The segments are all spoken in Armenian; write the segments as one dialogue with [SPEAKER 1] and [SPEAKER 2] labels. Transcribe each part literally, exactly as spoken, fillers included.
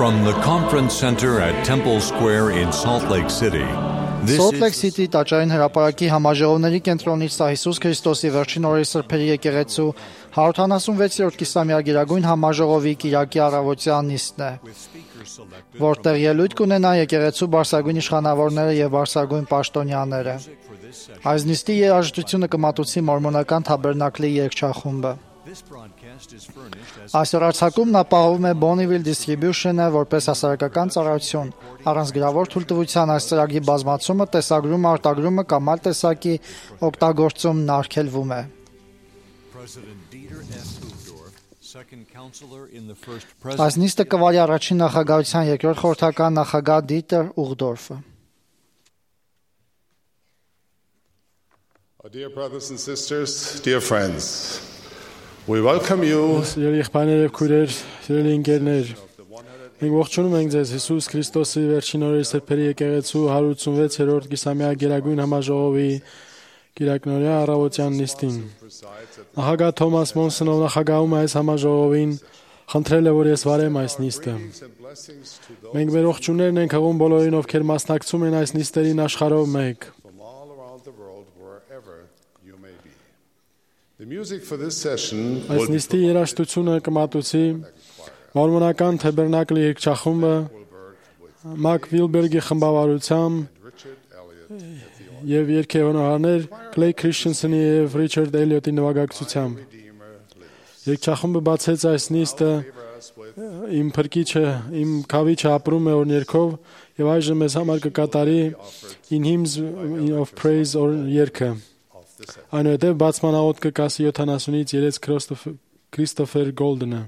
[SPEAKER 1] From the conference center at Temple Square in Salt Lake City, this
[SPEAKER 2] Salt Lake
[SPEAKER 1] is
[SPEAKER 2] City տաճարին հրապարակի համաժողովների կենտրոնից սա Հիսուս Քրիստոսի վերջին օրերի սրբերի եկեղեցու հարյուր հանասունվեցերորդ կիսամյակիրագույն համաժողովի կիրակի առավոտյան նիստն է, որտեղ ելույթ կունենան եկեղեցու բարձրագույն իշխանավորները եւ բարձրագույն պաշտոնյաները։ Այս նիստի երաժշտությունը կմատուցի մորմոնական թաբերնակլի երգչախումբը։ Այսօր արձակումն ապահովում է Bonneville Distribution-ը որպես հասարակական ծառայություն, առանց գրավոր թույլտվության այս ծրագրի բազմացումը, տեսագրումը, արտագրումը կամ այլ տեսակի օգտագործումն արգելվում է։ Այս նիստը կվարի առաջին նախագահության երկրորդ խորհրդական նախագահ Դիտեր Ուղդորֆը։
[SPEAKER 3] Dear brothers and sisters, dear friends, we welcome you.
[SPEAKER 4] Սիրելի եղբայրներ եւ քույրեր, սիրելի ընկերներ, մենք ողջունում ենք ձեզ Հիսուս Քրիստոսի վերջին օրերի սրբերի եկեղեցու հարյուր ութսունվեցերորդ կիսամյա գերագույն համաժողովի կիրակնօրյա առավոտյան նիստին։ Նախագահ Թոմաս Մոնսոնով նախագահում այս համաժողովին խնդրել է, որ ես վարեմ այս նիստը։ Մենք մեր ողջուններն ենք հղում բոլորին, ովքեր մասնակցում են այս նիստերին աշխարհով մեկ։ Այս նիստի երաժշտությունը կմատուցի մորմոնական թաբերնակլի երգչախումբը Մակ Վիլբերգի խմբավարությամբ եւ երգեհոնորներ Clay Christensen-ի եւ Richard Elliot-ի նվագակցությամբ։ Երգչախումբը բացեց այս նիստը իմ փրկիչը, իմ քավիչը ապրում է օրներքով եւ այժմ մեզ համար կկատարի In Hymns of Praise or երգը։ Այնուհետև բացման աղոթ կկասի յոթանասունից երեք Քրիստոֆեր Գոլդենը։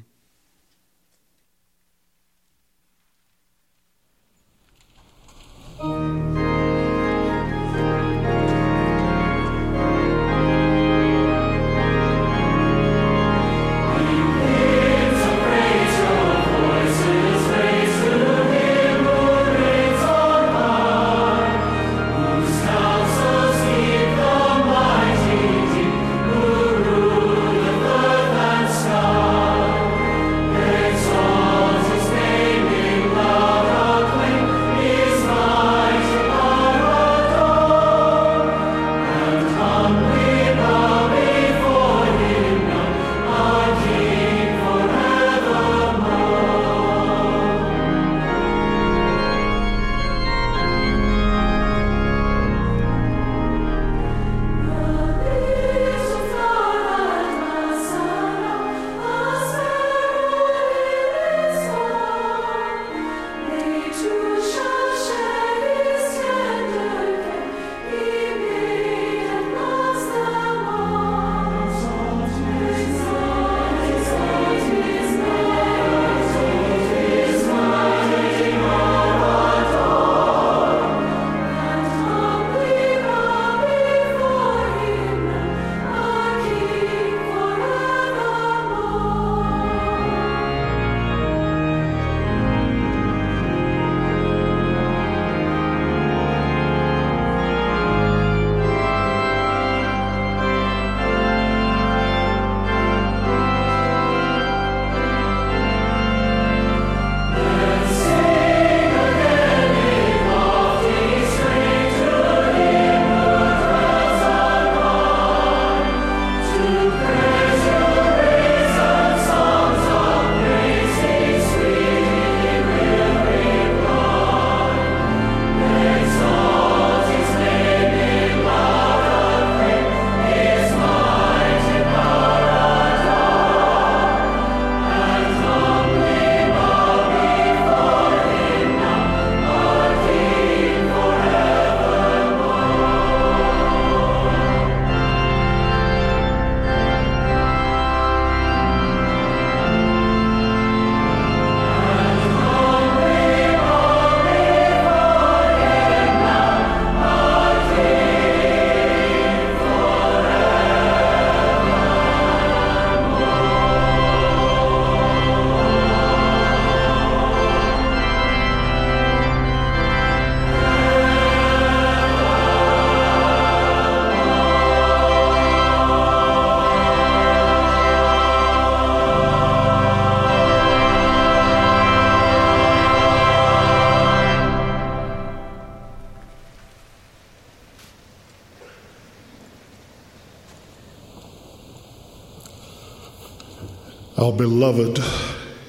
[SPEAKER 3] Our beloved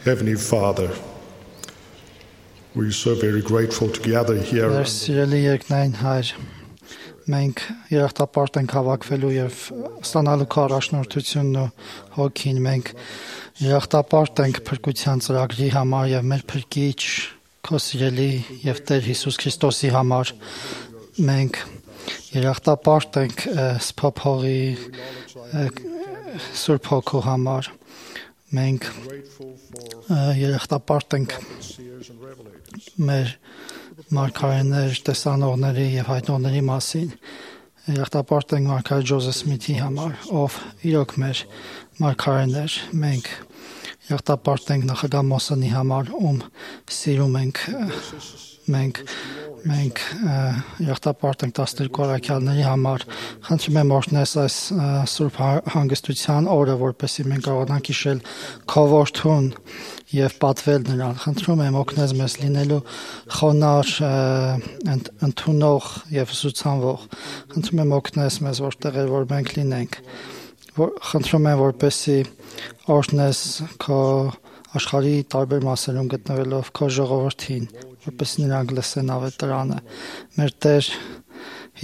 [SPEAKER 3] Heavenly Father, we're so very grateful to gather here.
[SPEAKER 2] Մեր սիրելի երկնային Հայր, մենք երախտապարտ ենք հավաքվելու եւ ստանալու քո առաջնորդությունն ու հոգին, մենք երախտապարտ ենք փրկության ծրագրի համար եւ մեր փրկիչ քո սիրելի եւ Տեր Հիսուս Քրիստոսի համար, մենք երախտապարտ ենք սփոփողի Սուրբ Հոգու համար, մենք երախտապարտ ենք մեր մարգարեներ, տեսանողների եւ հայտնողների մասին, երախտապարտ ենք մարգարե Ջոզեֆ Սմիթի համար, ով իրոք մեր մարգարեն էր, մենք երախտապարտ ենք նախագահ Մոսոնի համար, ում սիրում ենք, մենք մենք երախտապարտ ենք տասներկու առաքյալների համար, խնդրում եմ օրհնես այս սուրբ հանգստության օրը, որպեսզի մենք կարողանանք հիշել քո որդուն եւ պատվել նրան, խնդրում եմ օգնես մեզ լինելու խոնար, ընդունող եւ ուսուցանվող, խնդրում եմ օգնես մեզ որտեղ որ մենք լինենք, խնդրում եմ որպեսզի օրհնես քո աշխարհի տարբեր մասերում գտնվելով քո ժողովրդին, որպեսզի նրանք լսեն ավետարանը, մեր Տեր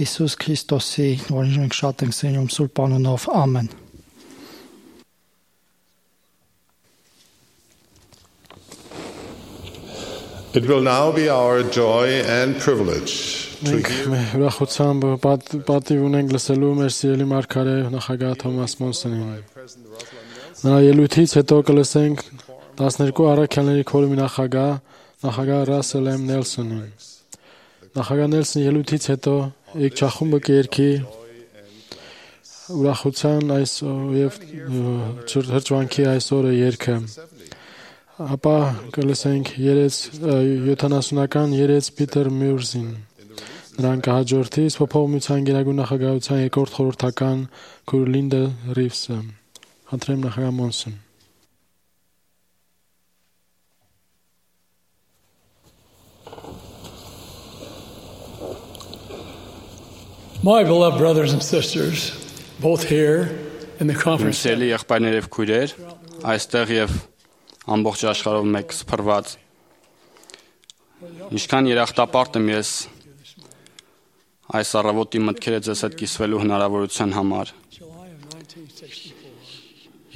[SPEAKER 2] Հիսուս Քրիստոսի, որին մենք շատ ենք սիրում, սուրբ անունով, ամեն։
[SPEAKER 3] It will now be our joy and privilege to
[SPEAKER 4] Մենք ուրախությամբ պատիվ ունենք լսելու մեր սիրելի մարգարե նախագահ Թոմաս Մոնսոնին։ Նրա ելույթից հետո կլսենք տասներկու առաքյալների քորումի նախագահ նախագահ Ռասել Էմ Նելսոնին։ Նախագահ Նելսոնի ելույթից հետո եկչախումբը կերքի ուրախության այս եւ հրճվանքի այս օրը երգը։ Ապա կլսենք յոթանասունական երեց Պիտեր Մյուրզին։ Նրան կհաջորդի Սփոփողության գերագույն նախագահության երկրորդ խորհրդական քույր Լինդա Ռիվսը։ Խնդրեմ նախագահ Մոնսոն։
[SPEAKER 5] My beloved brothers and sisters, both here in the conference
[SPEAKER 6] Սիրելի եղբայրներ եւ քույրեր, այստեղ եւ ամբողջ աշխարհով մեկ սփռված։ Ինչքան երախտապարտ եմ ես այս առավոտի մտքերը ձեզ հետ կիսվելու հնարավորության համար։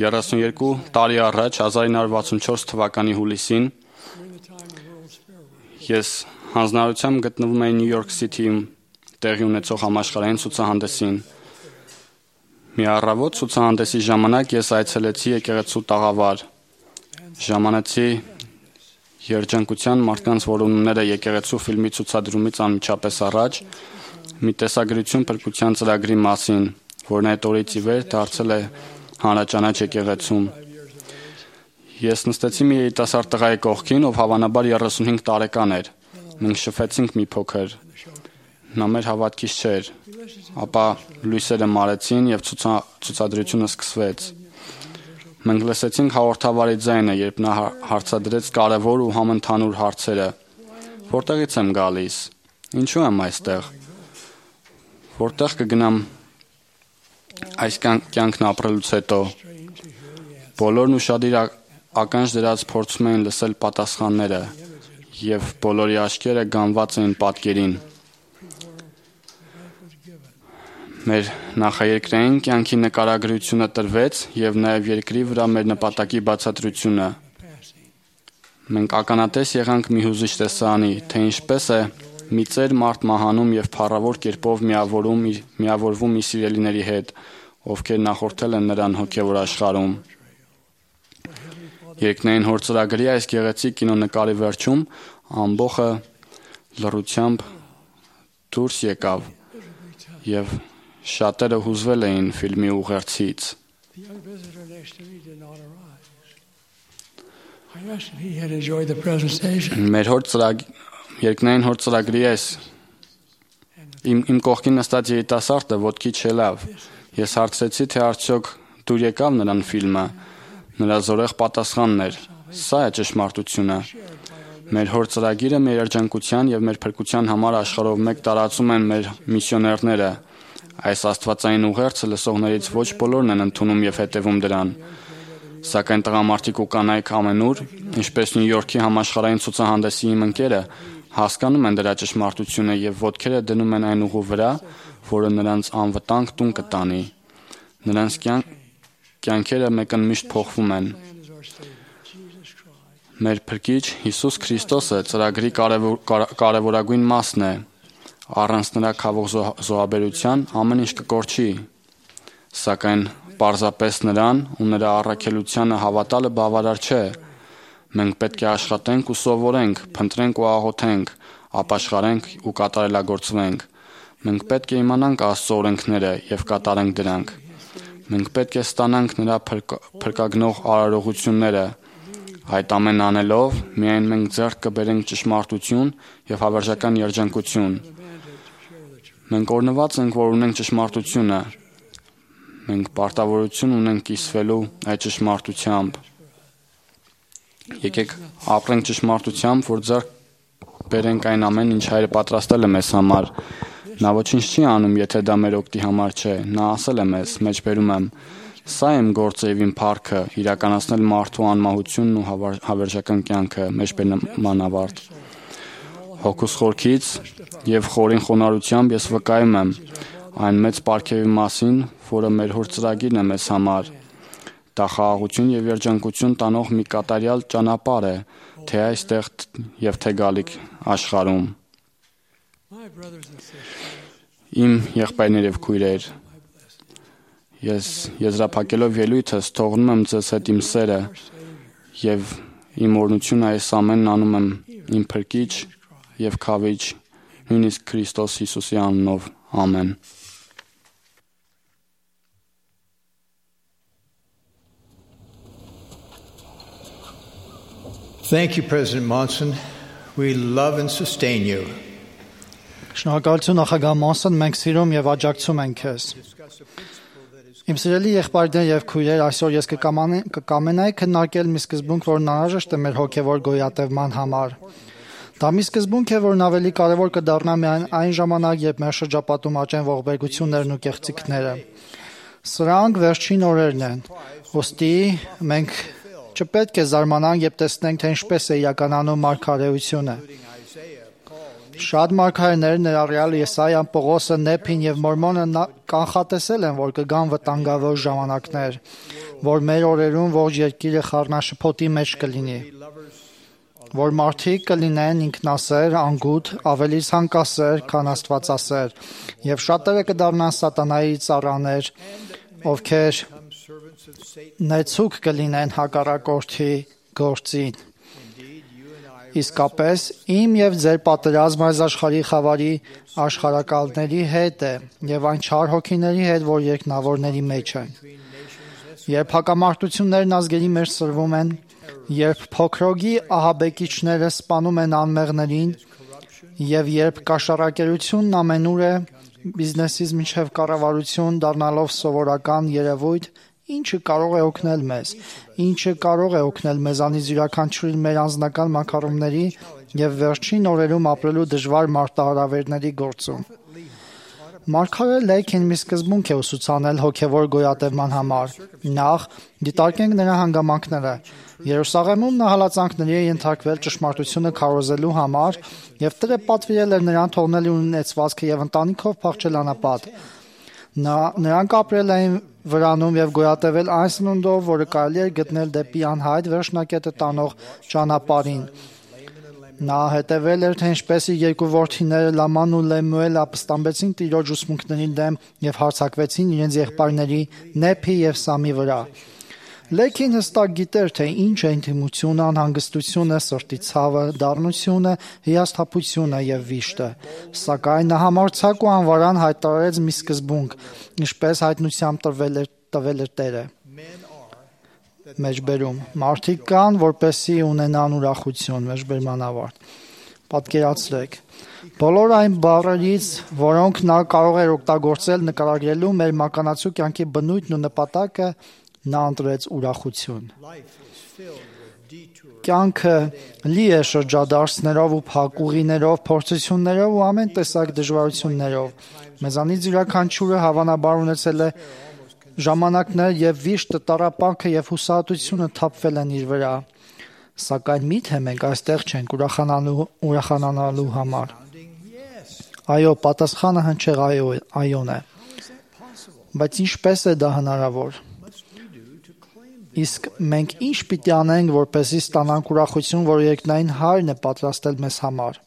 [SPEAKER 6] երեսունյոթ տարի առաջ հազար ինը հարյուր վաթսունչորս թվականի հուլիսին ես հանձնարարությամբ գտնվում էի Նյու Յորք Սիթիում տեղի ունեցող համաշխարհային ցուցահանդեսին։ Մի առավոտ ցուցահանդեսի ժամանակ ես այցելեցի եկեղեցու տաղավար։ Ժամանեցի երջանկության մարդկանց որոնումները եկեղեցու ֆիլմի ցուցադրումից անմիջապես առաջ մի տեսագրություն փրկության ծրագրի մասին, որն այդ օրից ի վեր դարձել է հանրաճանաչ եկեղեցում։ Ես նստեցի մի երիտասարդ տղայի կողքին, ով հավանաբար երեսունհինգ տարեկան էր։ Մենք շփվեցինք մի փոքր։ Նա մեր հավատքից չէր, ապա լույսերը մարեցին եւ ցուցադրությունը սկսվեց։ Մենք լսեցինք հաղորդավարի ձայնը, երբ նա հարցադրեց կարևոր ու համընդհանուր հարցերը. Որտեղից եմ գալիս, ինչու եմ այստեղ, որտեղ կգնամ այս կյանքն ապրելուց հետո։ Բոլորն ուշադիր ականջ դրած փորձում էին լսել պատասխանները, եւ բոլորի աչքերը գանված էին պատկերին։ Մեր նախաերկրային կյանքի նկարագրությունը տրվեց եւ նաեւ երկրի վրա մեր նպատակի բացատրությունը։ Մենք ականատես եղանք մի հուզիչ տեսարանի, թե ինչպես է մի ծեր մարդ մահանում եւ փառավոր կերպով միավորում միավորվում իր սիրելիների հետ, ովքեր նախորդել են նրան հոգեվոր աշխարհում։ Երկնային հոր ծրագրի այս գեղեցիկ կինոնկարի վերջում ամբողը լռությամբ դուրս եկավ եւ շատերը հուզվել էին ֆիլմի ուղերձից։ Մեր հոր ծրագ երկնային հոր ծրագրի այս իմ իմ կողքին նստած երիտասարդը ոտքի չելավ։ Ես հարցրեցի, թե արդյոք դուր եկավ նրան ֆիլմը։ Նրա զորեղ պատասխանն էր. Սա է ճշմարտությունը։ Մեր հոր ծրագիրը մեր երջանկության եւ մեր փրկության համար աշխարհով մեկ տարածում են մեր միսիոներները։ Այս աստվածային ուղերձը լսողներից ոչ բոլորն են ընդունում եւ հետևում դրան։ Սակայն տղամարդիկ ու կանայք ամենուր, ինչպես Նյու Յորքի համաշխարհային ցուցահանդեսի իմ ընկերը, հասկանում են դրա ճշմարտությունը եւ ոտքերը դնում են այն ուղու վրա, որը նրանց անվտանգ տուն կտանի։ Նրանց կյանքերը մեկընդմիշտ փոխվում են։ Մեր Փրկիչ Հիսուս Քրիստոսը ծրագրի կարևորագույն մասն է։ Առանց նրա քավող զոհաբերության ամեն ինչ կկորչի։ Սակայն պարզապես նրան ու նրա առաքելությանը հավատալը բավարար չէ։ Մենք պետք է աշխատենք ու սովորենք, փնտրենք ու աղոթենք, ապաշխարենք ու կատարելագործվենք։ Մենք պետք է իմանանք Աստծո օրենքները եւ կատարենք դրանք։ Մենք պետք է ստանանք նրա փրկագնող արարողությունները։ Այդ ամեն անելով միայն մենք ձեռք կբերենք ճշմարտություն եւ հավերժական երջանկություն։ Մենք օրհնված ենք, որ ունենք ճշմարտությունը։ Մենք պարտավորություն ունենք կիսվելու այդ ճշմարտությամբ։ Եկեք ապրենք ճշմարտությամբ, որ ձեռք բերենք այն ամեն, ինչ Հայրը պատրաստել է մեզ համար։ Նա ոչինչ չի անում, եթե դա մեր օգտի համար չէ։ Նա ասել է մեզ, մեջբերում եմ. «Սա իմ գործը եւ իմ փառքը, իրականացնել մարդու անմահությունն ու հավերժական կյանքը», մեջբերման ավարտ։ Հոգուս խորքից եւ խորին խոնարհությամբ ես վկայում եմ այն մեծ պարգևի մասին, որը մեր Հոր ծրագիրն է մեզ համար։ Դա խաղաղություն եւ երջանկություն տանող մի կատարյալ ճանապարհ է, թե այստեղ եւ թե գալիք աշխարհում։ Իմ եղբայրներ եւ քույրեր, ես եզրափակելով ելույթս թողնում եմ ձեզ հետ իմ սերը եւ իմ օրհնությունը այս ամենն անում եմ իմ Փրկիչ եւ Քավիչ նույնիսկ Քրիստոս Հիսուսի անունով։ Ամեն։
[SPEAKER 7] Thank you, President Monson. We love and sustain you.
[SPEAKER 2] Շնորհակալություն նախագահ Մոնսոն, մենք սիրում եւ աջակցում ենք քեզ։ Իմ սիրելի եղբայրներ եւ քույրեր, այսօր ես կկամենայի քննարկել մի սկզբունք, որն անհրաժեշտ է մեր հոգեվոր գոյատևման համար։ Դա մի սկզբունք է, որն ավելի կարևոր կդառնա միայն այն ժամանակ, երբ մեր շրջապատում աճեն ողբերգություններն ու կեղծիքները։ Սրանք վերջին օրերն են։ Ոստի մենք չպետք է զարմանանք, երբ տեսնենք, թե ինչպես է իրականանում մարգարեությունը։ Շատ մարգարեներ, ներառյալ Եսայան, Պողոսը, Նեփին եւ Մորմոնը կանխատեսել են, որ կգան վտանգավոր ժամանակներ, որ մեր օրերում ողջ երկիրը խառնաշփոթի մեջ կլինի, որ մարդիկ կլինեն ինքնասեր, անգութ, ավելի ցանկասեր, քան աստվածասեր, եւ շատերը կդառնան սատանայի ծառաներ, ովքեր նեցուկ կլինեն հակառակորդի գործին։ Իսկապես, իմ եւ ձեր պատերազմը այս աշխարհի խավարի աշխարհակալների հետ է եւ այն չար հոգիների հետ, որ երկնավորների մեջ են։ Երբ հակամարտություններն ազգերի մեջ սրվում են, երբ փոքրոգի ահաբեկիչները սպանում են անմեղներին եւ երբ կաշառակերությունն ամենուր է, բիզնեսից մինչեւ կառավարություն դառնալով սովորական երևույթ, ինչը կարող է օգնել մեզ, ինչը կարող է օգնել մեզանից յուրաքանչյուրին մեր անձնական մակարոնների եւ վերջին օրերում ապրելու դժվար մարտահրավերների գործում։ Մարգարե Լեյքին մի սկզբունք է ուսուցանել հոգեվոր գոյատևման համար։ Նախ դիտարկենք նրա հանգամանքները։ Երուսաղեմում նա հալածանքների է ենթարկվել ճշմարտությունը քարոզելու համար եւ Տերը պատվիրել էր նրան թողնել ունեցվածքը եւ ընտանիքով փախչել անապատ։ Նա նրանք ապրել էին վրանում եւ գոյատևել այն սնունդով, որը կարելի է գտնել դեպի անհայտ վերջնակետը տանող ճանապարհին։ Նա հետևել էր, թե ինչպես իր երկու որդիները Լաման ու Լեմուելը ապստամբեցին Տիրոջ ուսմունքների դեմ եւ հարձակվեցին իրենց եղբայրների Նեփի եւ Սամի վրա։ Լեքին հստակ գիտեր, թե ինչ է ինտիմությունը, անհանգստությունը, սրտի ցավը, դառնությունը, հիասթափությունը եւ վիշտը։ Սակայն նա համարձակ ու անվարան հայտարարեց մի սկզբունք, ինչպես հայտնությամբ տրվել էր տվել էր Տերը։ Մեջբերում. մարդիկ կան, որպեսզի ունենան ուրախություն, մեջբերման ավարտ։ Պատկերացրեք, բոլոր այն բառերից, որոնք նա կարող էր օգտագործել նկարագրելու մեր մականացու կյանքի բնույթն ու նպատակը, նա ընտրեց ուրախություն։ Կյանքը լի է շրջադարձներով ու փակուղիներով, փորձություններով ու ամեն տեսակ դժվարություններով։ Մեզանից յուրաքանչյուրը հավանաբար ունեցել է ժամանակներ եւ վիշտ տարապանքը եւ հուսահատությունը թափվել են իր վրա։ Սակայն միթե մենք այստեղ չենք ուրախանալու ուրախանալու համար։ Այո, պատասխանը հնչեղ այո, այոն է։ Բայց ինչպես է դա հնարավոր։ Իսկ մենք ինչ պիտի անենք, որպեսզի ստանանք ուրախություն, որ երկնային Հայրն է պատրաստել մեզ համար։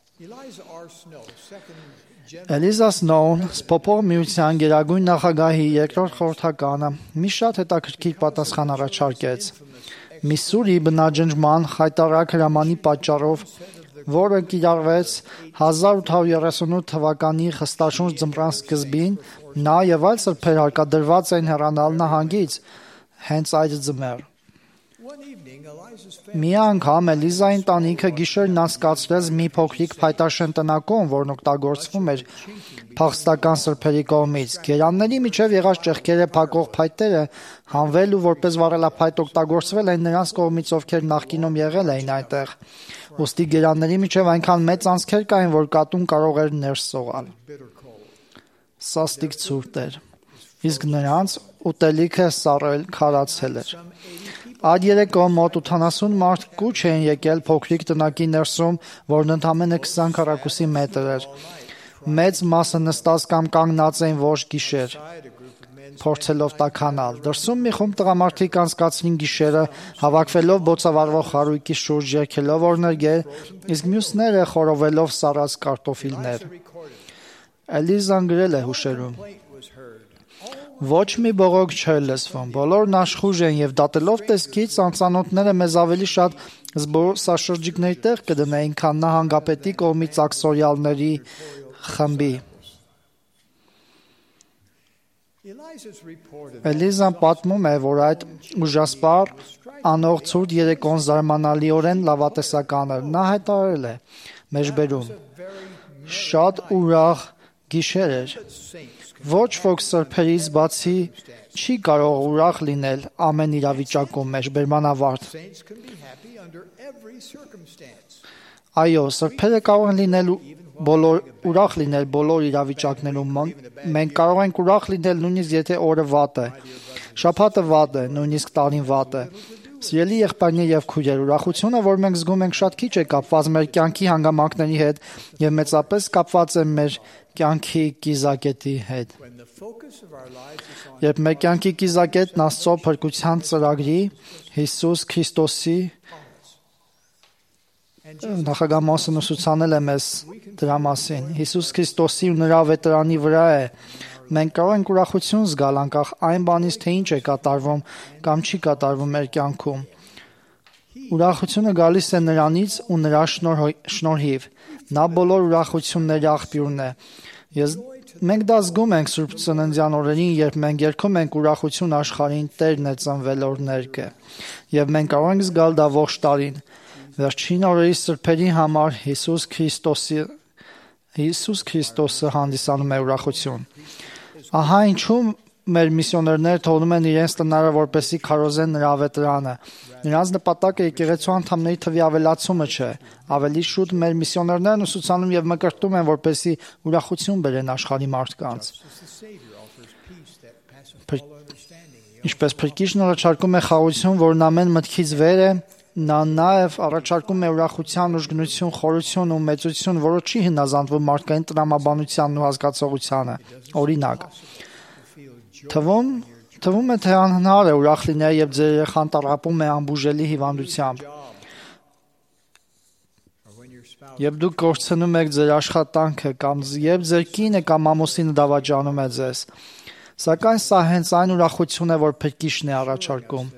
[SPEAKER 2] Էլիզա Սնոուն, Սփոփող միության գերագույն նախագահի երկրորդ խորհրդականը, մի շատ հետաքրքիր պատասխան առաջարկեց։ Միսսուրի բնաջնջման խայտառակ հրամանի պատճառով, որը կիրառվեց հազար ութ հարյուր երեսունութ թվականի խստաշունչ ձմռան սկզբին, նա եւ այլ սրբեր հարկադրված էին հեռանալ նահանգից հենց այդ ձմեռ։ Մի անգամ Էլիզայի ընտանիքը գիշերն անցկացրեց մի փոքրիկ փայտաշեն տնակում, որն օգտագործվում էր փախստական սրբերի կողմից։ Գերանների միջև եղած ճեղքերը փակող փայտերը հանվել ու որպես վառելափայտ օգտագործվել են նրանց կողմից, ովքեր նախկինում եղել էին այնտեղ։ Ուստի գերանների միջև այնքան մեծ անցքեր կային, որ կատուն կարող էր ներս սողալ։ Սաստիկ ցուրտ էր, իսկ նրանց ուտելիքը սառել քարացել էր։ Այդ երեկո մոտ ութանասուն մարդ կուչ էին եկել փոքրիկ տնակի ներսում, որն ընդամենը քսան քառակուսի մետր էր։ Մեծ մասը նստած կամ կանգնած էին ոչ գիշեր, փորձելով տաքանալ։ Դրսում մի խումբ տղամարդիկ անցկացրին գիշերը, հավաքվելով բոցավառվող խարույկի շուրջ, երգելով օրներգեր, իսկ մյուսները խորովելով սառած կարտոֆիլներ։ Էլիզան գրել է հուշերում. Ոչ մի բողոք չէր լսվում, բոլորն աշխուժ են եւ դատելով տեսքից անծանոթները մեզ ավելի շատ զբոսաշրջիկների տեղ կդնեին, քան նահանգապետի կողմից աքսորիալների խմբի։ Էլիզան պատմում է, որ այդ ուժասպառ անող ցուրտ երեկոն զարմանալիորեն լավատեսական էր։ Նա հայտարարել է. մեջբերում շատ ուրախ գիշեր էր։ Ոչ ոք սրբերից բացի չի կարող ուրախ լինել ամեն իրավիճակում մեջբերման ավարտ։ Այո, սրբերը կարող են լինել բոլոր ուրախ լինել բոլոր իրավիճակներում։ Մենք կարող ենք ուրախ լինել նույնիսկ եթե օրը վատ է, շաբաթը վատ է, նույնիսկ տարին վատ է։ Սիրելի եղբայրներ եւ քույրեր, ուրախությունը, որ մենք զգում ենք, շատ քիչ է կապված մեր կյանքի հանգամանքների հետ եւ մեծապես կապված է մեր կյանքի կիզակետի հետ։ Երբ մեր կյանքի կիզակետն Աստծո փրկության ծրագրի Հիսուս Քրիստոսի նախագահ Մոսեն ուսուցանել է մեզ դրա մասին։ Հիսուս Քրիստոսի ու նրա ավետարանի վրա է։ Մենք կարող ենք ուրախություն զգալ անկախ այն բանից, թե ինչ է կատարվում կամ չի կատարվում մեր կյանքում։ Ուրախությունը գալիս է նրանից ու նրա շնորհիվ։ Նա բոլոր ուրախությունների աղբյուրն է։ Ես մենք դա զգում ենք Սուրբ Ծննդյան օրերին, երբ մենք երգում ենք ուրախություն աշխարհին, Տերն է ծնվել օրներգը, եւ մենք կարող ենք զգալ դա ողջ տարին։ Վերջին օրերի սրբերի համար Հիսուս Քրիստոսի Հիսուս Քրիստոսը հանդիսանում է ուրախություն։ Ահա ինչու մեր միսիոներները թողնում են իրենց տնարը, որպեսզի քարոզեն նրա ավետարանը։ Նրանց նպատակը եկեղեցու անդամների թվի ավելացումը չէ։ Ավելի շուտ մեր միսիոներներն ուսուցանում եւ մկրտում են, որպեսզի ուրախություն բերեն աշխարհի մարդկանց։ Ինչպես Փրկիչն առաջարկում է խաղաղություն, որն ամեն մտքից վեր է, նա նաև առաջարկում է ուրախության, ուժգնություն, խորություն ու մեծություն, որը չի հնազանդվում մարդկային տրամաբանությանն ու հասկացողությանը։ Օրինակ, թվում թվում է թե անհնար է ուրախ լինել, երբ ձեր երեխան տառապում է անբուժելի հիվանդությամբ։ Երբ դուք կորցնում եք ձեր աշխատանքը կամ երբ ձեր կինը կամ ամուսինը դավաճանում է ձեզ։ Սակայն սա հենց այն ուրախությունն է, որ Փրկիչն է առաջարկում։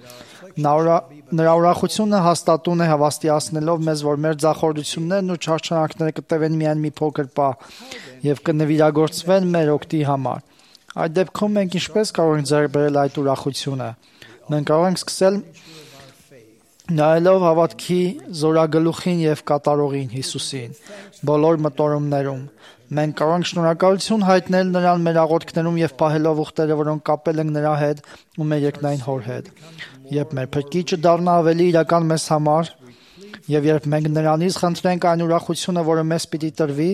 [SPEAKER 2] Նրա ուրախությունը հաստատուն է հավաստիացնելով մեզ, որ մեր ձախորդություններն ու չարչարանքները կտևեն միայն մի փոքր պահ եւ կնվիրագործվեն մեր օգտի համար։ Այդ դեպքում մենք ինչպես կարող ենք ձեռք բերել այդ ուրախությունը։ Մենք կարող ենք սկսել նայելով հավատքի զորագլուխին եւ կատարողին Հիսուսին բոլոր մտորումներում։ Մենք կարող ենք շնորհակալություն հայտնել նրան մեր աղոթքներում եւ պահելով ուխտերը, որոնք կապել ենք նրա հետ ու մեր երկնային Հոր հետ։ Երբ մեր Փրկիչը դառնա ավելի իրական մեզ համար եւ երբ մենք նրանից խնդրենք այն ուրախությունը, որը մեզ պիտի տրվի,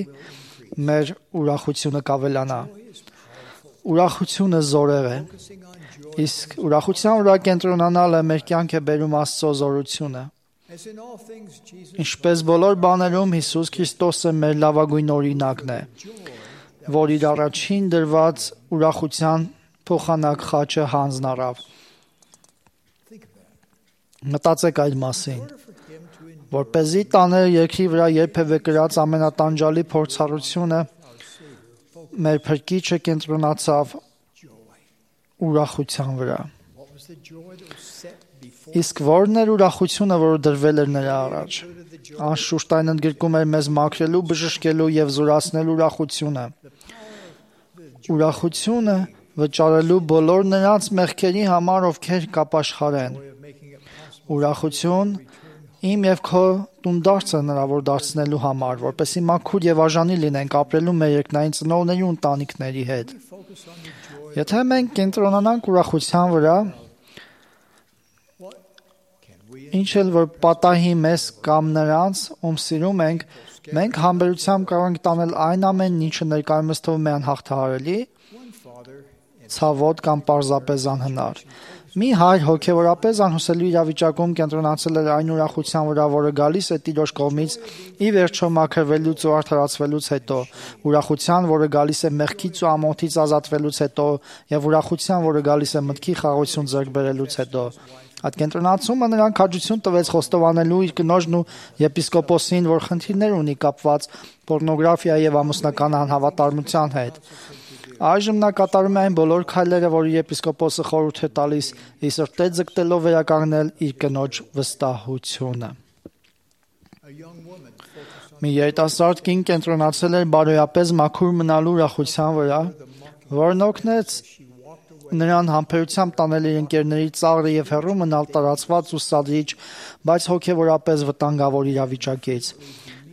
[SPEAKER 2] մեր ուրախությունը կավելանա։ ուրախությունը զորեղ է, իսկ ուրախության վրա կենտրոնանալը մեր կյանք է բերում Աստծո զորությունը։ Ինչպես բոլոր բաներում Հիսուս Քրիստոսը մեր լավագույն օրինակն է, որ իր առաջին դրված ուրախության փոխանակ խաչը հանձն առավ։ Մտածեք այդ մասին, որպեսզի տաներ երկրի վրա երբևէ կրած ամենատանջալի փորձառությունը, մեր Փրկիչը կենտրոնացավ ուրախության վրա։ Իսկ ո՞րն էր ուրախությունը, որը դրվել էր նրա առաջ։ Անշուշտ այն ընդգրկում էր մեզ մաքրելու, բժշկելու եւ զորացնելու ուրախությունը։ Ուրախությունը վճարելու բոլոր նրանց մեղքերի համար, ովքեր կապաշխարեն։ Ուրախություն իմ եւ քո տունդարձը հնարավոր դարձնելու համար, որպեսզի մաքուր եւ արժանի լինենք ապրելու մեր երկնային ծնողների ու ընտանիքների հետ։ Եթե մենք կենտրոնանանք ուրախության վրա, ինչ էլ որ պատահի մեզ կամ նրանց, ում սիրում ենք, մենք համբերությամբ կարող ենք տանել այն ամենն, ինչը ներկայումս թվում է անհաղթահարելի, ցավոտ կամ պարզապես անհնար։ Մի հայր հոգևորապես անհուսալի իրավիճակում կենտրոնացել էր այն ուրախության վրա, որը գալիս է Տիրոջ կողմից ի վերջո մաքրվելուց ու արդարացվելուց հետո, ուրախության, որը գալիս է մեղքից ու ամոթից ազատվելուց հետո, եւ ուրախության, որը գալիս է մտքի խաղաղություն ձեռք բերելուց հետո։ Այդ կենտրոնացումը նրան քաջություն տվեց խոստովանելու իր կնոջն ու եպիսկոպոսին, որ խնդիրներ ունի կապված պոռնոգրաֆիայի եւ ամուսնական անհավատարմության հետ։ Այժմ նա կատարում է այն բոլոր քայլերը, որ եպիսկոպոսը խորհուրդ է տալիս, ի սրտե ձգտելով վերականգնել իր կնոջ վստահությունը։ Մի երիտասարդ կին կենտրոնացել էր բարոյապես մաքուր մնալու ուրախության վրա, որն օգնեց նրան համբերությամբ տանել իր ընկերների ծաղրը եւ հեռու մնալ տարածված ու սադրիչ, բայց հոգեվորապես վտանգավոր իրավիճակից։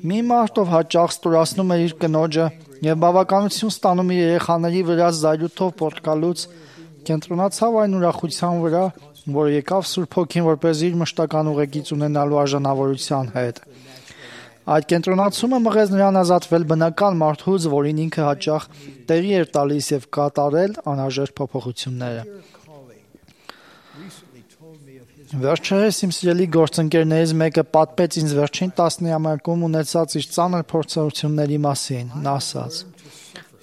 [SPEAKER 2] Մի մարդ, ով հաճախ ստորացնում էր իր կնոջը եւ բավականություն ստանում իր երեխաների վրա զայրույթով պոռթկալուց, կենտրոնացավ այն ուրախության վրա, որը եկավ Սուրբ Հոգին, որպես իր մշտական ուղեկից ունենալու արժանավորության հետ։ Այդ կենտրոնացումը մղեց նրան ազատվել բնական մարդուց, որին ինքը հաճախ տեղի էր տալիս եւ կատարել անհրաժեշտ փոփոխությունները։ Վերջերս իմ սիրելի գործընկերներից մեկը պատմեց ինձ վերջին տասնամյակում ունեցած իր ծանր փորձառությունների մասին։ Նա ասաց.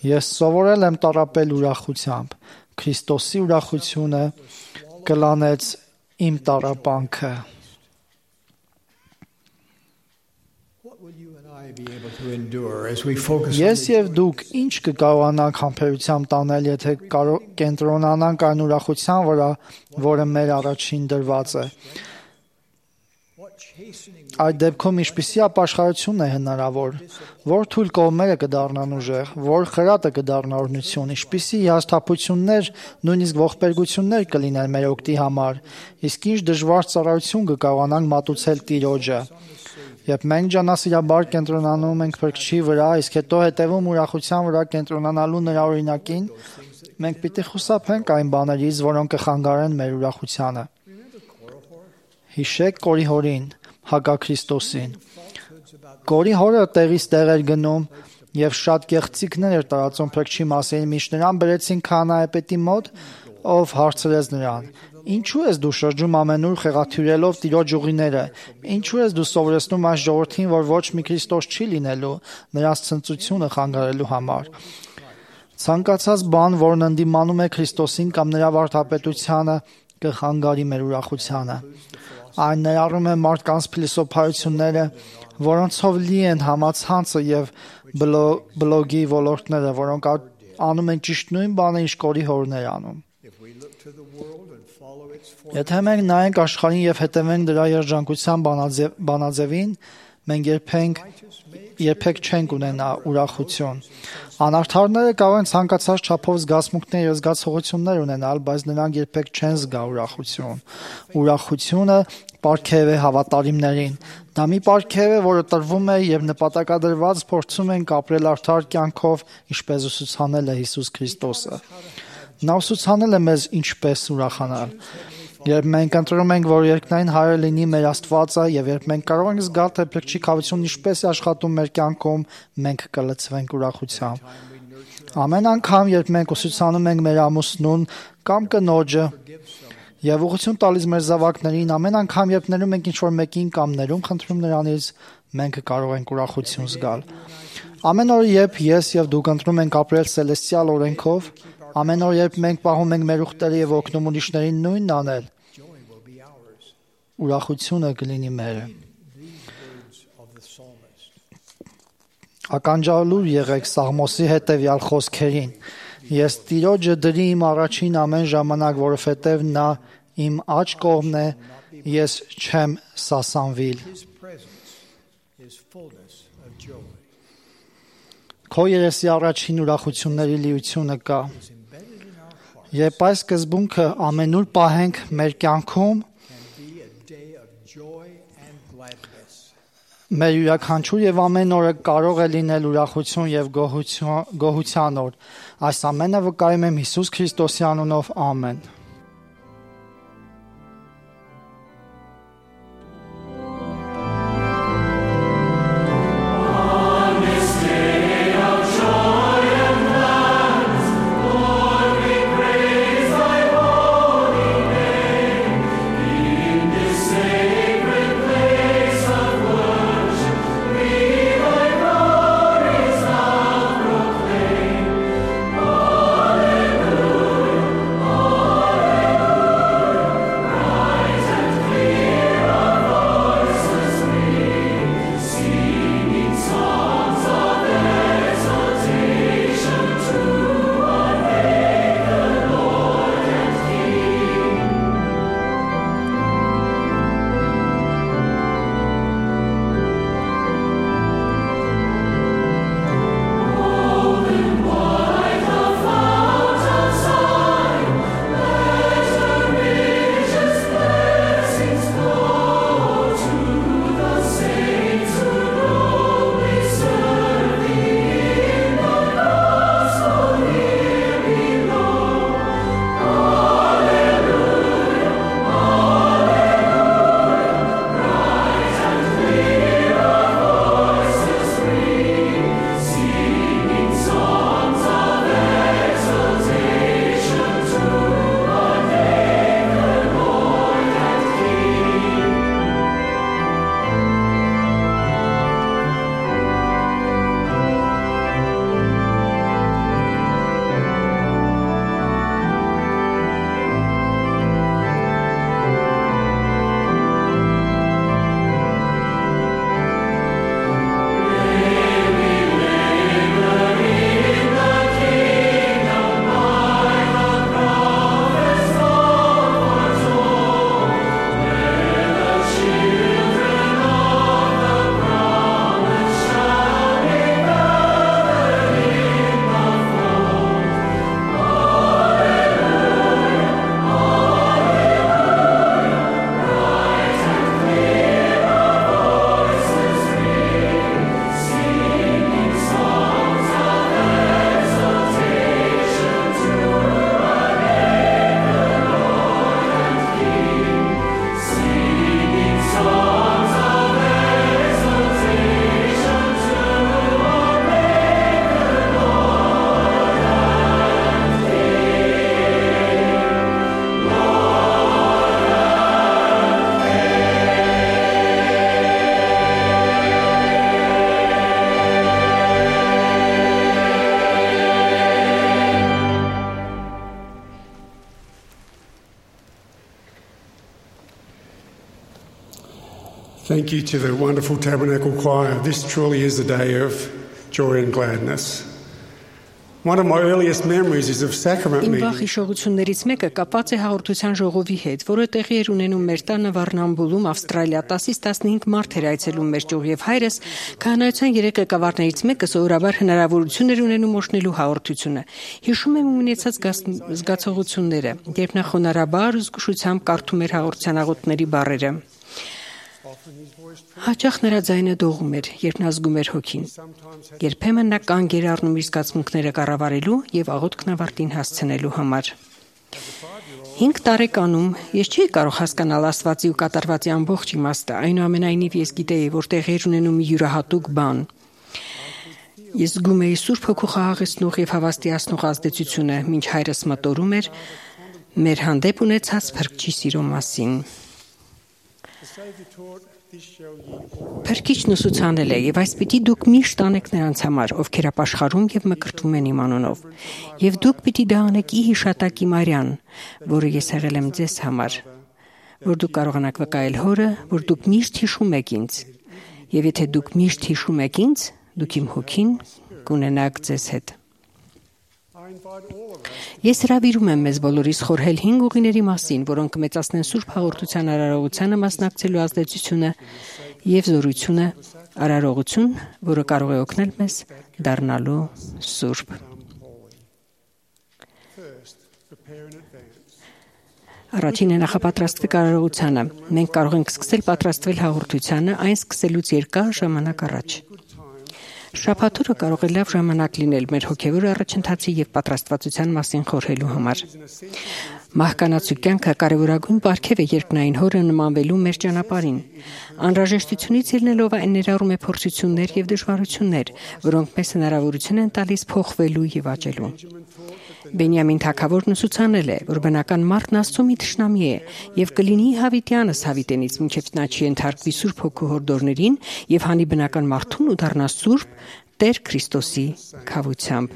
[SPEAKER 2] «Ես սովորել եմ տառապել ուրախությամբ։ Քրիստոսի ուրախությունը կլանեց իմ տառապանքը»։ Ես եւ դուք ինչ կկարողանանք համբերությամբ տանել, եթե կենտրոնանանք այն ուրախության վրա, որը մեր առաջին դրված է։ Այդ դեպքում ինչպիսի ապաշխարություն է հնարավոր, որ թույլ կողմերը կդառնան ուժեղ, որ խրատը կդառնա օրհնություն, ինչպիսի հիասթափություններ, նույնիսկ ողբերգություններ կլինեն մեր օգտի համար, իսկ ինչ դժվար ծառայություն կկարողանանք մատուցել Տիրոջը։ Երբ մենք ջանասիրաբար կենտրոնանում ենք Փրկչի վրա, իսկ հետո հետևում ուրախության վրա կենտրոնանալու նրա օրինակին, մենք պիտի խուսափենք այն բաներից, որոնք կխանգարեն մեր ուրախությանը։ Հիշեք Կորի հորին, Հակաքրիստոսին։ Կորի հորը տեղից տեղ էր գնում եւ շատ գեղեցիկներ էր տարածում Փրկչի մասին, միշտ նրան բերեցին քահանայապետի մոտ, ով հարցրեց նրան. «Ինչու ես դու շրջում ամենուր խեղաթյուրելով Տիրոջ ուղիները, ինչու ես դու սովորեցնում այս ժողովրդին, որ ոչ մի Քրիստոս չի լինելու, նրանց ցնծությունը խանգարելու համար»։ Ցանկացած բան, որն ընդդիմանում է Քրիստոսին կամ նրա վարդապետությանը, կխանգարի մեր ուրախությանը։ Այն ներառում է մարդկանց փիլիսոփայությունները, որոնցով լի են համացանցը եւ բլոգի ոլորտները, որոնք անում են ճիշտ նույն բանը, ինչ Կորի հորն էր անում։ Եթե մենք նայենք աշխարհին եւ հետևենք դրա երջանկության բանաձևին, մենք երբենք երբեք չենք ունենա ուրախություն։ Անարդարները կարող են ցանկացած չափով զգացմունքներ եւ զգացողություններ ունենալ, բայց նրանք երբեք չեն զգա ուրախություն։ Ուրախությունը պարգև է հավատարիմներին։ Դա մի պարգև է, որը տրվում է եւ նպատակադրված փորձում են ապրել արդար կյանքով, ինչպես ուսուցանել է Հիսուս Քրիստոսը։ Նա ուսուցանել է մեզ ինչպես ուրախանալ։ Երբ մենք ընտրում ենք, որ երկնային Հայրը լինի մեր Աստվածը, եւ երբ մենք կարող ենք զգալ, թե Փրկչի քավությունն ինչպես է աշխատում մեր կյանքում, մենք կլցվենք ուրախությամբ։ Ամեն անգամ, երբ մենք ուսուցանում ենք մեր ամուսնուն կամ կնոջը եւ ուղղություն տալիս մեր զավակներին, ամեն անգամ, երբ ներում ենք ինչ-որ մեկին կամ ներում խնդրում նրանից, մենք կարող ենք ուրախություն զգալ։ Ամեն օր, երբ ես եւ դուք ընտրում ենք ապրել սելեստիալ օրենքով, ամեն օր, երբ մենք պահում ենք մեր ուխտերը եւ օգնում ուրիշներին նույնն անել, ուրախությունը կլինի մերը։ Ականջալուր եղեք Սաղմոսի հետևյալ խոսքերին. Ես Տիրոջը դրի իմ առաջին ամեն ժամանակ, որովհետև նա իմ աջ կողմն է, ես չեմ սասանվիլ։ Քո երեսի առաջին ուրախությունների լիությունը կա։ Երբ այս սկզբունքը ամենուր պահենք մեր կյանքում, մեր յուրաքանչյուր եւ ամեն օրը կարող է լինել ուրախություն եւ գոհություն, գոհության օր։ Այս ամենը վկայում եմ Հիսուս Քրիստոսի անունով, ամեն։
[SPEAKER 8] Thank you to the wonderful Tabernacle Choir. This truly is a day of joy and gladness. One of my earliest memories is of sacrament
[SPEAKER 9] Իմ
[SPEAKER 8] meetings.
[SPEAKER 9] վախիշողություններից մեկը կապված է հաղորդության ժողովի հետ, որը տեղի էր ունենում մեր տանը Վառնամբուլում, Ավստրալիա, տասից տասնհինգ մարդ էր այցելում մեր ճյուղ եւ հայրս քահանայության երեք ղեկավարներից մեկը սովորաբար հնարավորություն էր ունենում օշնելու հաղորդությունը։ Հիշում եմ ունեցած զգացողությունները, երբ նա խոնարհաբար ու զգուշությամբ կարդում էր հաղորդության աղոթների բառերը։ Հաճախ նրա ձայնը դողում էր, երբ նա զգում էր հոգին։ Երբեմն նա կանգ էր առնում իր զգացմունքները կառավարելու եւ աղոթքն ավարտին հասցնելու համար։ Հինգ տարեկանում ես չէի կարող հասկանալ Աստվածի ու կատարվածի ամբողջ իմաստը, այնուամենայնիվ ես գիտեի, որ տեղի էր ունենում մի յուրահատուկ բան։ Ես զգում էի Սուրբ Հոգու խաղաղեցնող եւ հավաստիացնող ազդեցությունը, մինչ հայրս մտորում էր մեր հանդեպ ունեցած Փրկչի սիրո մասին։ Փրկիչն ուսուցանել է, եւ այս պիտի դուք միշտ անեք նրանց համար, ովքեր ապաշխարում եւ մկրտվում են իմ անունով։ Եվ դուք պիտի դա անեք ի հիշատակի Մարիան, որը ես եղել եմ ձեզ համար, որ դուք կարողանաք վկայել Հորը, որ դուք միշտ հիշում եք ինձ։ Եվ եթե դուք միշտ հիշում եք ինձ, դուք իմ հոգին կունենաք ձեզ հետ։ Ես հրավիրում եմ մեզ բոլորիս խորհել հինգ ուղիների մասին, որոնք կմեծացնեն Սուրբ Հաղորդության արարողությանը մասնակցելու ազդեցությունը եւ զորությունը, արարողություն, որը կարող է օգնել մեզ դառնալու սուրբ։ Առաջինը նախապատրաստվեք արարողությանը։ Մենք կարող ենք սկսել պատրաստվել հաղորդությանը այն սկսելուց երկար ժամանակ առաջ։ Շաբաթօրը կարող է լավ ժամանակ լինել մեր հոգևոր առաջընթացի եւ պատրաստվածության մասին խորհելու համար։ Մահկանացու կյանքը կարևորագույն պարգև է երկնային Հորը նմանվելու մեր ճանապարհին։ Անհրաժեշտությունից ելնելով այն ներառում է փորձություններ եւ դժվարություններ, որոնք մեզ հնարավորություն են տալիս փոխվելու եւ աճելու։ Բենյամին թագավորն ուսուցանել է, որ բնական մարդն Աստծո մի թշնամի է եւ կլինի հավիտյանս հավիտենից մինչեւ նա չի ենթարկվի Սուրբ Հոգու հորդորներին եւ հանի բնական մարդուն ու դառնա սուրբ Տեր Քրիստոսի քավությամբ։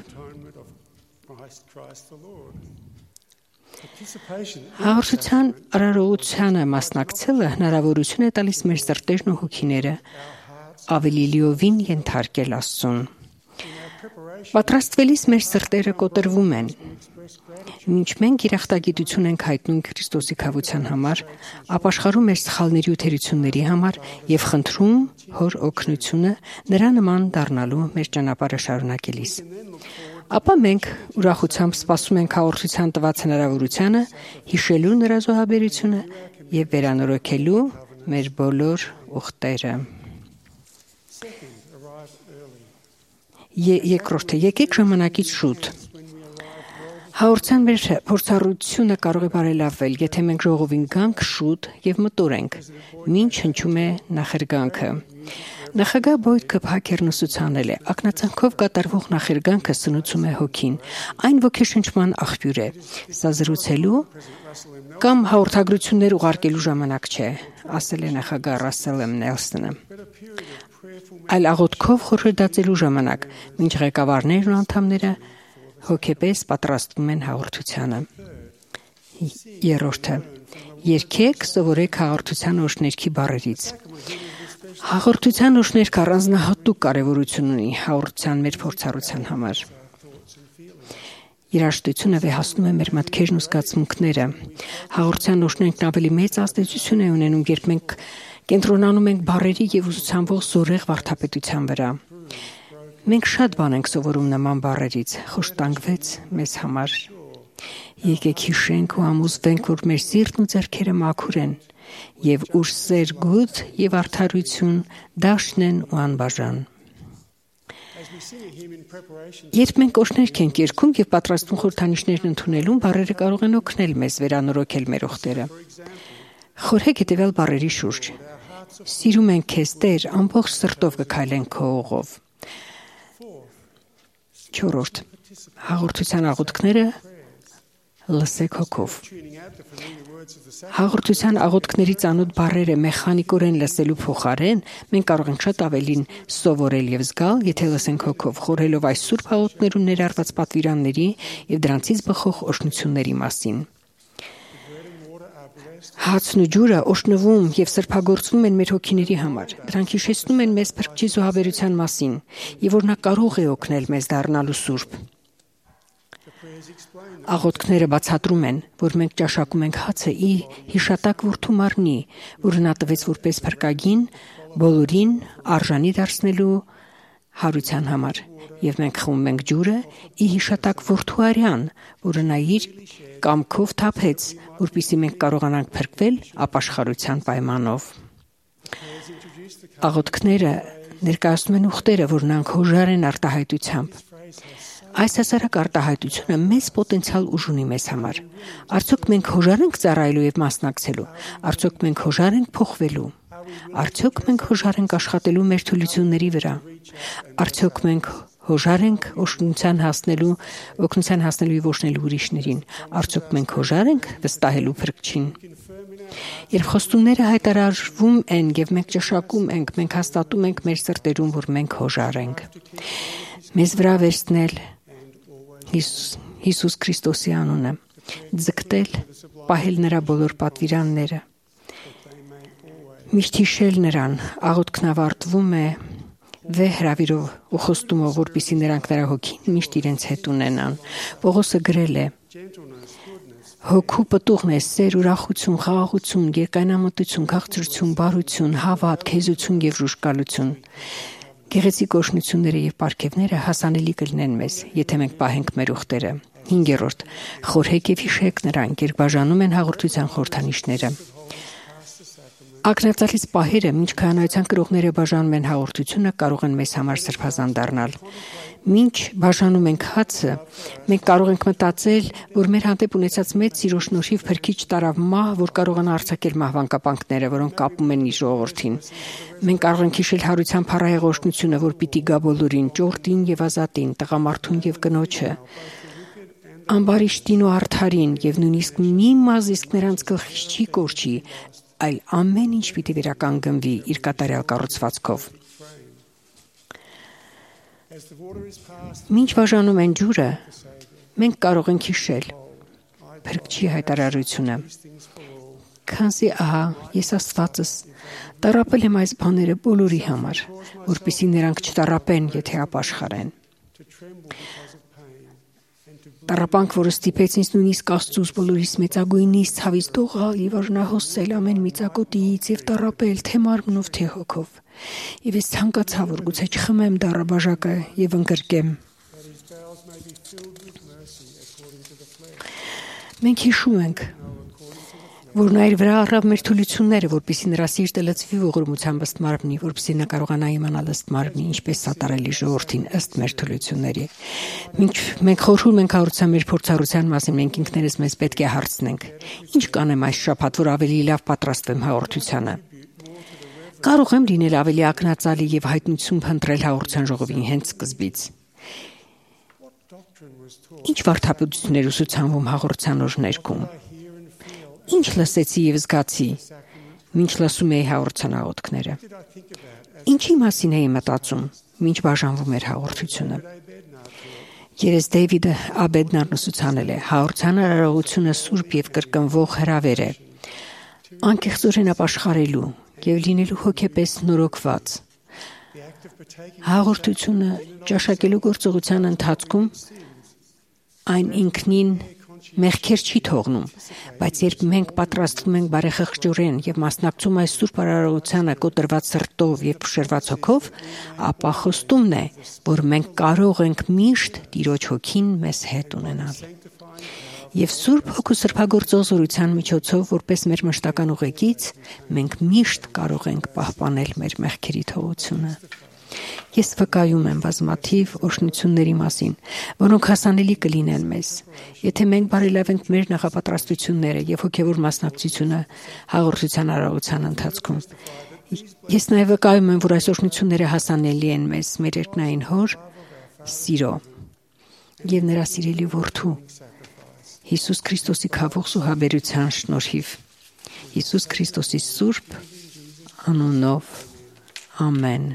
[SPEAKER 9] Հաղորդության արարողությանը մասնակցելը հնարավորություն է տալիս մեր սրտերն ու հոգիները ավելի լիովին ենթարկել Աստծուն։ Պատրաստվելիս մեր սրտերը կոտրվում են։ Մինչ մենք երախտագիտություն ենք հայտնում Քրիստոսի քավության համար, ապաշխարում մեր սխալների ու թերությունների համար եւ խնդրում Հոր օգնությունը նրա նման դառնալու մեր ճանապարհը շարունակելիս։ Ապա մենք ուրախությամբ սպասում ենք հաղորդության տված հնարավորությանը հիշելու նրա զոհաբերությունը եւ վերանորոգելու մեր բոլոր ուխտերը։ Երկրորդը, եկեք ժամանակից շուտ։ Հաղորդության մեր փորձառությունը կարող է բարելավել, եթե մենք ժողովին գանք շուտ եւ մտորենք, մինչ հնչում է նախերգանքը։ Նախագահ Բոյդ Քփհաքերն ուսուցանել է, ակնածանքով կատարվող նախերգանքը սնուցում է հոգին, այն ոգեշնչման աղբյուր է։ Սա զրուցելու կամ հաղորդագրություններ ուղարկելու ժամանակ չէ, ասել է նախագահ Ռասել Էմ Նելսոնը։ Այլ աղոթքով խորհրդածելու ժամանակ, մինչ ղեկավարներն ու անդամները հոգեպես պատրաստվում են հաղորդությանը։ Երրորդը. Երգեք, սովորեք հաղորդության օրհներքի բառերից։ Հաղորդության օրհներքը առանձնահատուկ կարևորություն ունի հաղորդության մեր փորձառության համար։ Երաժշտությունը վեհացնում է մեր մտքերն ու զգացմունքները։ Հաղորդության օրհներքն ավելի մեծ ազդեցություն է ունենում, երբ մենք կենտրոնանում ենք բառերի եւ ուսուցանվող զորեղ վարդապետության վրա։ Մենք շատ բան ենք սովորում նման բառերից, խոշտանգվեց մեզ համար։ Եկեք հիշենք ու ամուսվենք, որ մեր սիրտն ու ձեռքերը մաքուր են եւ ուր սեր գութ եւ արդարություն դաշտն են ու անբաժան։ Երբ մենք օրհներք ենք երգում եւ պատրաստվում խորհրդանիշներն ընդունելուն, բառերը կարող են օգնել մեզ վերանորոգել մեր ուխտերը։ Խորհեք հետեւյալ բառերի շուրջ։ Սիրում ենք քեզ, Տեր, ամբողջ սրտով կքայլենք քո ուղով։ Չորրորդ. Հաղորդության աղոթքները լսեք հոգով։ Հաղորդության աղոթքների ծանոթ բառերը մեխանիկորեն լսելու փոխարեն մենք կարող ենք շատ ավելին սովորել եւ զգալ, եթե լսենք հոգով, խորհելով այս սուրբ հաղորդներում ներառված պատվիրանների եւ դրանցից բխող օրհնությունների մասին։ Հացն ու ջուրը օժնվում եւ սրբագործվում են մեր հոգիների համար։ Դրանք հիշեցնում են մեզ Փրկչի զոհաբերության մասին եւ որ նա կարող է օգնել մեզ դառնալու սուրբ։ Աղոթքները բացատրում են, որ մենք ճաշակում ենք հացը ի հիշատակ որդու մարմնի, որը նա տվեց որպես փրկագին բոլորին արժանի դարձնելու հարության համար, եւ մենք խմում ենք ջուրը ի հիշատակ որդու արյան, որը նա իր կամքով թափեց, որպեսզի մենք կարողանանք փրկվել ապաշխարության պայմանով։ Աղոթքները ներկայացնում են ուխտերը, որն անհոժար են արտահայտությամբ։ Այս հասարակ արտահայտությունը մեծ պոտենցիալ ուժ ունի մեզ համար։ Արդյոք մենք հոժար ենք ծառայելու եւ մասնակցելու։ Արդյոք մենք հոժար ենք փոխվելու։ Արդյոք մենք հոժար ենք աշխատելու մեր թուլությունների վրա։ Արդյոք մենք հոժար ենք օգնության հասնելու, օգնության հասնելու եւ օժնելու ուրիշներին։ Արդյոք մենք հոժար ենք վստահելու Փրկչին։ Երբ խոստումները հայտարարվում են եւ մենք ճշակում ենք, մենք հաստատում ենք մեր սրտերում, որ մենք հոժար ենք։ Մեզ վրա վերցնել Հիսուս Քրիստոսի անունը, ձգտել, պահել նրա բոլոր պատվիրանները, միշտ հիշել նրան, աղոթքն ավարտվում է վե հրավիրով ու խոստումով, որպեսզի նրանք նրա հոգին միշտ իրենց հետ ունենան։ Պողոսը գրել է. Հոգու պտուղն է սեր, ուրախություն, խաղաղություն, երկայնամտություն, քաղցրություն, բարություն, հավատ, քեզություն եւ ժուժկալություն։ Գեղեցիկ օրհնությունները եւ պարգևները հասանելի կլինեն մեզ, եթե մենք պահենք մեր ուխտերը։ Հինգերորդ. խորհեք եւ հիշեք նրանք, երբ բաժանում են հաղորդության խորհրդանիշները։ Ակնածալից պահերը, մինչ քահանայության կրողները բաժանում են հաղորդությունը, կարող են մեզ համար սրբազան դառնալ։ Մինչ բաժանում ենք հացը, մենք կարող ենք մտածել, որ մեր հանդեպ ունեցած մեծ սիրո շնորհիվ Փրկիչ տարավ մահ, որ կարողանա արձակել մահվան կապանքները, որոնք կապում են իր ժողովրդին։ Մենք կարող ենք հիշել հարության փառահեղ օրհնությունը, որ պիտի գա բոլորին, ճորտին եւ ազատին, տղամարդուն եւ կնոջը, ամբարիշտին ու արդարին եւ նույնիսկ մի մազիսկ նրանց գլխից չի կորչի, այլ ամեն ինչ պիտի վերականգնվի իր կատարյալ կառուցվածքով։ Մինչ բաժանում են ջուրը, մենք կարող ենք հիշել Փրկչի հայտարարությունը։ Քանզի ահա ես Աստվածս տառապել եմ այս բաները բոլորի համար, որպեսզի նրանք չտառապեն, եթե ապաշխարեն։ Տառապանք, որը ստիպեց ինձ նույնիսկ Աստծուց բոլորիս մեծագույնից ցավից դողալ եւ արժանահոսել ամեն միծակոտից եւ տառապել թե մարմնով թե հոգով։ Եվ ես ցանկացա, որ գուցե չխմեմ դառաբաժակը եւ ընկրկեմ։ Մենք հիշում ենք, որ նա իր վրա առավ մեր թուլությունները, որպեսզի նրա սիրտը լցվի ողորմությամբ ըստ մարմնի, որպեսզի նա կարողանա իմանալ ըստ մարմնի, ինչպես սատարելի ժողովրդին ըստ մեր թուլությունների։ Մինչ մենք խորհում ենք հարուցան մեր փորձառության մասին, մենք ինքներս մեզ պետք է հարցնենք. ինչ կանեմ այս շաբաթ, որ ավելի լավ պատրաստվեմ հաղորդությանը։ Կարող եմ լինել ավելի ակնածալի եւ հայտնություն փնտրել հաղորդության ժողովին հենց սկզբից։ Ինչ վարդապետություններ ուսուցանվում հաղորդության օրներքում։ Ինչ լսեցի եւ զգացի, մինչ լսում էի հաղորդության աղոթքները։ Ինչի մասին էի մտածում, մինչ բաժանվում էր հաղորդությունը։ Երես Դեյվիդը Աբեդնարն ուսուցանել է, հաղորդության արարողությունը սուրբ եւ կրկնվող հրավեր է, անկեղծորեն ապաշխարելու եւ լինելու հոգեպես նորոգված։ Հաղորդությունը ճաշակելու գործողության ընթացքում այն ինքնին մեղքեր չի թողնում, բայց երբ մենք պատրաստվում ենք բարեխղճորեն եւ մասնակցում այս սուրբ արարողությանը կոտրված սրտով եւ փշրված հոգով, ապա խոստումն է, որ մենք կարող ենք միշտ Տիրոջ հոգին մեզ հետ ունենալ։ Եվ Սուրբ Հոգու սրբագործող զորության միջոցով, որպես մեր մշտական ուղեկից, մենք միշտ կարող ենք պահպանել մեր մեղքերի թողությունը։ Ես վկայում եմ բազմաթիվ օրհնությունների մասին, որոնք հասանելի կլինեն մեզ, եթե մենք բարելավենք մեր նախապատրաստությունները եւ հոգեվոր մասնակցությունը հաղորդության արարողության ընթացքում։ Ես նաեւ վկայում եմ, որ այս օրհնությունները հասանելի են մեզ, մեր երկնային Հոր սիրո եւ նրա սիրելի որդու Հիսուս Քրիստոսի քավող զոհաբերության շնորհիվ։ Հիսուս Քրիստոսի սուրբ անունով։ Ամեն։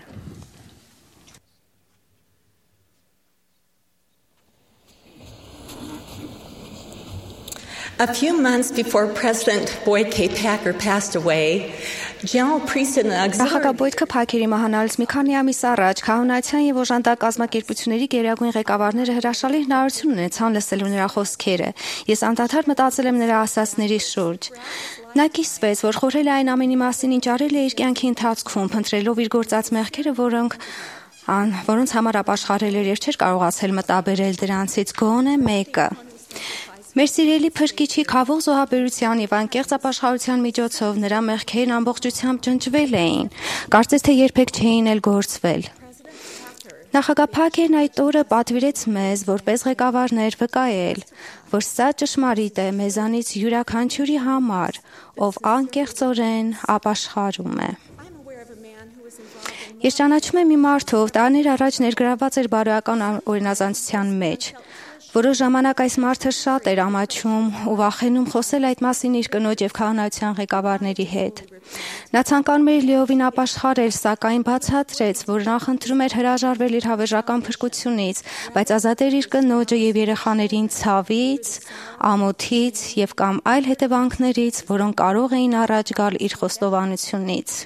[SPEAKER 10] A few months before President Boyd K. Packer passed away, General Priest and the Auxiliary
[SPEAKER 11] Նախագահ Փաքերի մահանալուց մի քանի ամիս առաջ քահանայության եւ օժանդակ կազմակերպությունների գերագույն ղեկավարները հրաշալի հնարավորություն ունեցան լսելու նրա խոսքերը։ Ես անդադար մտածել եմ նրա ասածների շուրջ։ Նա կիսվեց, որ խորհել է այն ամենի մասին, ինչ արել է իր կյանքի ընթացքում, փնտրելով իր գործած մեղքերը, որոնք ան, որոնց համար ապաշխարել էր եւ չէր կարողացել մտաբերել դրանցից գոնե մեկը։ Մեր սիրելի Փրկիչի քավող զոհաբերության եւ անկեղծ ապաշխարության միջոցով նրա մեղքերն ամբողջությամբ ջնջվել էին, կարծես թե երբեք չէին էլ գործվել։ Նախագահ Փաքերն այդ օրը պատվիրեց մեզ, որպես ղեկավարներ, վկայել, որ սա ճշմարիտ է մեզանից յուրաքանչյուրի համար, ով անկեղծորեն ապաշխարում է։ Ես ճանաչում եմ մի մարդ, ով տարիներ առաջ ներգրավված էր բարոյական օրինազանցության մեջ։ Որոշ ժամանակ այս մարդը շատ էր ամաչում ու վախենում խոսել այդ մասին իր կնոջ եւ քահանայության ղեկավարների հետ։ Նա ցանկանում էր լիովին ապաշխարել, սակայն բացատրեց, որ նախընտրում էր հրաժարվել իր հավերժական փրկությունից, բայց ազատել իր կնոջը եւ երեխաներին ցավից, ամոթից եւ կամ այլ հետևանքներից, որոնք կարող էին առաջ գալ իր խոստովանությունից։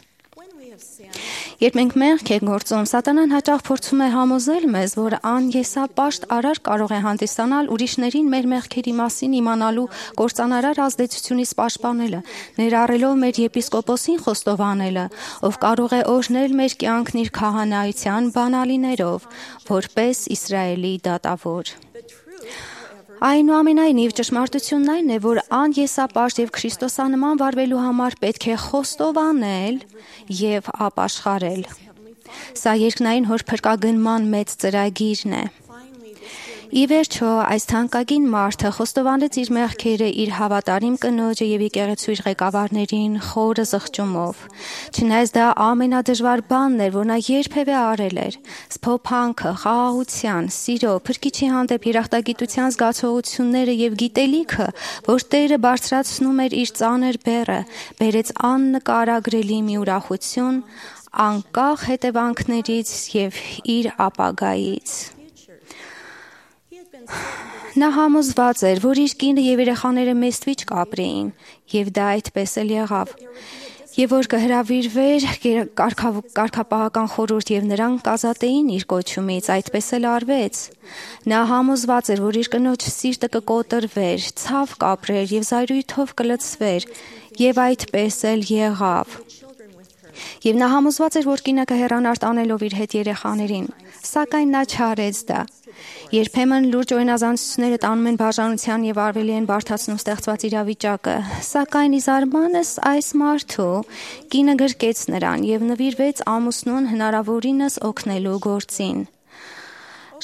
[SPEAKER 11] Երբ մենք մեղք ենք գործում, սատանան հաճախ փորձում է համոզել մեզ, որ անեսապաշտ արար կարող է հանդիսանալ ուրիշներին մեր մեղքերի մասին իմանալու կործանարար ազդեցությունից պաշտպանելը, ներառելով մեր եպիսկոպոսին խոստովանելը, ով կարող է օրհնել մեր կյանքն իր քահանայության բանալիներով, որպես Իսրայելի դատավոր։ Այնուամենայնիվ, ճշմարտությունն այն է, որ անեսապաշտ եւ Քրիստոսանման վարվելու համար պետք է խոստովանել եւ ապաշխարել։ Սա երկնային հոր փրկագնման մեծ ծրագիրն է։ Ի վերջո, այս թանկագին մարդը խոստովանեց իր մեղքերը իր հավատարիմ կնոջը եւ եկեղեցու իր ղեկավարներին խորը զղջումով։ Չնայած դա ամենադժվար բանն էր, որ նա երբևէ արել էր։ Սփոփանքը, խաղաղության, սիրո, փրկիչի հանդեպ երախտագիտության զգացողությունները եւ գիտելիքը, որ Տերը բարձրացնում էր իր ծանր բեռը, բերեց աննկարագրելի մի ուրախություն, անկախ հետևանքներից եւ իր ապագայից։ Նա համոզված էր, որ իր կինը եւ երեխաները մեստվիճ կապրեին, եւ դա այդպես էլ եղավ։ Եվ որ կհրավիրվեր կարգապահական խորհուրդ եւ նրան կազատեին իր կոչումից, այդպես էլ արվեց։ Նա համոզված էր, որ իր կնոջ սիրտը կկոտրվեր, ցավ կապրեր եւ զայրույթով կլցվեր, եւ այդպես էլ եղավ։ Եվ նա համոզված էր, որ կինը կհեռանար տանելով իր հետ երեխաներին, սակայն նա չարեց դա։ Երբեմն լուրջ օրինազանցությունները տանում են բաժանության եւ արվելի են բարդացնում ստեղծված իրավիճակը, սակայն ի զարմանս այս մարդու կինը գրկեց նրան եւ նվիրվեց ամուսնուն հնարավորինս օգնելու գործին։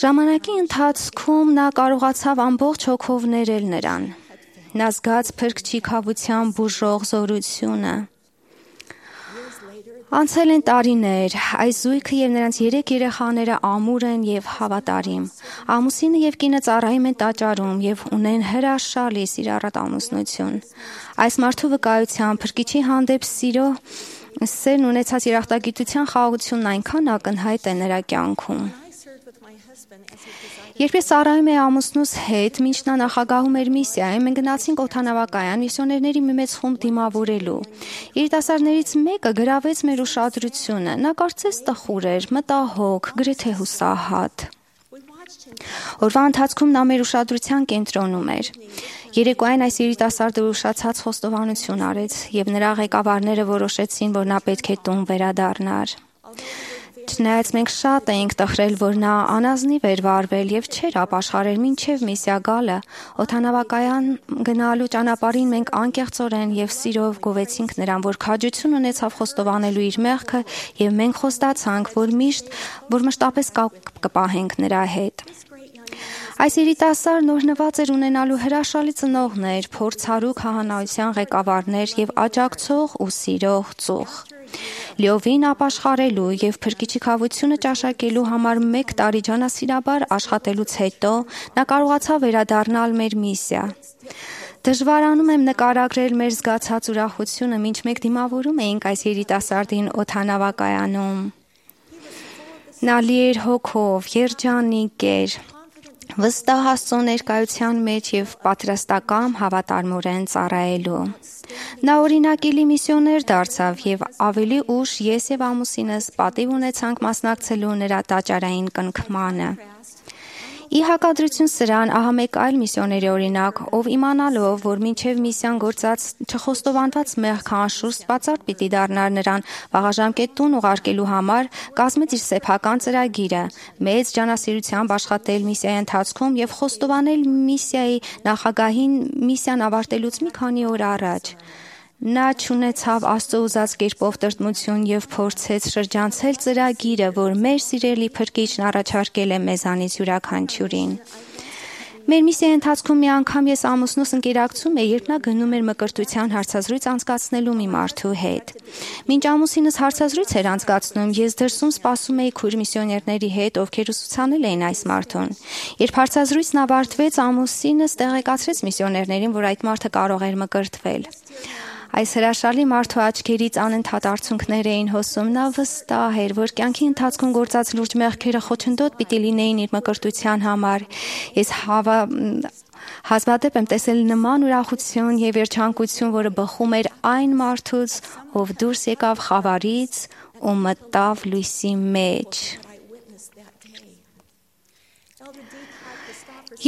[SPEAKER 11] Ժամանակի ընթացքում նա կարողացավ ամբողջ հոգով ներել նրան։ Նա զգաց փրկչի քավության բուժող զորությունը։ Անցել են տարիներ, այս զույգը եւ նրանց երեք երեխաները ամուր են եւ հավատարիմ։ Ամուսինը եւ կինը ծառայում են տաճարում եւ ունեն հրաշալի սիրառատ ամուսնություն։ Այս մարդու վկայությամբ փրկիչի հանդեպ սիրո սերն ունեցած երախտագիտության խաղաղությունն այնքան ակնհայտ է նրա կյանքում։ Երբ ես ծառայում էի ամուսնուս հետ, մինչ նա նախագահում էր միսիայում, մենք գնացինք օդանավակայան միսիոներների մի մեծ խումբ դիմավորելու։ Երիտասարդներից մեկը գրավեց մեր ուշադրությունը։ Նա կարծես տխուր էր, մտահոգ, գրեթե հուսահատ։ Օրվա ընթացքում նա մեր ուշադրության կենտրոնում էր։ Երեկոյան այս երիտասարդը ուշացած խոստովանություն արեց, եւ նրա ղեկավարները որոշեցին, որ նա պետք է տուն վերադառնար։ Չնայած մենք շատ էինք տխրել, որ նա անազնիվ էր վարվել եւ չէր ապաշխարել մինչեւ միսիա գալը, օդանավակայան գնալու ճանապարհին մենք անկեղծորեն եւ սիրով գովեցինք նրան, որ քաջություն ունեցավ խոստովանելու իր մեղքը եւ մենք խոստացանք, որ միշտ որ մշտապես կպահենք նրա հետ։ Այս երիտասարդն օրհնված էր ունենալու հրաշալի ծնողներ, փորձառու քահանայության ղեկավարներ եւ աջակցող ու սիրող ծուխ։ Լիովին ապաշխարելու եւ փրկիչի քավությունը ճաշակելու համար մեկ տարի ջանասիրաբար աշխատելուց հետո նա կարողացավ վերադառնալ մեր միսիա։ Դժվարանում եմ նկարագրել մեր զգացած ուրախությունը, մինչ մենք դիմավորում էինք այս երիտասարդին օդանավակայանում։ Նա լի էր հոգով, երջանիկ էր, վստահ Աստծո ներկայության մեջ եւ պատրաստական հավատարմորեն ծառայելու։ Նա օրինակելի միսիոներ դարձավ եւ ավելի ուշ ես եւ ամուսինս պատիվ ունեցանք մասնակցելու նրա տաճարային կնքմանը։ Ի հակադրություն սրան, ահա մեկ այլ միսիոների օրինակ, ով իմանալով, որ մինչև միսիան գործած չխոստովանված մեղքը անշուշտ բացառ պիտի դառնար նրան վաղաժամկետ տուն ուղարկելու համար, կազմեց իր սեփական ծրագիրը, մեծ ջանասիրությամբ աշխատել միսիայի ընթացքում եւ խոստովանել միսիայի նախագահին միսիան ավարտելուց մի քանի օր առաջ։ Նա չունեցավ Աստծո ուզած կերպով տրտմություն եւ փորձեց շրջանցել ծրագիրը, որ մեր սիրելի փրկիչն առաջարկել է մեզանից յուրաքանչյուրին։ Մեր միսիայի ընթացքում մի անգամ ես ամուսնուս ընկերակցում էի, երբ նա գնում էր մկրտության հարցազրույց անցկացնելու մի մարդու հետ։ Մինչ ամուսինս հարցազրույց էր անցկացնում, ես դրսում սպասում էի քույր միսիոներների հետ, ովքեր ուսուցանել էին այս մարդուն։ Երբ հարցազրույցն ավարտվեց, ամուսինս տեղեկացրեց միսիոներներին, որ այդ մարդը կարող էր մկրտվել։ Այս հրաշալի մարդու աչքերից անընդհատ արցունքներ էին հոսում, նա վստահ էր, որ կյանքի ընթացքում գործած լուրջ մեղքերը խոչընդոտ պիտի լինեին իր մկրտության համար։ Ես հավա հազվադեպ եմ տեսել նման ուրախություն եւ երջանկություն, որը բխում էր այն մարդուց, ով դուրս եկավ խավարից ու մտավ լույսի մեջ։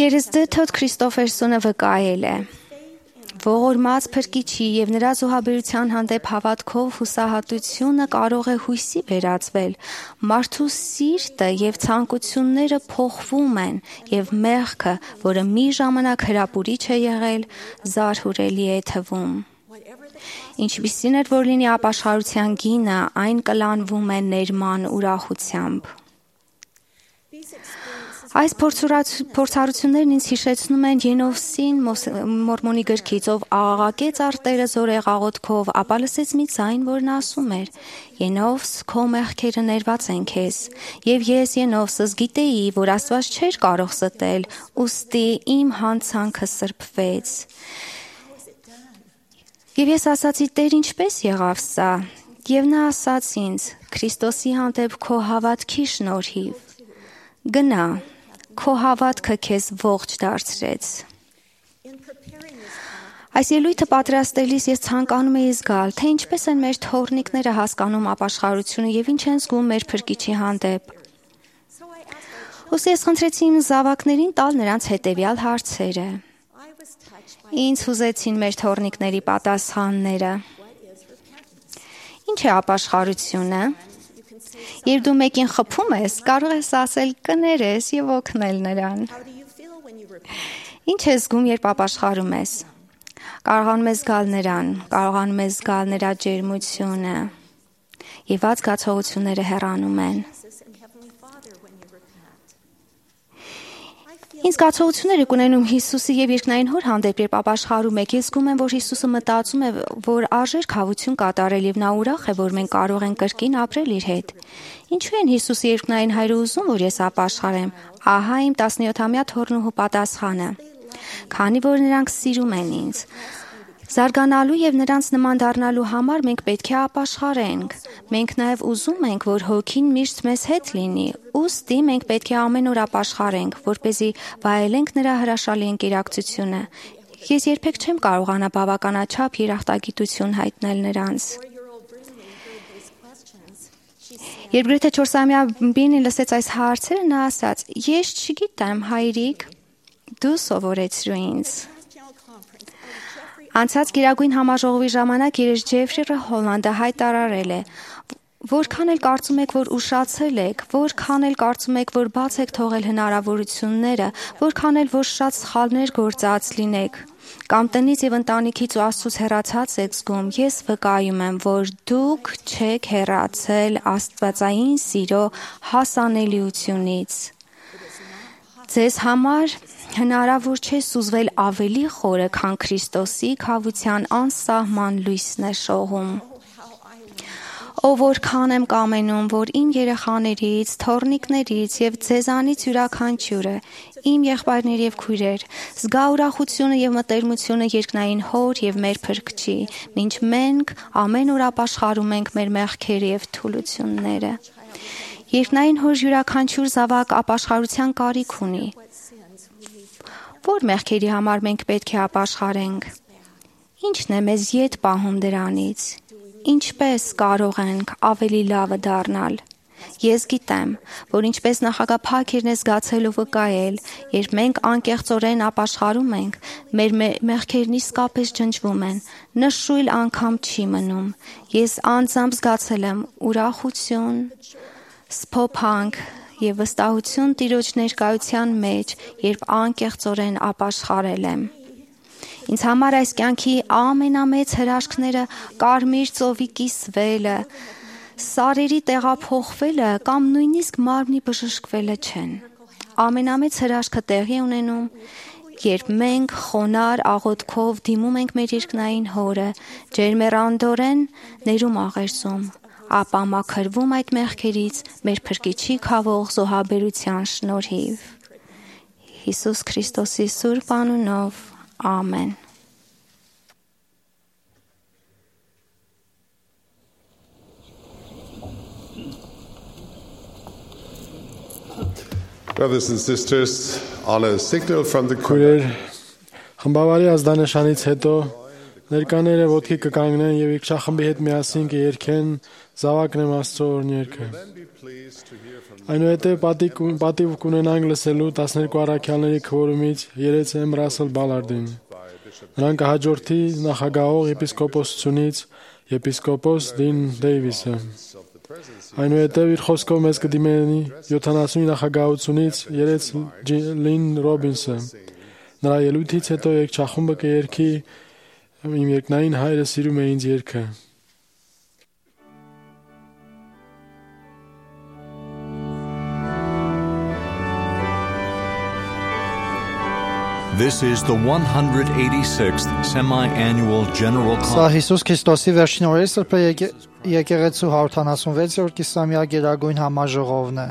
[SPEAKER 11] Երեսդը Թոդ Քրիստոֆերսոնը վկայել է. Ողորմած Փրկիչի եւ նրա զոհաբերության հանդեպ հավատքով հուսահատությունը կարող է հույսի վերածվել։ Մարդու սիրտը եւ ցանկությունները փոխվում են եւ մեղքը, որը մի ժամանակ հրապուրիչ է եղել, զարհուրելի է թվում։ Ինչպիսին էր որ լինի ապաշխարության գինը, այն կլանվում է ներման ուրախությամբ։ Այս փորձառություններն ինձ հիշեցնում են Ենովսին Մորմոնի գրքից, ով աղաղակեց արտերը զորեղ աղոթքով, ապա լսեց մի ձայն, որն ասում էր. Ենովս, քո մեղքերը ներված են քեզ, եւ ես Ենովսս գիտեի, որ Աստված չէր կարող ստել, ուստի իմ հանցանքը սրբվեց։ Եվ ես ասացի, Տեր, ինչպես եղավ սա։ Եվ նա ասաց ինձ. Քրիստոսի հանդեպ քո հավատքի շնորհիվ։ Գնա, քո հավատքը քեզ ողջ դարձրեց։ Այս ելույթը պատրաստելիս ես ցանկանում էի զգալ, թե ինչպես են մեր թորնիկները հասկանում ապաշխարությունը եւ ինչ են զգում մեր Փրկիչի հանդեպ։ Ոսի ես խնդրեցի իմ զավակներին տալ նրանց հետեւյալ հարցերը։ Ինձ հուզեցին մեր թորնիկների պատասխանները։ Ինչ է ապաշխարությունը։ Երբ դու մեկին խփում ես, կարող ես ասել կներես եւ օգնել նրան։ Ինչ ես զգում, երբ ապաշխարում ես։ Կարողանում ես զգալ նրան, կարողանում ես զգալ նրա ջերմությունը։ Եվ այդ զգացողությունները հեռանում են։ Ինձ զգացողություններ եք ունենում Հիսուսի եւ երկնային Հոր հանդեպ, երբ ապաշխարում եք։ Ես զգում եմ, որ Հիսուսը մտածում է, որ արժեք հավություն կատարել եւ նա ուրախ է, որ մենք կարող ենք կրկին ապրել իր հետ։ Ինչու են Հիսուսի երկնային Հայրը ուզում, որ ես ապաշխարեմ։ Ահա իմ տասնյոթամյա թոռնուհու պատասխանը։ Քանի որ նրանք սիրում են ինձ։ Զարգանալու եւ նրանց նման դառնալու համար մենք պետք է ապաշխարենք։ Մենք նաեւ ուզում ենք, որ Հոգին միշտ մեզ հետ լինի։ Ուստի մենք պետք է ամեն օր ապաշխարենք, որպեսզի վայելենք նրա հրաշալի ընկերակցությունը։ Ես երբեք չեմ կարողանա բավականաչափ երախտագիտություն հայտնել նրանց։ Երբ գրեթե չորսամյա Բինին լսեց այս հարցերը, նա ասաց. Ես չգիտեմ, հայրիկ, դու սովորեցրու ինձ։ Անցած գերագույն համաժողովի ժամանակ երես Ջեֆրի Հոլանդը հայտարարել է. Որքան էլ կարծում եք, որ ուշացել եք, որքան էլ կարծում եք, որ բաց եք թողել հնարավորությունները, որքան էլ որ շատ սխալներ գործած լինեք, կամ տնից եւ ընտանիքից ու Աստծուց հեռացած եք զգում, ես վկայում եմ, որ դուք չեք հեռացել աստվածային սիրո հասանելիությունից։ Ձեզ համար հնարավոր չէ սուզվել ավելի խորը, քան Քրիստոսի քավության անսահման լույսն է շողում։ Ով որքան եմ կամենում, որ իմ երեխաներից, թոռնիկներից եւ ձեզանից յուրաքանչյուրը, իմ եղբայրներ եւ քույրեր, զգա ուրախությունը եւ մտերմությունը երկնային Հոր եւ մեր Փրկչի, մինչ մենք ամեն օր ապաշխարում ենք մեր մեղքերը եւ թուլությունները։ Երկնային Հոր յուրաքանչյուր զավակ ապաշխարության կարիք ունի։ Որ մեղքերի համար մենք պետք է ապաշխարենք։ Ինչն է մեզ յետ պահում դրանից։ Ինչպես կարող ենք ավելի լավը դառնալ։ Ես գիտեմ, որ ինչպես նախագահ Փաքերն է զգացել ու վկայել, երբ մենք անկեղծորեն ապաշխարում ենք, մեր մեղքերն իսկապես ջնջվում են, նշույլ անգամ չի մնում։ Ես անձամբ զգացել եմ ուրախություն, սփոփանք եւ վստահություն Տիրոջ ներկայության մեջ, երբ անկեղծորեն ապաշխարել եմ։ Ինձ համար այս կյանքի ամենամեծ հրաշքները կարմիր ծովի կիսվելը, սարերի տեղափոխվելը կամ նույնիսկ մարմնի բժշկվելը չեն։ ամենամեծ հրաշքը տեղի ունենում, երբ մենք խոնար աղոթքով դիմում ենք մեր երկնային Հորը, ջերմեռանդորեն ներում աղերսում, ապա մաքրվում այդ մեղքերից մեր Փրկիչի քավող զոհաբերության շնորհիվ։ Հիսուս Քրիստոսի սուրբ անունով, ամեն։
[SPEAKER 3] Brothers and sisters, on a signal from the
[SPEAKER 4] Քույրեր, խմբավարի ազդանշանից հետո ներկաները ոտքի կկանգնեն եւ եկշախմբի հետ միասին կերքեն զավակն եմ Աստծո օրհներգը։ Այնուհետև պատիվ կունենանք լսելու տասներկու առաքյալների քվորումից երեց եմ Ռասել Բալարդին։ Նրան կհաջորդի նախագահող եպիսկոպոսությունից եպիսկոպոս Դին Դեյվիսը։ Այնուհետև իր խոսքով մեզ կդիմենի յոթանասունի նախագահությունից երեց Լին Ռոբինսը։ Նրա ելույթից հետո երգչախումբը կերքի իմ երկնային հայրը սիրում է ինձ երգը։
[SPEAKER 1] This is the one hundred eighty-sixth semi-annual General
[SPEAKER 2] Սա
[SPEAKER 1] Conference.
[SPEAKER 2] Հիսուս Քրիստոսի վերջին օրերի սրբե եկեղեցու հարյուրութանասունվեցերորդ կիսամյակ գերագույն համաժողովն է։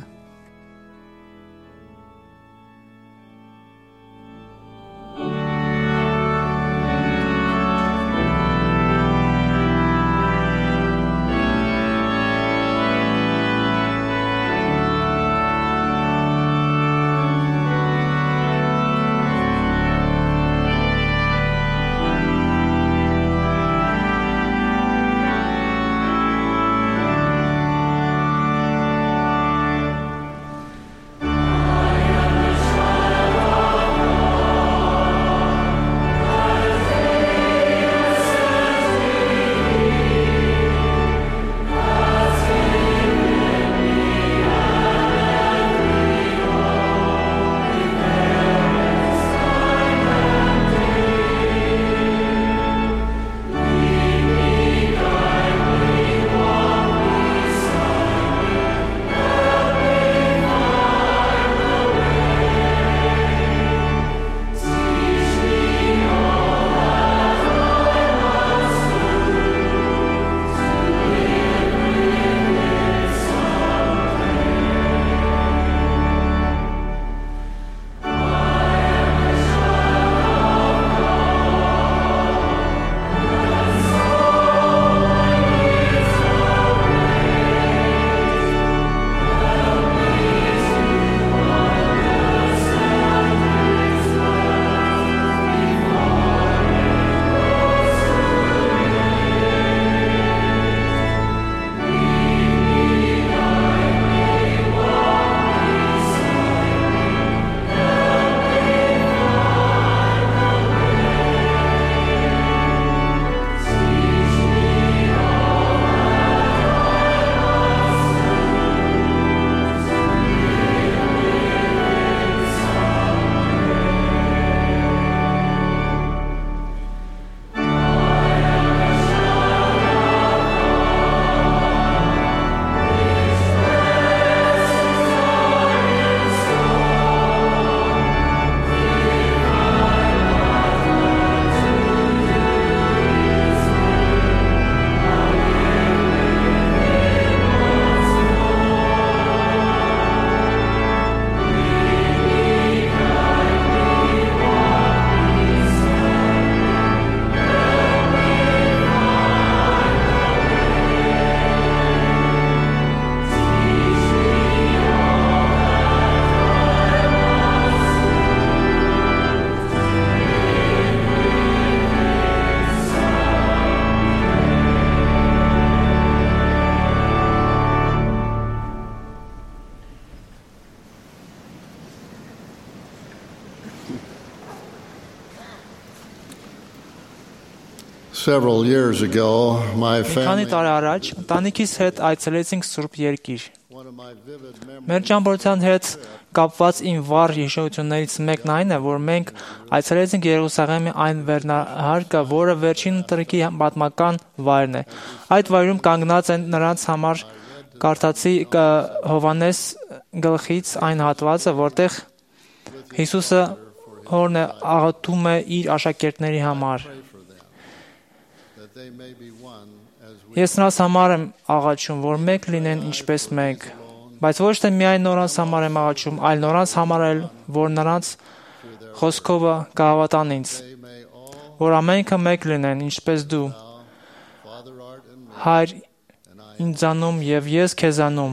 [SPEAKER 12] Several years ago, my
[SPEAKER 13] Քանի
[SPEAKER 12] family
[SPEAKER 13] տարի առաջ ընտանիքիս հետ այցելեցինք Սուրբ Երկիր։ Մեր ճամփորդության հետ կապված իմ վառ հիշողություններից մեկն այն է, որ մենք այցելեցինք Երուսաղեմի այն վերնահարկը, որը վերջին ընտրքի պատմական վայրն է։ Այդ վայրում կանգնած են նրանց համար կարդացի Հովանես գլխից այն հատվածը, որտեղ Հիսուսը հորն է աղոթում է իր աշակերտների համար։ Ես նրանց համար եմ աղաչում, որ մեկ լինեն ինչպես մենք, բայց ոչ թե միայն նրանց համար եմ աղաչում, այլ նրանց համար էլ, որ նրանց խոսքովը կհավատան ինձ, որ ամենքը մեկ լինեն ինչպես դու, Հայր ինձանում եւ ես քեզանում,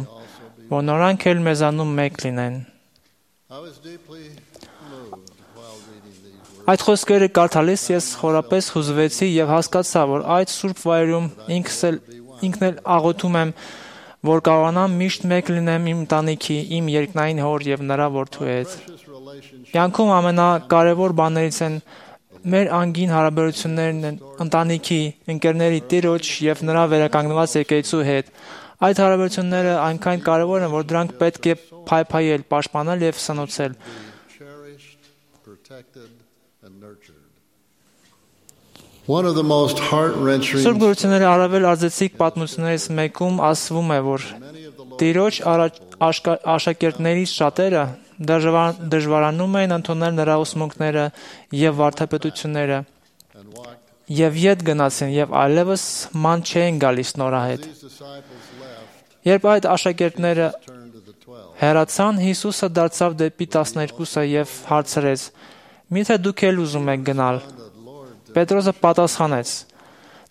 [SPEAKER 13] որ նրանք էլ մեզանում մեկ լինեն։ Այդ խոսքերը կարդալիս ես խորապես հուզվեցի եւ հասկացա, որ այդ սուրբ վայրում ինքս էլ ինքն էլ աղոթում եմ, որ կարողանամ միշտ մեկ լինեմ իմ ընտանիքի, իմ երկնային հոր եւ նրա որդու հետ։ Կյանքում ամենակարևոր բաներից են մեր անգին հարաբերություններն են ընտանիքի, ընկերների, տիրոջ եւ նրա վերականգնված եկեղեցու հետ։ Այդ հարաբերությունները այնքան կարևոր են, որ դրանք պետք է փայփայել, պաշտպանել եւ սնուցել։ Սուրբ Գրությունների առավել արձեցիկ պատմություններից մեկում ասվում է, որ Տիրոջ աշակերտներից շատերը դժվարանում էին ընդունել նրա ուսմունքները եւ վարդապետությունները եւ ետ գնացին եւ այլևս ման չէին գալիս նորահետ։ Երբ այդ աշակերտները հեռացան, Հիսուսը դարձավ դեպի տասներկուսը եւ հարցրեց. «Միթե դուք էլ ուզում եք գնալ»։ Պետրոսը պատասխանեց.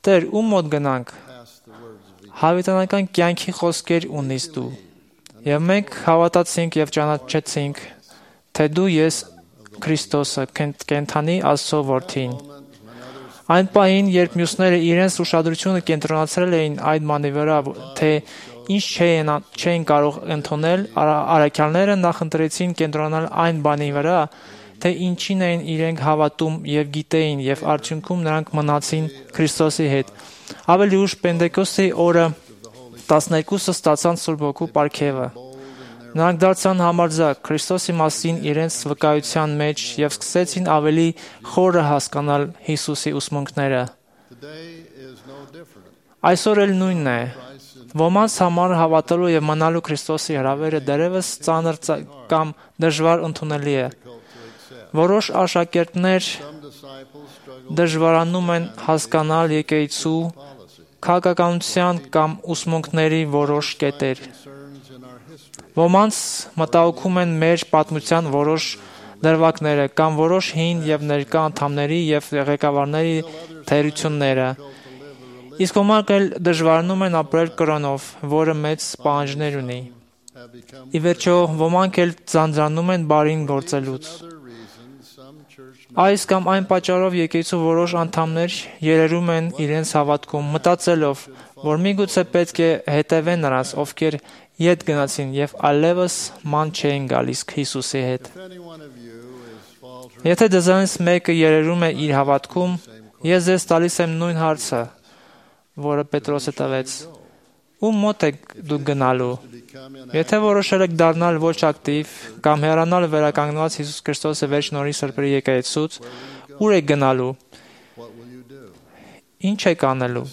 [SPEAKER 13] «Տեր, ում մոտ գնանք»։ Հավիտենական կյանքի խոսքեր ունիս դու։ Եվ մենք հավատացինք եւ ճանաչեցինք, թե դու ես Քրիստոսը, կենդանի Աստծո որդին։ Այն պահին, երբ մյուսները իրենց ուշադրությունը կենտրոնացրել էին այդ բանի վրա, թե ինչ չէին, չէին կարող ընդունել, առաքյալները նախընտրեցին կենտրոնանալ այն բանի վրա, թե ինչին էին իրենք հավատում եւ գիտեին, եւ արդյունքում նրանք մնացին Քրիստոսի հետ։ Ավելի ուշ Պենտեկոստի օրը տասներկուսը ստացան Սուրբ Հոգու պարգևը։ Նրանք դարձան համարձակ Քրիստոսի մասին իրենց վկայության մեջ եւ սկսեցին ավելի խորը հասկանալ Հիսուսի ուսմունքները։ Այսօր էլ նույնն է։ Ոմանց համար հավատալու եւ մնալու Քրիստոսի հրավերը դեռևս ծանր կամ դժվար ընդունելի է։ Որոշ աշակերտներ դժվարանում են հասկանալ եկեղեցու քաղաքականության կամ ուսմունքների որոշ կետեր։ Ոմանց մտահոգում են մեր պատմության որոշ դրվագները կամ որոշ հին եւ ներկա անդամների եւ ղեկավարների թերությունները։ Իսկ ոմանք էլ դժվարանում են ապրել կրոնով, որը մեծ պահանջներ ունի։ Ի վերջո, ոմանք էլ ձանձրանում են բարին գործելուց։ Այս կամ այն պատճառով եկեղեցու որոշ անդամներ երերում են իրենց հավատքում, մտածելով, որ միգուցե պետք է հետևեն նրանց, ովքեր ետ գնացին եւ այլևս ման չէին գալիս Հիսուսի հետ։ Եթե դրանից մեկը երերում է իր հավատքում, ես ձեզ տալիս եմ նույն հարցը, որը Պետրոսը տվեց. ում մոտ եք դուք գնալու։ Եթե որոշել եք դառնալ ոչ ակտիվ կամ հեռանալ վերականգնված Հիսուս Քրիստոսի վերջին օրի սրբերի եկեղեցուց, ուր եք գնալու։ Ինչ եք անելու։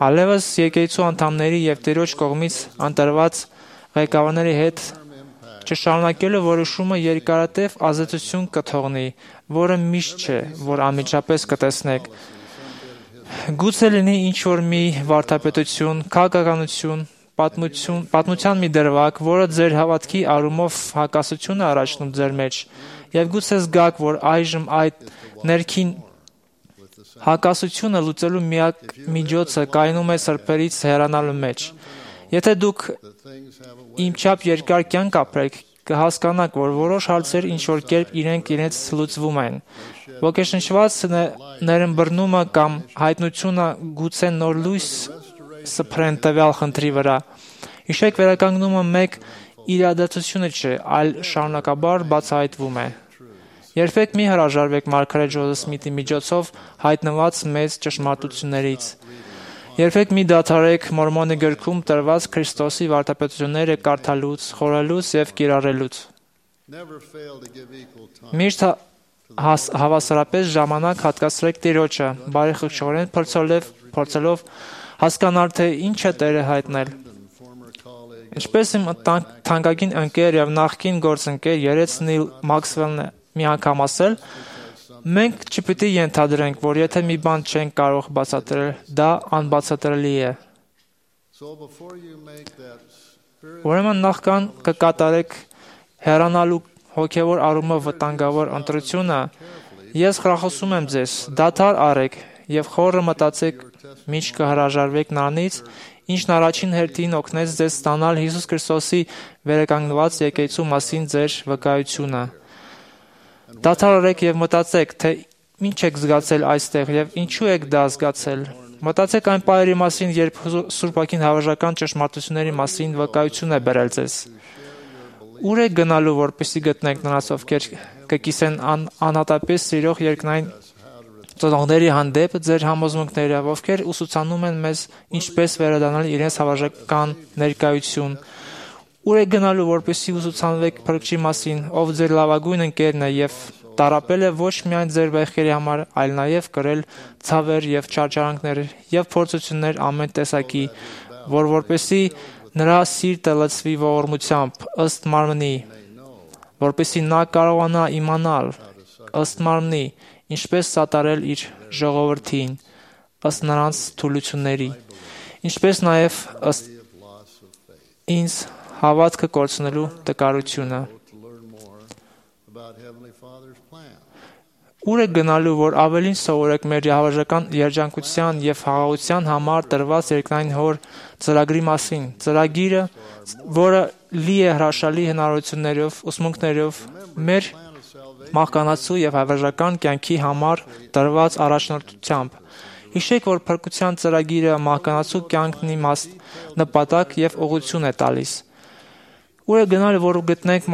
[SPEAKER 13] Այլևս եկեղեցու անդամների եւ Տիրոջ կողմից ընտրված ղեկավարների հետ չշարունակելու որոշումը երկարատև ազատություն կթողնի, որը միշտ չէ, որ անմիջապես կտեսնեք։ Գուցե լինի ինչ-որ մի վարդապետություն, քաղաքականություն, պատմություն, պատմության մի դրվագ, որը ձեր հավատքի առումով հակասություն է առաջնում ձեր մեջ, եւ գուցե զգաք, որ այժմ այդ ներքին հակասությունը լուծելու միակ միջոցը կայանում է սրբերից հեռանալու մեջ։ Եթե դուք իմչափ երկար կյանք ապրեք, կհասկանաք, որ որոշ հարցեր ինչ-որ կերպ իրենք իրենց լուծվում են։ Ոգեշնչված ներըմբռնումը կամ հայտնությունը գուցե նոր լույս սփռեն տվյալ խնդրի վրա։ Հիշեք, վերականգնումը մեկ իրադարձություն չէ, այլ շարունակաբար բացահայտվում է։ Երբեք մի հրաժարվեք մարգարետ Ջոզեֆ Սմիթի միջոցով հայտնված մեծ ճշմարտություններից։ Երբեք մի դադարեք Մորմոնի գրքում տրված Քրիստոսի վարդապետությունները կարդալուց, խորհելուց եւ կիրառելուց։ Միշտ հավասարապես ժամանակ հատկացրեք Տիրոջը, բարեխղճորեն փորձելով փորձելով հասկանալ, թե ինչ է Տերը հայտնել։ Ինչպես իմ թանկագին ընկեր եւ նախկին գործընկեր երեց Նիլ Մաքսվելն մի անգամ ասել, մենք չպիտի ենթադրենք, որ եթե մի բան չենք կարող բացատրել, դա անբացատրելի է։ Ուրեմն նախքան կկատարեք հեռանալու հոգևոր առումով վտանգավոր ընտրությունը, ես խրախուսում եմ ձեզ, դադար առեք եւ խորը մտածեք, մինչ կհրաժարվեք նրանից, ինչն առաջին հերթին օգնեց ձեզ ստանալ Հիսուս Քրիստոսի վերականգնված եկեղեցու մասին ձեր վկայությունը։ Դադար առեք եւ մտածեք, թե ինչ եք զգացել այստեղ եւ ինչու եք դա զգացել։ Մտածեք այն պահերի մասին, երբ Սուրբ Ոգին հավերժական ճշմարտությունների մասին վկայություն է բերել ձեզ։ Ուր եք գնալու, որպեսզի գտնեք նրանց, ովքեր կկիսեն անհատապես սիրող երկնային ծնողների հանդեպ ձեր համոզմունքները, ովքեր ուսուցանում են մեզ ինչպես վերադառնալ իրենց հավերժական ներկայություն։ Ուր եք գնալու, որպեսզի ուսուցանվեք Փրկչի մասին, ով ձեր լավագույն ընկերն է եւ տարապել է ոչ միայն ձեր վեհքերի համար, այլ նաեւ կրել ցավեր եւ չարչարանքներ եւ փորձություններ ամեն տեսակի, որ որպեսզի նրա սիրտը լցվի ողորմությամբ ըստ մարմնի, որպեսզի նա կարողանա իմանալ ըստ մարմնի, ինչպես սատարել իր ժողովրդին ըստ նրանց թուլությունների, ինչպես նաև ըստ ինձ հավատքը կորցնելու տկարությունը։ Ուր եք գնալու, որ ավելին սովորեք մեր հավերժական երջանկության եւ խաղաղության համար տրված երկնային հոր ծրագրի մասին, ծրագիրը, որը լի է հրաշալի հնարավորություններով, ուսմունքներով, մեր մահկանացու եւ հավերժական կյանքի համար տրված առաջնորդությամբ։ Հիշեք, որ փրկության ծրագիրը մահկանացու կյանքն իմաստ, նպատակ եւ ուղղություն է տալիս։ Ուր է գնալ, որ գտնենք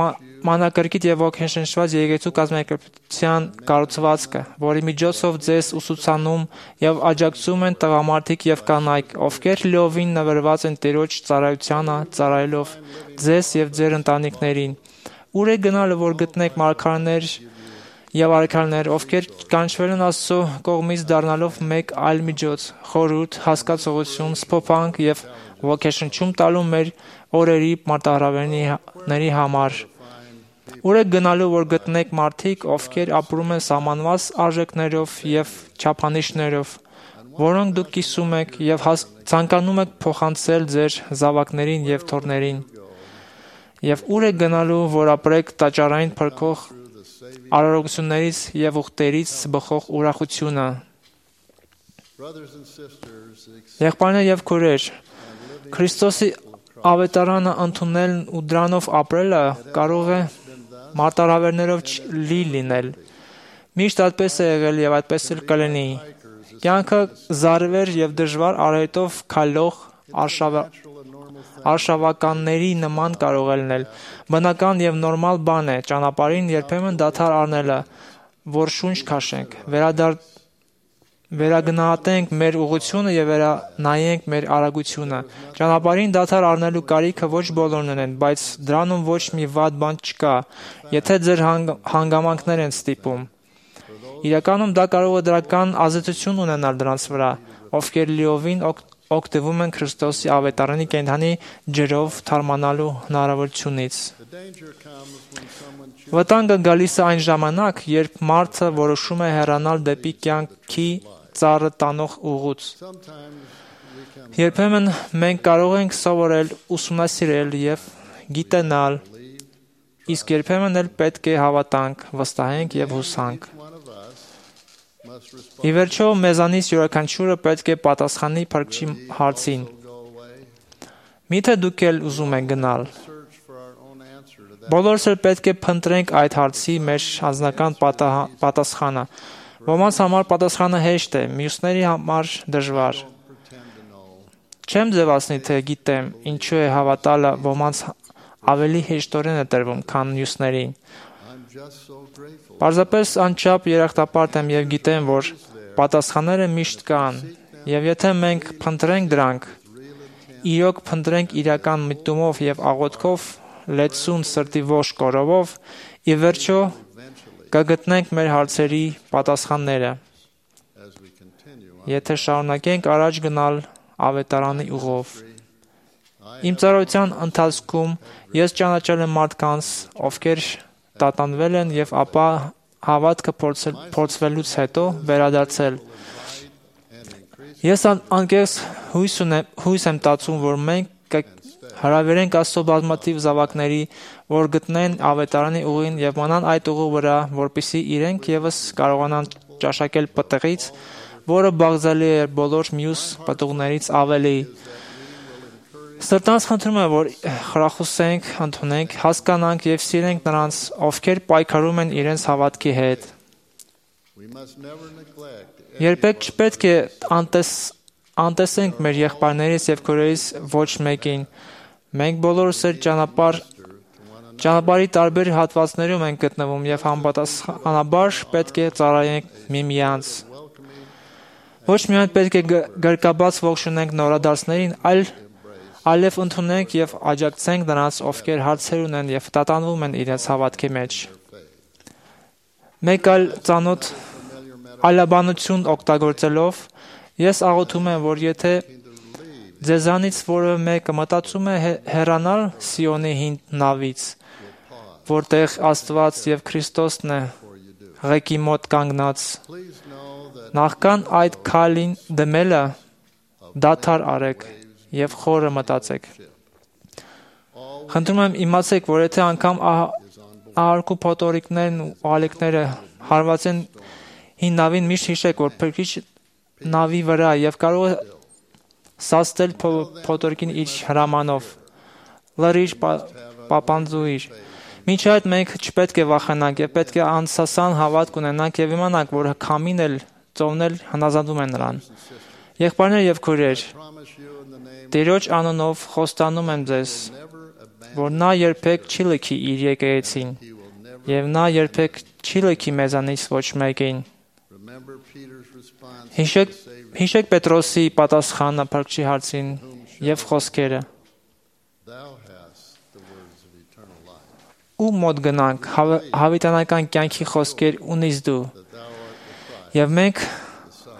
[SPEAKER 13] մանրակրկիտ եւ ոգեշնչված եկեղեցու կազմակերպության կառուցվածքը, որի միջոցով ձեզ ուսուցանում եւ աջակցում են տղամարդիկ եւ կանայք, ովքեր լիովին նվիրված են Տերոջ ծառայությանը, ծառայելով ձեզ եւ ձեր ընտանիքներին։ Ուր է գնալը, որ գտնեք մարգարեներ եւ արքայներ, ովքեր կանչվել են Աստծո կողմից դառնալով մեկ այլ միջոց, խորհուրդ, հասկացողություն, սփոփանք եւ ոգեշնչում տալու մեր օրերի մարտահրավերների համար։ Ուր եք գնալու, որ գտնեք մարդիկ, ովքեր ապրում են սահմանված արժեքներով եւ չափանիշներով, որոնք դուք կիսում եք եւ ցանկանում եք փոխանցել ձեր զավակներին եւ թոռներին։ Եվ ուր եք գնալու, որ ապրեք տաճարային փրկող արարողություններից եւ ուխտերից բխող ուրախությունը։ Եղբայրներ եւ քույրեր, Քրիստոսի ավետարանը ընդունելն ու դրանով ապրելը կարող է մարտահրավերներով լի լինել։ Միշտ այդպես է եղել եւ այդպես էլ կլինի։ Կյանքը զարվեր եւ դժվար արհետով քայլող արշավականների նման կարող է լինել։ Բնական եւ նորմալ բան է ճանապարհին երբեմն դադար առնելը, որ շունչ քաշենք, վերադառ վերագնահատենք մեր ուղղությունը եւ վերանայենք մեր արագությունը։ Ճանապարհին դադար առնելու կարիքը ոչ բոլորն ունեն, բայց դրանում ոչ մի վատ բան չկա, եթե ձեր հանգամանքներ են ստիպում։ Իրականում դա կարող է դրական ազդեցություն ունենալ դրանց վրա, ովքեր լիովին օգտվում են Քրիստոսի ավետարանի կենդանի ջրով թարմանալու հնարավորությունից։ Վտանգը գալիս է այն ժամանակ, երբ մարդը որոշում է հեռանալ դեպի կյանքի ծառը տանող ուղուց։ Երբեմն մենք կարող ենք սովորել, ուսումնասիրել եւ գիտենալ, իսկ երբեմն էլ պետք է հավատանք, վստահենք եւ հուսանք։ Ի վերջո, մեզանից յուրաքանչյուրը պետք է պատասխանի Փրկչի հարցին։ Միթե դուք էլ ուզում եք գնալ։ Բոլորս էլ պետք է փնտրենք այդ հարցի մեր անձնական պատասխանը։ Ոմանց համար պատասխանը հեշտ է, մյուսների համար դժվար։ Չեմ ձևացնի, թե գիտեմ, ինչու է հավատալը ոմանց ավելի հեշտորեն է տրվում, քան մյուսներին։ Պարզապես անչափ երախտապարտ եմ եւ գիտեմ, որ պատասխանները միշտ կան, եւ եթե մենք փնտրենք դրանք, իրոք փնտրենք իրական միտումով եւ աղոթքով, լեցուն սրտի ողջ կորովով, ի վերջո կգտնենք մեր հարցերի պատասխանները։ Եթե շարունակենք առաջ գնալ ավետարանի ուղով։ Իմ ծառայության ընթացքում ես ճանաչել եմ մարդկանց, ովքեր տատանվել են եւ ապա հավատքը փորձվելուց հետո վերադարձել։ Ես անկեղծ հույս ունեմ, հույս եմ տածում, որ մենք հրավիրենք Աստծո բազմաթիվ զավակների, որ գտնեն ավետարանի ուղին եւ մնան այդ ուղու վրա, որպեսզի իրենք եւս կարողանան ճաշակել պտղից, որը բաղձալի է բոլոր մյուս պտուղներից ավելի։ Սրտանց խնդրում եմ, որ խրախուսենք, ընդունենք, հասկանանք եւ սիրենք նրանց, ովքեր պայքարում են իրենց հավատքի հետ։ Երբեք չպետք է անտես, անտեսենք մեր եղբայրներից եւ քույրերից ոչ մեկին։ Մենք բոլորս այդ ճանապարհ ճանապարհի տարբեր հատվածներում ենք գտնվում եւ համապատասխանաբար պետք է ծառայենք միմյանց։ Ոչ միայն պետք է գրկաբաց ողջունենք նորադարձներին, այլ այլև ընդունենք եւ աջակցենք նրանց, ովքեր հարցեր ունեն եւ տատանվում են իրենց հավատքի մեջ։ Մեկ այլ ծանոթ այլաբանություն օգտագործելով ես աղոթում եմ, որ եթե ձեզանից որևէ մեկը մտածում է հեռանալ Սիոնի հին նավից, որտեղ Աստված եւ Քրիստոսն է ղեկի մոտ կանգնած, նախքան այդ քայլին դեմելը դադար արեք եւ խորը մտածեք։ Խնդրում եմ իմացեք, որ եթե անգամ ահարկու փոթորիկներն ու ալիքները հարվածեն հին նավին, միշտ հիշեք, որ փրկիչ նավի վրա եւ կարող է սաստել փոթորիկին իր հրամանով, լրիր, պապանձուիր։ Մինչ այդ մենք չպետք է վախենանք եւ պետք է անսասան հավատք ունենանք եւ իմանանք, որ քամին էլ ծովն էլ հնազանդում են նրան։ Եղբայրներ եւ քույրեր, Տիրոջ անունով խոստանում եմ ձեզ, որ նա երբեք չի լքի իր եկեղեցին եւ նա երբեք չի լքի մեզանից ոչ մեկին։ Հիշեք, հիշեք Պետրոսի պատասխանը փրկչի հարցին եւ խոսքերը։ Ու մոտ գնանք, հավիտյանական կյանքի խոսքեր ունիս դու։ Եվ մենք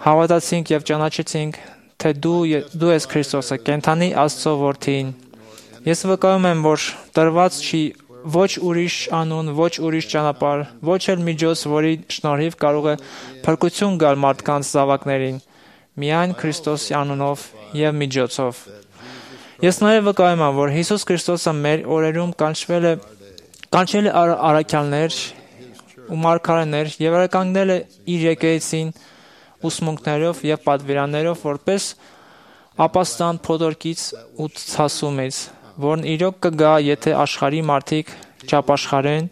[SPEAKER 13] հավատացինք եւ ճանաչեցինք, թե դու դու ես Քրիստոսը, կենթանի Աստծո որդին։ Ես վկայում եմ, որ տրված չի ոչ ուրիշ անուն, ոչ ուրիշ ճանապարհ, ոչ էլ միջոց, որի շնորհիվ կարող է փրկություն գալ մարդկանց զավակներին, միայն Քրիստոսի անունով եւ միջոցով։ Ես նաեւ վկայում եմ, որ Հիսուս Քրիստոսը մեր օրերում կանչվել է կանչել է առաքյալներ ու մարգարեներ եւ արականել է իր եկեղեցին ուսմունքներով եւ պատվիրաններով, որպես ապաստան փոթորկից ու ցասումից, որն իրոք կգա, եթե աշխարհի մարդիկ չապաշխարեն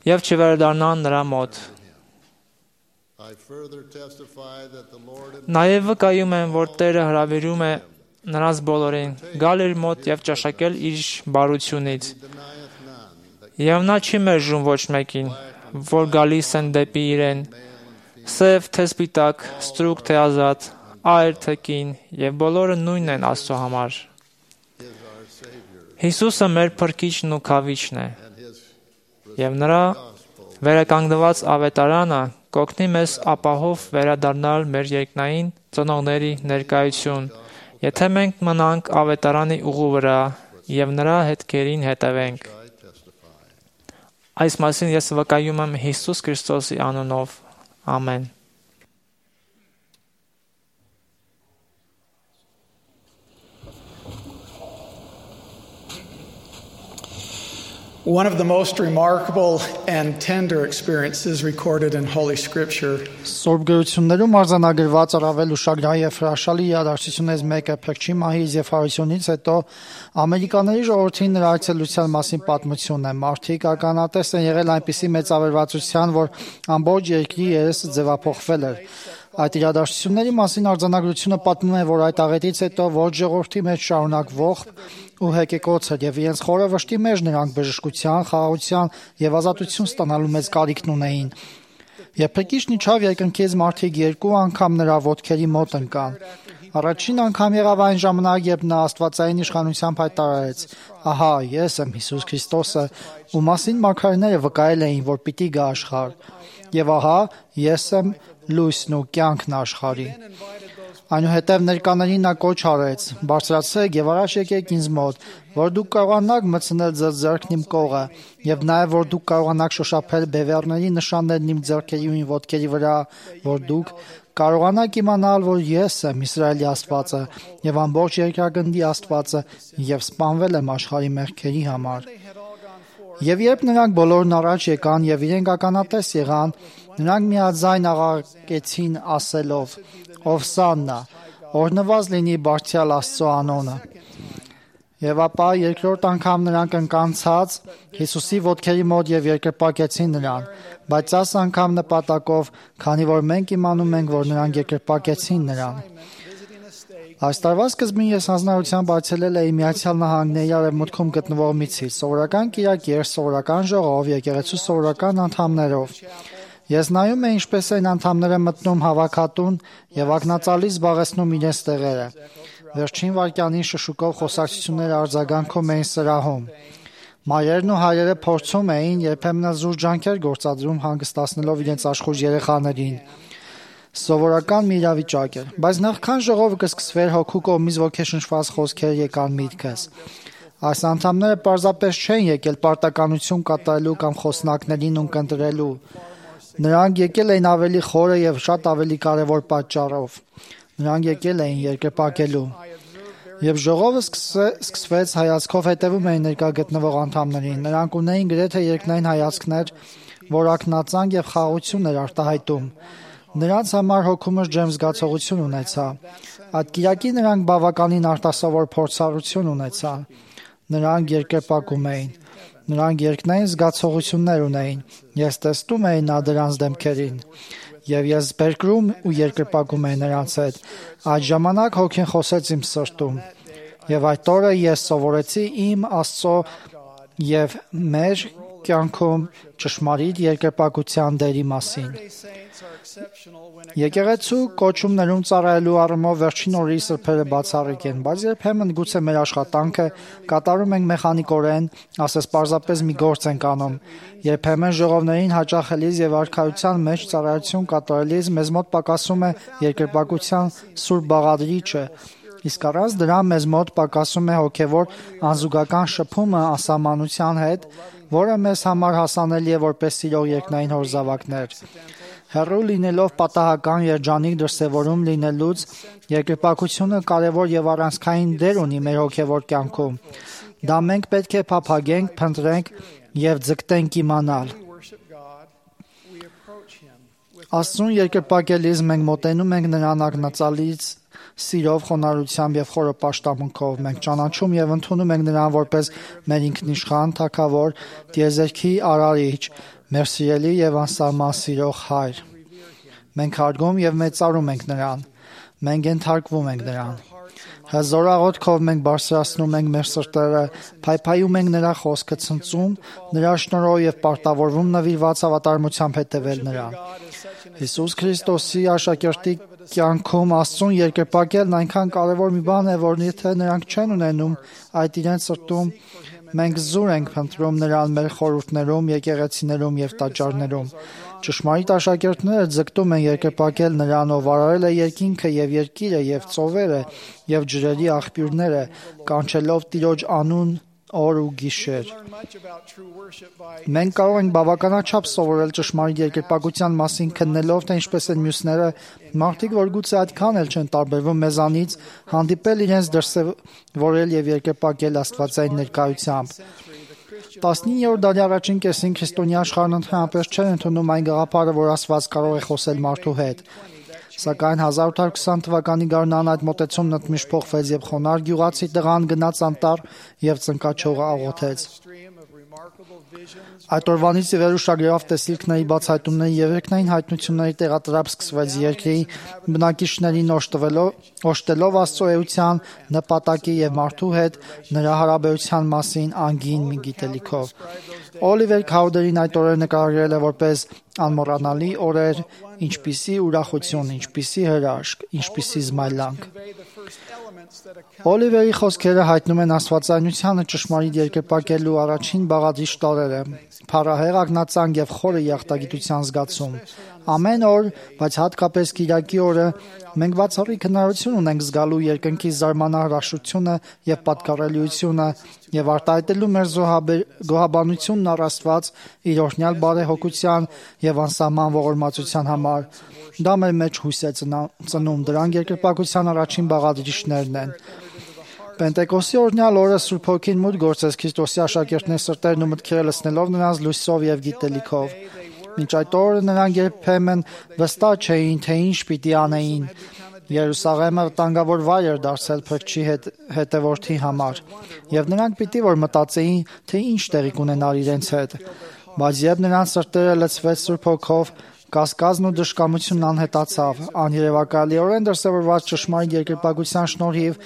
[SPEAKER 13] եւ չվերադառնան նրա մոտ։ Նաեւ վկայում եմ, որ Տերը հրավիրում է նրանց բոլորին գալ իր մոտ եւ ճաշակել իր բարությունից։ Եվ նա չի մերժում ոչ մեկին, որ գալիս են դեպի իրեն, սև թե սպիտակ, ստրուկ թե ազատ, այր թե կին, եւ բոլորը նույնն են Աստծո համար։ Հիսուսը մեր փրկիչն ու քավիչն է, եւ նրա վերականգնված ավետարանը կօգնի մեզ ապահով վերադառնալ մեր երկնային ծնողների ներկայություն, եթե մենք մնանք ավետարանի ուղու վրա եւ նրա հետքերին հետևենք։ Այս մասին ես վկայում եմ Հիսուս Քրիստոսի անունով։ Ամեն։
[SPEAKER 14] One of the most remarkable and tender experiences recorded in Holy Scripture
[SPEAKER 2] Սուրբ գրություններում արձանագրված առավել ուշագրավ եւ հրաշալի իրադարձություններից մեկը Փրկչի մահից եւ հարությունից հետո ամերիկաների ժողովրդին նրա այցելության մասին պատմությունն է։ Մարդիկ ականատես են եղել այնպիսի մեծավերվածության, որ ամբողջ երկրի երեսը ձևափոխվել էր։ Այդ իրադարձությունների մասին արձանագրությունը պատմում է, որ այդ աղետից հետո ոչ ժողովրդի մեջ շարունակվող ու հեկեկոց էր եւ իրենց խորը վշտի մեջ նրանք բժշկության, խաղաղության եւ ազատություն ստանալու մեծ կարիքն ունեին։ Երբ Փրկիչն իջավ երկնքից, մարդիկ երկու անգամ նրա ոտքերի մոտ ընկան։ Առաջին անգամ եղավ այն ժամանակ, երբ նա աստվածային իշխանությամբ հայտարարեց. «Ահա, ես եմ Հիսուս Քրիստոսը, ում մասին մարգարեները վկայել էին, որ պիտի գա աշխարհ։ Եվ ահա, ես եմ լույսն ու կյանքն աշխարհի»։ Այնուհետև ներկաներին նա կոչ արեց. «Բարձրացեք եւ առաջ եկեք ինձ մոտ, որ դուք կարողանաք մտցնել ձեր ձեռքն իմ կողը, եւ նաեւ որ դուք կարողանաք շոշափել բևեռների նշաններն իմ ձեռքերի ու իմ ոտքերի վրա, որ դուք կարողանաք իմանալ, որ ես եմ Իսրայելի Աստվածը եւ ամբողջ երկրագնդի Աստվածը եւ սպանվել եմ աշխարհի մեղքերի համար»։ Եվ երբ նրանք բոլորն առաջ եկան եւ իրենք ականատես եղան, նրանք միաձայն աղաղակեցին ասելով. «Ովսաննա, օրհնված լինի Բարձրյալ Աստծո անունը»։ Եվ ապա երկրորդ անգամ նրանք ընկանցած Հիսուսի ոտքերի մոտ եւ երկրպագեցին նրան, բայց այս անգամ նպատակով, քանի որ մենք իմանում ենք, որ նրանք երկրպագեցին նրան։ Այս տարվա սկզբին ես հանձնարարությամբ այցելել էի Միացյալ Նահանգների արևմուտքում գտնվող մի ցիր, սովորական կիրակ երթ, սովորական ժողով, եկեղեցու սովորական անդամներով։ Ես նայում էի ինչպես են անդամները մտնում հավաքատուն եւ ակնածալի զբաղեցնում իրենց տեղերը։ Վերջին վայրկյանին շշուկով խոսակցությունները արձագանքում էին սրահում։ Մայրերն ու հայրերը փորձում էին, երբեմն զուր ջանքեր գործադրում հանգստացնելով իրենց աշխույժ երեխաներին։ Սովորական մի իրավիճակ էր, բայց նախքան ժողովը կսկսվեր, հոգու կողմից ոգեշնչված խոսքեր եկան միտքս։ Այս անդամները պարզապես չեն եկել պարտականություն կատարելու կամ խոսնակներին ունկնդրելու։ Նրանք եկել էին ավելի խորը եւ շատ ավելի կարեւոր պատճառով։ Նրանք եկել էին երկրպագելու։ Եվ ժողովը սկսվեց հայացքով հետևում էին ներկա գտնվող անդամներին։ Նրանք ունեին գրեթե երկնային հայացքներ, որ ակնածանք եւ խաղաղություն էր արտահայտում։ Նրանց համար հոգումս ջերմ զգացողություն ունեցա։ Այդ կիրակի նրանք բավականին արտասովոր փորձառություն ունեցան։ Նրանք երկրպագում էին։ Նրանք երկնային զգացողություններ ունեին։ Ես տեսնում էի նա դրանց դեմքերին։ Եվ ես բերկրում ու երկրպագում էի նրանց հետ։ Այդ ժամանակ հոգին խոսեց իմ սրտում։ Եվ այդ օրը ես սովորեցի իմ Աստծո եւ մեր կյանքում ճշմարիտ երկրպագության դերի մասին։ Եկեղեցու կոչումներում ծառայելու առումով վերջին օրերի սրբերը բացառիկ են, բայց երբեմն գուցե մեր աշխատանքը կատարում ենք մեխանիկորեն, ասես պարզապես մի գործ ենք անում։ Երբեմն ժողովներին հաճախելիս եւ արքայության մեջ ծառայություն կատարելիս մեզ մոտ պակասում է երկրպագության սուրբ բաղադրիչը, իսկ առանց դրա մեզ մոտ պակասում է հոգեվոր անզուգական շփումը ասամանության հետ, որը մեզ համար հասանելի է որպես սիրող երկնային հոր զավակներ։ Հեռու լինելով պատահական երջանիկ դրսևորում լինելուց, երկրպագությունը կարևոր եւ առանցքային դեր ունի մեր հոգեվոր կյանքում։ Դա մենք պետք է փափագենք, փնտրենք եւ ձգտենք իմանալ։ Աստծուն երկրպագելիս մենք մոտենում ենք նրան ակնածալից սիրով, խոնարհությամբ եւ խորը պաշտամունքով։ Մենք ճանաչում եւ ընդունում ենք նրան որպես մեր ինքնիշխան, թագավոր, տիեզերքի արարիչ, մեր սիրելի եւ անսահման սիրող հայր։ Մենք հարգում եւ մեծարում ենք նրան։ Մենք ենթարկվում ենք նրան։ Հզոր աղոթքով մենք բարձրացնում ենք մեր սրտերը, փայփայում ենք նրա խոսքը, ցնծում նրա շնորհով եւ պարտավորվում նվիրված հավատարմությամբ հետևել նրան։ Հիսուս Քրիստոսի աշակերտի կյանքում Աստծուն երկրպագելն այնքան կարևոր մի բան է, որ եթե նրանք չեն ունենում այդ իրենց սրտում, մենք զուր ենք փնտրում նրան մեր խորհուրդներում, եկեղեցիներում եւ տաճարներում։ Ճշմարիտ աշակերտները ձգտում են երկրպագել նրան, ով արարել է երկինքը եւ երկիրը եւ ծովերը եւ ջրերի աղբյուրները, կանչելով Տիրոջ անուն օր ու գիշեր։ Մենք կարող ենք բավականաչափ սովորել ճշմարիտ երկրպագության մասին քննելով, թե ինչպես են մյուսները, մարդիկ, որ գուցե այդքան էլ չեն տարբերվում մեզանից, հանդիպել իրենց դրսևորել եւ երկրպագել Աստվածային ներկայությամբ։ տասնիններորդ դարի առաջին կեսին քրիստոնյա աշխարհն ընդհանրապես չէր ընդունում այն գաղափարը, որ Աստված կարող է խոսել մարդու հետ։ Սակայն հազար ութ հարյուր քսան թվականի գարնան այդ մոտեցումն ընդմիշտ փոխվեց եւ խոնարհ գյուղացի տղան գնաց անտառ եւ ծնկաչողը աղոթեց։ Այդ օրվանից ի վեր ուշագրավ տեսիլքների բացահայտումների եւ երկնային հայտնությունների տեղատրապ սկսվեց երկրի բնակիչներին օժտելով Աստծո էության նպատակի եւ մարդու հետ նրա հարաբերության մասին անգին մի գիտելիքով։ Օլիվեր Քաուդերին այդ օրերը նկարագրել է որպես անմոռանալի օրեր, ինչպիսի ուրախություն, ինչպիսի հրաշք, ինչպիսի զմայլանք։ Օլիվերի խոսքերը հայտնում են աստվածայնությանը ճշմարիտ երկրպագելու առաջին բաղադրիչ տարրերը՝ փառահեղ ակնածանք եւ խորը եղտագիտության զգացում։ Ամեն օր, բայց հատկապես Կիրակի օրը մենք բացառիկ հնարավորություն ունենք զգալու երկնքի զարմանահրաշությունը եւ պատկառելիությունը եւ արտահայտելու մեր գոհաբանությունն առ Աստված իր օրհնյալ բարեհոգության եւ անսահման ողորմածության համար։ Դա մեր մեջ հույս է ծնում, դրանք երկրպագության առաջին բաղադրիչներն են։ Պենտեկոստի օրհնյալ օրը Սուրբ Հոգին մուտք գործեց Քրիստոսի աշակերտների սրտերն ու մտքերը լցնելով նրանց լույսով եւ գիտելիքով։ Մինչ այդ օրը նրանք երբեմն վստահ չէին, թե ինչ պիտի անեին։ Երուսաղեմը վտանգավոր վայր էր դարձել փրկչի հետ, հետևորդի համար, եւ նրանք պիտի որ մտածեին, թե ինչ տեղի կունենար իրենց հետ։ Բայց երբ նրանց սրտերը լցվեց Սուրբ Հոգով, կասկածն ու դժկամությունն անհետացավ, աներևակայալիորեն դրսևորված ճշմարիտ երկրպագության շնորհիվ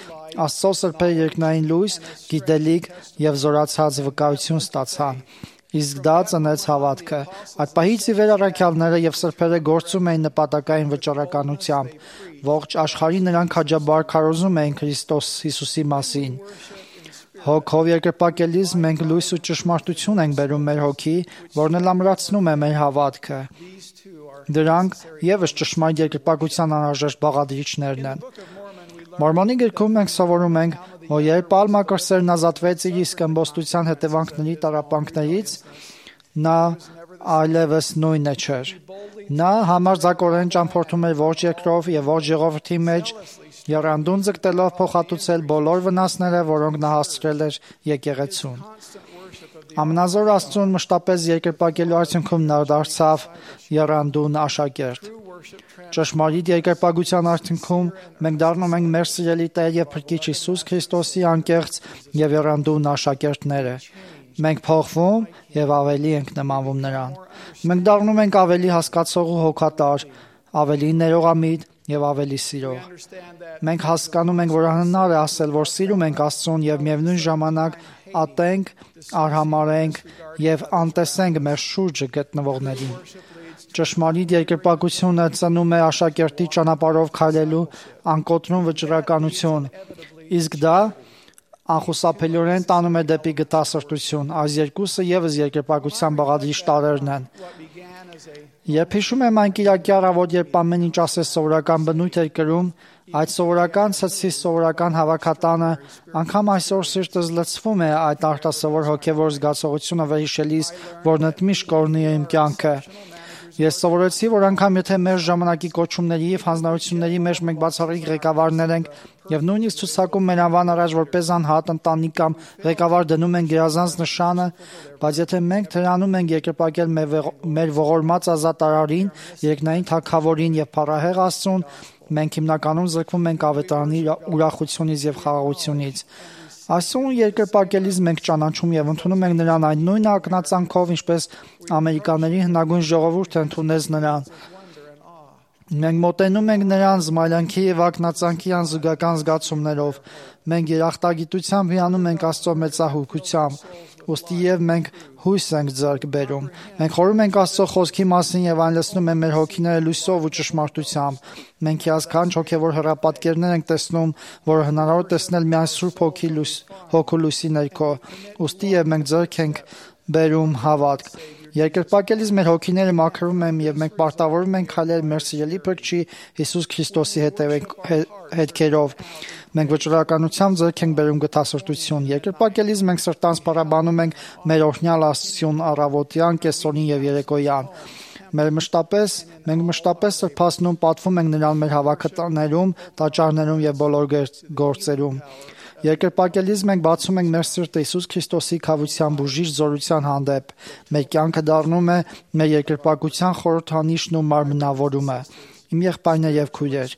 [SPEAKER 2] Աստծո սրբերը երկնային լույս, գիտելիք եւ զորացած վկայություն ստացան։ Իսկ դա ծնեց հավատքը։ Այդ պահից ի վեր առաքյալները եւ սրբերը գործում էին նպատակային վճռականությամբ։ Ողջ աշխարհին նրանք հաջաբար քարոզում էին Քրիստոս Հիսուսի մասին։ Հոգով երկրպագելիս մենք լույս ու ճշմարտություն ենք բերում մեր հոգի, որն էլ ամրացնում է մեր հավատքը։ Դրանք եւս ճշմարիտ երկրպագության անհրաժեշտ բաղադրիչներն են։ Մորմոնի գրքում մենք սովորում ենք, որ երբ Պալմակրսերն ազատվեց իր իսկ ըմբոստության հետևանքների տառապանքներից, նա այլևս նույնը չէր։ Նա համարձակորեն ճամփորդում էր ողջ երկրով եւ ողջ ժողովրդի մեջ, եռանդուն ձգտելով փոխհատուցել բոլոր վնասները, որոնք նա հասցրել էր եկեղեցուն։ Ամնազոր Աստծուն մշտապես երկրպագելու արդյունքում նա դարձավ եռանդուն աշակերտ։ Ճշմարիտ երկրպագության արդյունքում մենք դառնում ենք մեր սիրելի Տեր եւ Փրկիչ Հիսուս Քրիստոսի անկեղծ եւ եռանդուն աշակերտները։ Մենք փոխվում եւ ավելի ենք նմանվում նրան։ Մենք դառնում ենք ավելի հասկացող ու հոգատար, ավելի ներողամիտ եւ ավելի սիրող։ Մենք հասկանում ենք, որ անհնար է ասել, որ սիրում ենք Աստծուն եւ միևնույն ժամանակ ատենք, արհամարենք եւ անտեսենք մեր շուրջը գտնվողներին։ Ճշմարիտ երկրպագությունը ծնում է աշակերտի ճանապարհով քայլելու անկոտրում վճռականություն, իսկ դա անխուսափելիորեն տանում է դեպի գթասրտություն։ Այս երկուսը եւս երկրպագության բաղադրիչ տարրերն են։ Երբ հիշում եմ այն Կիրակի առավոտ, երբ ամեն ինչ ասես սովորական բնույթ էր կրում, այդ սովորական ցցի սովորական հավաքատանը, անգամ այսօր սիրտս լցվում է այդ արտասովոր հոգևոր զգացողությունը վերհիշելիս, որ ընդմիշտ կորնի է իմ կյանքը։ Ես սովորեցի, որ անգամ եթե մեր ժամանակի կոչումների եւ հանձնարարությունների մեջ մենք բացառիկ ղեկավարներ ենք եւ նույնիսկ ցուցակում մեր անվան առաջ որպես անհատ ընտանիք կամ ղեկավար դնում են գերազանց նշանը, բայց եթե մենք թրանում ենք երկրպագել մեր ողորմած ազատարարին, երկնային թագավորին եւ փառահեղ Աստծուն, մենք հիմնականում զրկվում ենք ավետարանի ուրախությունից եւ խաղաղությունից։ Այսօր երկրպագելիս մենք ճանաչում եւ ընդունում ենք նրան այն նույն ակնածանքով, ինչպես ամերիկաների հնագույն ժողովուրդը ընդունեց նրան։ Մենք մոտենում ենք նրան զմայլանքի եւ ակնածանքի անզուգական զգացումներով։ Մենք երախտագիտությամբ հիանում ենք Աստծո մեծահոգությամբ, ուստի եւ մենք հույս ենք ձեռք բերում։ Մենք խորհում ենք Աստծո խոսքի մասին եւ այն լցնում է մեր հոգիները լույսով ու ճշմարտությամբ։ Մենք հիասքանչ հոգեվոր հրապատկերներ ենք տեսնում, որը հնարավոր է տեսնել միայն Սուրբ Հոգի լույս, հոգու լույսի ներքո։ Ուստի եւ մենք ձեռք ենք բերում հավատք։ Երկրպագելիս մեր հոգիները մաքրում են եւ մենք պարտավորվում ենք քայլել մեր սիրելի Փրկչի Հիսուս Քրիստոսի հետքերով։ Մենք վճռականությամբ ձեռք ենք բերում գթասրտություն։ Երկրպագելիս մենք սրտանց փառաբանում ենք մեր օրհնյալ Աստծուն առավոտյան, կեսօրին եւ երեկոյան։ Մեր մշտապես, մենք մշտապես սրբացնում, պատվում ենք նրան մեր հավաքատաներում, տաճարներում եւ բոլոր գործերում։ Երկրպագելիս մենք բացում ենք մեր սիրտը Հիսուս Քրիստոսի քավության բուժիչ զորության հանդեպ։ Մեր կյանքը դառնում է մեր երկրպագության խորհրդանիշն ու մարմնավորումը։ Իմ եղբայրներ եւ քույրեր,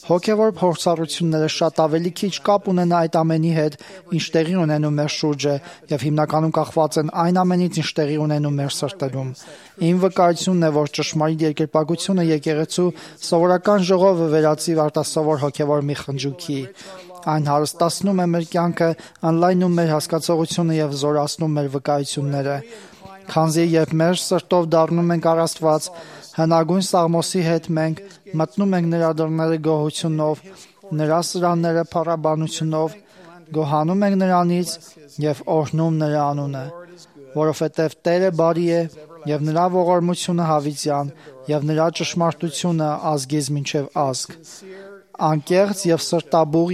[SPEAKER 2] հոգեվոր փորձառությունները շատ ավելի քիչ կապ ունեն այդ ամենի հետ, ինչ տեղի ունենում մեր շուրջը, եւ հիմնականում կախված են այն ամենից, ինչ տեղի ունենում մեր սրտերում։ Իմ վկայությունն է, որ ճշմարիտ երկրպագությունը եկեղեցու սովորական ժողովը վերածի արտասովոր հոգեվոր մի խնջույքի։ Այն հարստացնում է մեր կյանքը, անլայնում մեր հասկացողությունը եւ զորացնում մեր վկայությունները։ Քանզի երբ մեր սրտով դառնում ենք առ Աստված, հնագույն Սաղմոսի հետ մենք մտնում ենք նրա դռները գոհությունով, նրա սրանները փառաբանությունով, գոհանում ենք նրանից եւ օրհնում նրա անունը, որովհետեւ Տերը բարի է եւ նրա ողորմությունը հավիտյան, եւ նրա ճշմարտությունը ազգից մինչև ազգ։ Անկեղծ եւ սրտաբուղ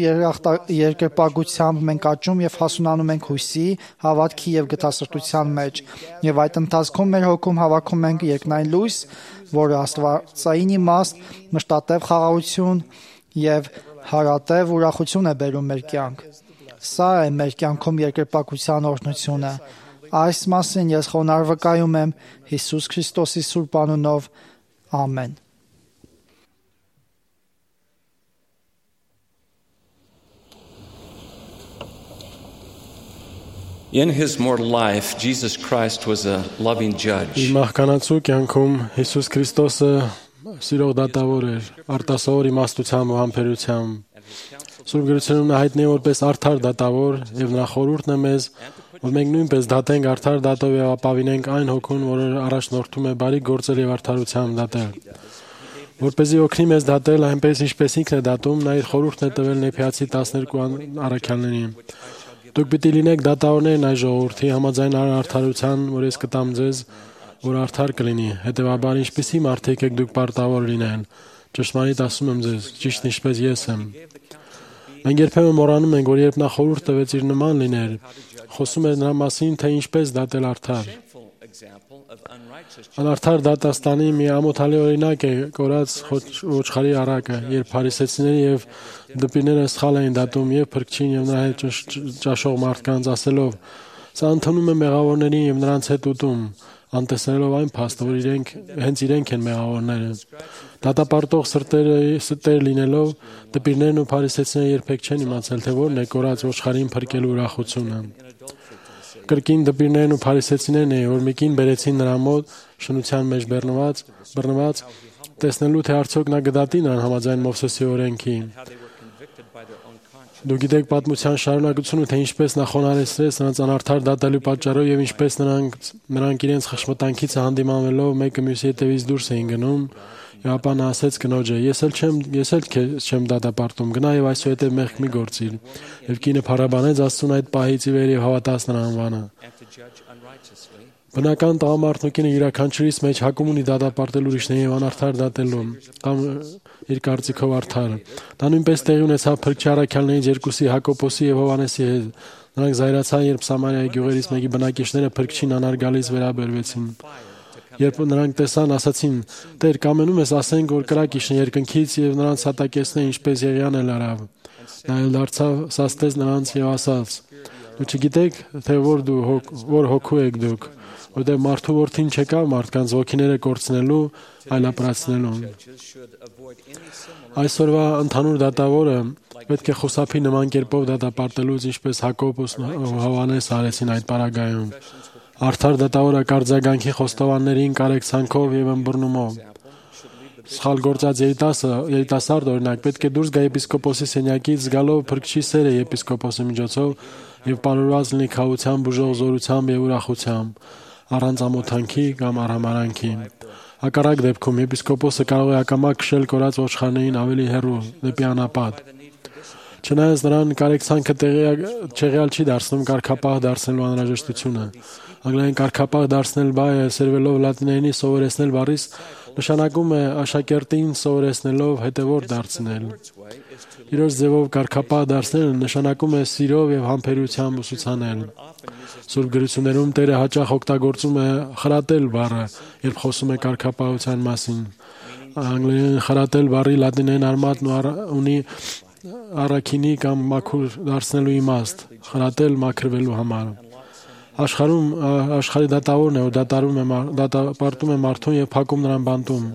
[SPEAKER 2] երկրպագությամբ մենք աճում եւ հասունանում ենք հույսի, հավատքի եւ գթասրտության մեջ, եւ այդ ընթացքում մեր հոգում հավաքում ենք երկնային լույս, որը աստվածային իմաստ, մշտատև խաղաղություն եւ հարատև ուրախություն է բերում մեր կյանք։ Սա է մեր կյանքում երկրպագության օրհնությունը։ Այս մասին ես խոնարհ վկայում եմ Հիսուս Քրիստոսի սուրբ անունով։ Ամեն։
[SPEAKER 15] In his mortal life, Jesus Christ was a loving judge.
[SPEAKER 4] Իր մահկանացու կյանքում Հիսուս Քրիստոսը սիրող դատավոր էր, արտասովոր իմաստությամբ ու համբերությամբ։ Սուրբ Գրությունում նա հայտնի է որպես արդար դատավոր, եւ նրա խորհուրդն է մեզ, որ մենք նույնպես դատենք արդար դատով եւ ապավինենք այն հոգուն, որը առաջնորդում է բարի գործեր եւ արդարությամբ դատել։ Որպեսզի օգնի մեզ դատել այնպես, ինչպես ինքն է դատում, նա իր խորհուրդն է տվել Նեփիացի տասներկու առաքյալներին։ Դուք պիտի լինեք դատավորներն այս ժողովրդի համաձայն արդարության, որ ես կտամ ձեզ, որ արդար կլինի։ Հետևաբար, ինչպիսի մարդիկ եք դուք պարտավոր լինեն։ Ճշմարիտ ասում եմ ձեզ, ճիշտ ինչպես ես եմ։ Մենք երբեմն մոռանում ենք, որ երբ նա խորհուրդ տվեց իր նման լիներ, խոսում էր նրա մասին, թե ինչպես դատել արդար։ Անարդար դատաստանի մի ամոթալի օրինակ է կորած ոչխարի առակը, երբ փարիսեցիները եւ դպիրները սխալ էին դատում եւ փրկչին եւ նրա հետ ճաշող մարդկանց, ասելով. «Սա ընդունում է մեղավորներին եւ նրանց հետ ուտում», անտեսելով այն փաստը, որ իրենք հենց իրենք են մեղավորները։ Դատապարտող սրտերը ստեր լինելով, դպիրներն ու փարիսեցիները երբեք չեն իմացել, թե որն է կորած ոչխարին փրկելու ուրախությունը։ Կրկին դպիրներն ու փարիսեցիներն էին, որ մի կին բերեցին նրա մոտ շնության մեջ բռնված, բռնված, տեսնելու թե արդյոք նա կդատի նրան համաձայն Մովսեսի օրենքի։ Դուք գիտեք պատմության շարունակությունը, թե ինչպես նա խոնարհեցրեց նրանց անարդար դատելու պատճառով եւ ինչպես նրանք նրանք իրենց խշմտանքից հանդիմանվելով մեկը մյուսի հետևից դուրս էին գնում, եւ ապա նա ասեց կնոջը. «Ես էլ չեմ, ես էլ չեմ դատապարտում, գնա եւ այսուհետեւ մեղք մի գործիր»։ Եվ կինը փառաբանեց Աստծուն այդ պահից ի վեր եւ հավատաց նրա անվանը։ Բնական տղամարդն ու կինը յուրաքանչյուրիս մեջ հակում ունի դատապարտել ուրիշներին եւ անարդար դատելու կամ իր կարծիքով արդար։ Դա նույնպես տեղի ունեցավ փրկչի առաքյալներից երկուսի Հակոբոսի եւ Հովհաննեսի հետ։ Նրանք զայրացան, երբ Սամարիայի գյուղերից մեկի բնակիչները փրկչին անարգալից վերաբերվեցին։ Երբ նրանք տեսան, ասացին. «Տեր, կամենում ես ասենք, որ կրակ իջնի երկնքից եւ նրանց հատակեցնե, ինչպես Եղիան էլ արավ»։ Նա էլ դարձավ, սաստեց նրանց եւ ասաց. «Դու չգիտեք, թե որ դու որ հոգու եք դուք, որտեղ մարդու որդին չեկավ մարդկանց ոգիները կորցնելու, այլ ապրացնելու»։ Այսօրվա ընդհանուր դատավորը պետք է խուսափի նման կերպով դատապարտելուց, ինչպես Հակոբոս ու Հովհաննես արեցին այդ պարագայում։ Արդար դատավորը կարձագանքի խոստովաններին կարեկցանքով եւ ըմբռնումով։ Սխալ գործած երիտասարդ օրինակ պետք է դուրս գա եպիսկոպոսի սենյակից զգալով փրկչի սերը եպիսկոպոսի միջոցով եւ պարուրված լինի քավությամբ, ուժող զորությամբ եւ ուրախությամբ, առանց ամոթանքի կամ արհամարանքի։ Հակառակ դեպքում եպիսկոպոսը կարող է ակամա քշել կորած ոչխարներին ավելի հեռու դեպի անապատ։ Չնայած նրան կարեկցանքը չեղյալ չի դարձնում կարգապահ դարձնելու անհրաժեշտությունը։ Անգլերեն կարգապահ դարձնել բայը սերվելով լատիներենի սովորեցնել բառից նշանակում է աշակերտին սովորեցնելով հետևորդ դարձնել։ Իրոց ձևով կարգապահ դարձնելը նշանակում է սիրով եւ համբերությամբ ուսուցանել։ Սուրբ Գրություններում Տերը հաճախ օգտագործում է խրատել բառը, երբ խոսում է կարգապահության մասին։ Անգլերեն խրատել բառի լատիներեն արմատն ունի առաքինի կամ մաքուր դարձնելու իմաստ, խրատել մաքրվելու համար։ Աշխարհում աշխարհի դատավորն է, որ դատարում է դատապարտում է մարդուն եւ փակում նրան բանտում։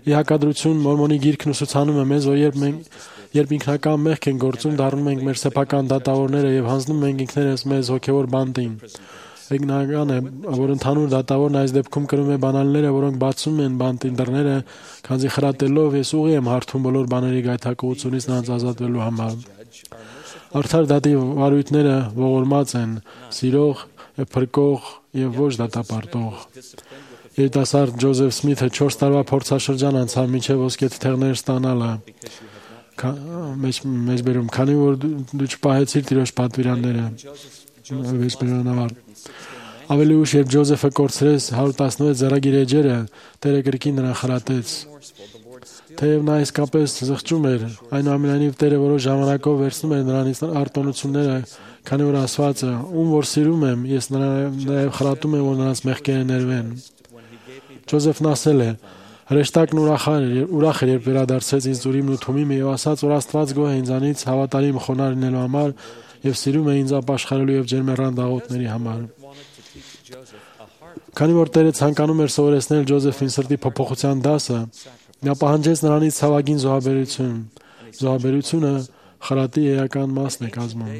[SPEAKER 4] Ի հակադրություն Մորմոնի գիրքն ուսուցանում է մեզ, որ երբ մենք երբ ինքնական մեղք են գործում, դառնում ենք մեր սեփական դատավորները եւ հանձնում ենք ինքներս մեզ հոգեվոր բանտին։ Ეგնական է, որ ընդհանուր դատավորն այս դեպքում կրում է բանալները, որոնք բացում են բանտի դռները, քանզի խրատելով ես ուղի եմ հարթում բոլոր բաների գայթակղությունից նրանց ազատվելու համար։ Արդար դատի վարույթները ողորմած են, սիրող եւ փրկող եւ ոչ դատապարտող։ Երիտասարդ Ջոզեֆ Սմիթը չորս տարվա փորձաշրջան անցավ մինչև ոսկե թղթեր ստանալը։ Մեծ բերում, քանի որ դու չպահեցիր Տիրոջ պատվիրանները։ Ավելի ուշ, երբ Ջոզեֆը կորցրեց հարյուր տասնվեց ձեռագիր էջերը, Տերը կրկին նրան խրատեց։ Թեև նա իսկապես զղջում էր, այնուամենայնիվ Տերը որոշ ժամանակով վերցնում էր նրանից արտոնությունները, քանի որ ասված է. «Ում որ սիրում եմ, ես նաև խրատում եմ, որ նրանց մեղքերը ներվեն»։ Ջոզեֆն ասել է. «Հրեշտակն ուրախ էր, երբ վերադարձեց ինձ Ուրիմն ու Թումիմը եւ ասաց, որ Աստված գոհ է ինձանից հավատարիմ խոնարհ լինելու համար եւ սիրում է ինձ ապաշխարելու եւ ջերմեռան դաղոթների համար»։ Քանի որ Տերը ցանկանում էր սովորեցնել Ջոզեֆին սրտի փոփոխության դասը, նա պահանջեց նրանից ցավագին զոհաբերություն։ Զոհաբերությունը խրատի էական մասն է կազմում։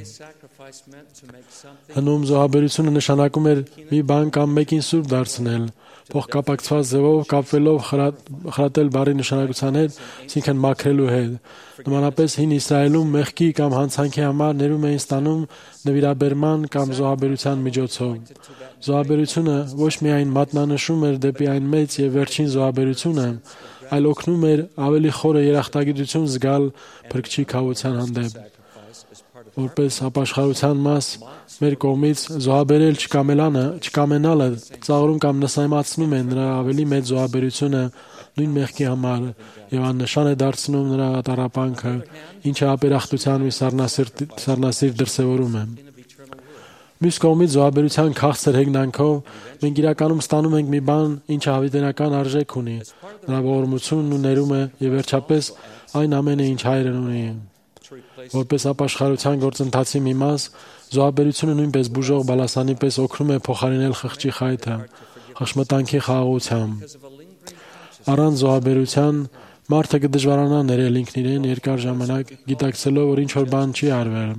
[SPEAKER 4] Հնում զոհաբերությունը նշանակում էր մի բան կամ մեկին սուրբ դարձնել, փոխկապակցված ձևով կապվելով խրատել բառի նշանակության հետ, այսինքն մաքրելու հետ։ Նմանապես հին Իսրայելում մեղքի կամ հանցանքի համար ներում էին ստանում նվիրաբերման կամ զոհաբերության միջոցով։ Զոհաբերությունը ոչ միայն մատնանշում էր դեպի այն մեծ եւ վերջին զոհաբերությունը, այլ օգնում էր ավելի խորը երախտագիտություն զգալ Փրկչի քավության հանդեպ։ Որպես ապաշխարության մաս մեր կողմից զոհաբերել չկամելանը, չկամենալը ծաղրում կամ նսեմացնում է նրա ավելի մեծ զոհաբերությունը նույն մեղքի համար եւ աննշան է դարձնում նրա տառապանքը, ինչը ապերախտության մի սառնասիրտ դրսևորում է։ Մյուս կողմից զոհաբերության քաղցր հեգնանքով մենք իրականում ստանում ենք մի բան, ինչը հավիտենական արժեք ունի, նրա ողորմությունն ու ներումը եւ վերջապես այն ամենը, ինչ Հայրն ունի։ Որպես ապաշխարության գործընթացի մի մաս, զոհաբերությունը նույնպես բուժող բալասանի պես օգնում է փոխարինել խղճի խայթը, խշմտանքի խաղաղությամբ։ Առանց զոհաբերության մարդը կդժվարանա ներել ինքն իրեն երկար ժամանակ, գիտակցելով, որ ինչ-որ բան չի արվել։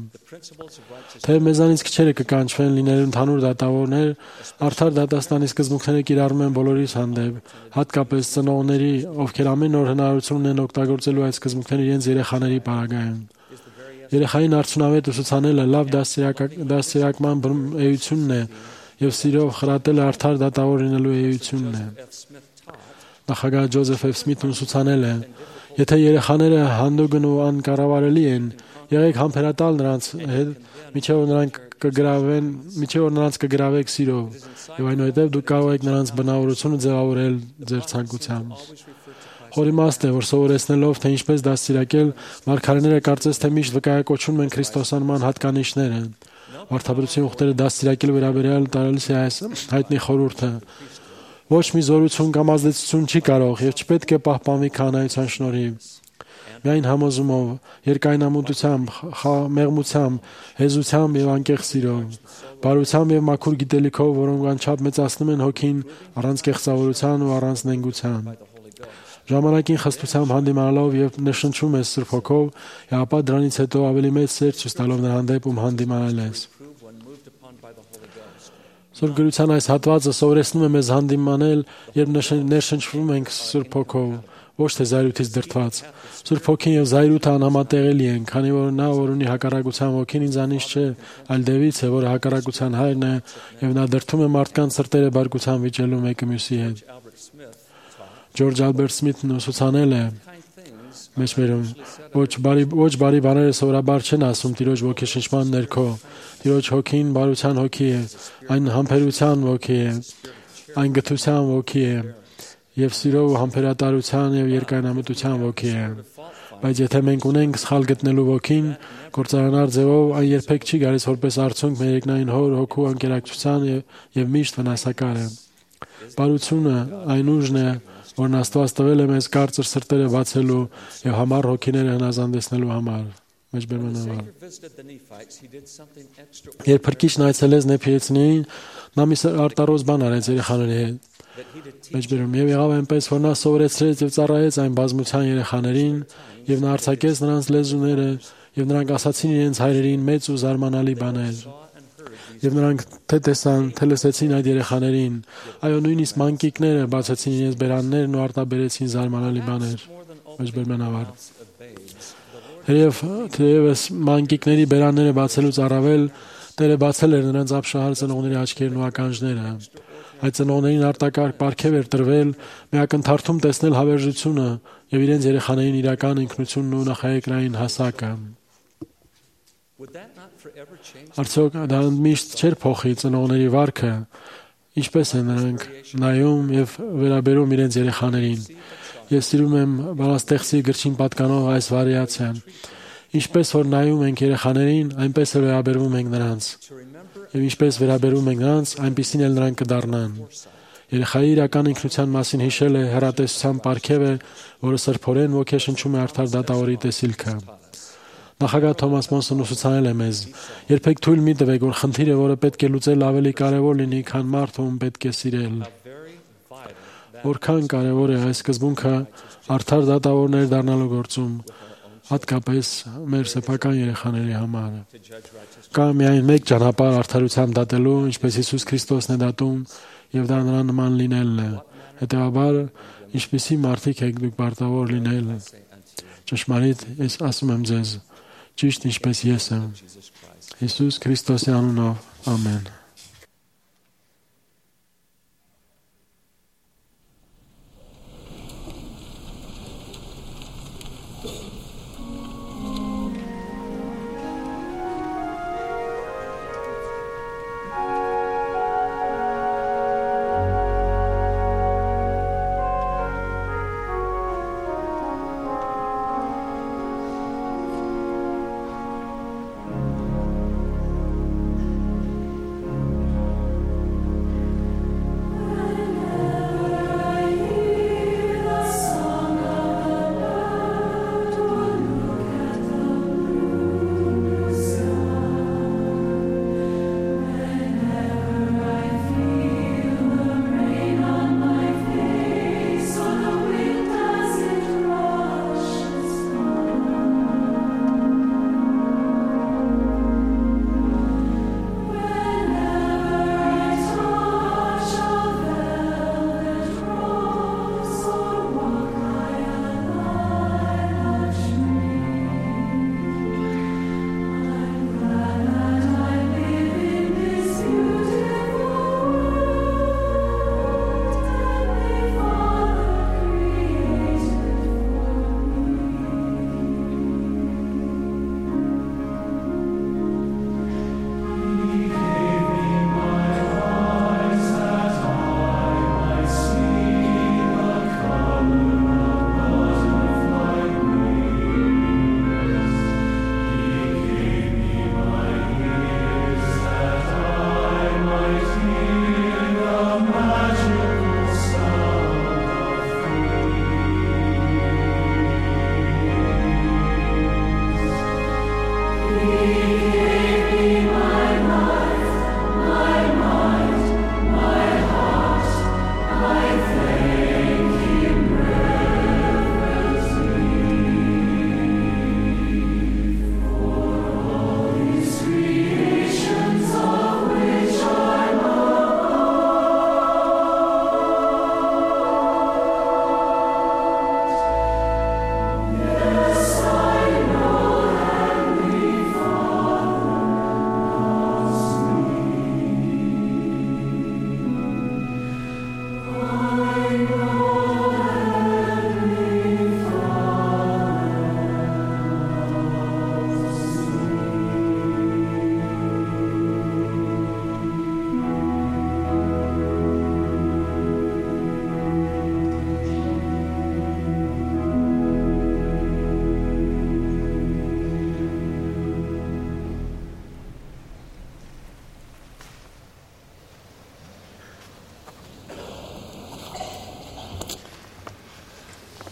[SPEAKER 4] Թեև մեզանից քչերը կկանչվեն լինել ընդհանուր դատավորներ, արդար դատաստանի սկզբունքները կիրառում են բոլորիս հանդեպ, հատկապես ծնողների, ովքեր ամեն օր հնարավորություն ունեն օգտագործելու այդ սկզբունքները իրենց երեխաների պարագայում։ Երեխային արդյունավետ ուսուցանելը լավ դաստիարակման էությունն է եւ սիրով խրատելը արդար դատավոր լինելու էությունն է։ Նախագահ Ջոզեֆ Էֆ. Սմիթն ուսուցանել է. «Եթե երեխաները հանդուգն ու անկառավարելի են, եղեք համբերատալ նրանց հետ, մինչև որ նրանք կգրավեն, մինչև որ նրանց կգրավեք սիրով, եւ այնուհետեւ դուք կարող եք նրանց բնավորությունը ձևավորել ձեր ցանկությամբ»։ Խորիմաստ է, որ սովորեցնելով, թե ինչպես դաստիարակել, մարգարեները կարծես թե միշտ վկայակոչում են քրիստոսանման հատկանիշները։ Վարդապետության ուխտերը դաստիարակելու վերաբերյալ տարելիս է այս հայտնի խորհուրդը. «Ոչ մի զորություն կամ ազդեցություն չի կարող եւ չպետք է պահպանվի քահանայության շնորհիվ։ Միայն համոզումով, երկայնամտությամբ, մեղմությամբ, հեզությամբ եւ անկեղծ սիրով, բարությամբ եւ մաքուր գիտելիքով, որոնք անչափ մեծացնում են հոգին առանց կեղծավորության ու առանց նենգության։ Ժամանակին խստությամբ հանդիմանալով եւ նշնչում ես Սուրբ Հոգով, եւ ապա դրանից հետո ավելի մեծ սեր ցույց տալով նրա հանդեպ, ում հանդիմանել ես»։ Սուրբ գրության այս հատվածը սովորեցնում է մեզ հանդիմանել, երբ ներշնչվում ենք Սուրբ Հոգով, ոչ թե զայրույթից դրդված։ Սուրբ Հոգին եւ զայրույթը անհամատեղելի են, քանի որ նա, որ ունի հակառակության ոգին, ինձանից չէ, այլ Դևից է, որը հակառակության հայրն է, եւ նա դրդում է մարդկանց սրտերը բարկության վիճելու մեկը մյուսի հետ։ Ջորջ Ալբերտ Սմիթն ուսուցանել է. Մեջբերում ոչ բարի ոչ բարի բաները սովորաբար չեն ասում Տիրոջ ոգեշնչման ներքո։ Տիրոջ հոգին բարության հոգի է, այն համբերության ոգի է, այն գթության ոգի է, եւ սիրով ու համբերատարության եւ երկայնամտության ոգի է։ Բայց եթե մենք ունենք սխալ գտնելու ոգին, կործանար ձևով, այն երբեք չի գալիս որպես արդյունք մեր երկնային հոր հոգու անկերակցության եւ միշտ վնասակար է։ Բարությունը այն ուժն է, որն Աստված տվել է մեզ կարծր սրտերը բացելու եւ համառ հոգիները հնազանդեցնելու համար։ Մեջբերմանավար։ Երբ Փրկիչն այցելեց Նեփիեցիներին, նա մի արտարոց բան արեց երեխաների հետ։ Մեջբերում եւ եղավ այնպես, որ նա սովորեցրեց եւ ծառայեց այն բազմության երեխաներին, եւ նա արձակեց նրանց լեզուները, եւ նրանք ասացին իրենց հայրերին մեծ ու զարմանալի բաներ։ Եվ նրանք թե տեսան, թե լսեցին այդ երեխաներին, այո, նույնիսկ մանկիկները բացեցին իրենց բերաններն ու արտաբերեցին զարմանալի բաներ։ Մեջբերմանավար։ Թեև թեևս մանկիկների բերանները բացելուց առավել Տերը բացել էր նրանց ապշահար ծնողների աչքերն ու ականջները։ Այդ ծնողներին արտակարգ պարգև էր տրվել միակնթարթում տեսնել հավերժությունը եւ իրենց երեխաներին իրական ինքնությունն ու նախաերկրային հասակը։ Արդյոք դա միշտ չէր փոխի ծնողների վարքը, ինչպես են նրանք նայում եւ վերաբերում իրենց երեխաներին։ Ես սիրում եմ Բանաստեղծի գրչին պատկանող այս վարիացիան։ Ինչպես որ նայում ենք երեխաներին, այնպես էլ վերաբերվում ենք նրանց։ Եվ ինչպես վերաբերվում ենք նրանց, այնպիսին էլ նրանք կդառնան։ Երեխայի իրական ինքնության մասին հիշելը հեռատեսության պարգև է, որը սրբորեն ոգեշնչում է արդար դատավորի տեսիլքը։ Նախագահ Թոմաս Մոնսոն ուսուցանել է մեզ. երբեք թույլ մի տվեք, որ խնդիրը, որը պետք է լուծել, ավելի կարևոր լինի, քան մարդը, ում պետք է սիրել։ Որքան կարևոր է այս սկզբունքը արդար դատավորներ դառնալու գործում, հատկապես մեր սեփական երեխաների համար։ Կա միայն մեկ ճանապարհ արդարությամբ դատելու, ինչպես Հիսուս Քրիստոսն է դատում, եւ դա նրան նման լինելն է։ Հետեւաբար, ինչպիսի մարդիկ եք դուք պարտավոր լինել։ Ճշմարիտ, ես ասում եմ ձեզ, ճիշտ ինչպես ես եմ։ Հիսուս Քրիստոսի անունով, ամեն։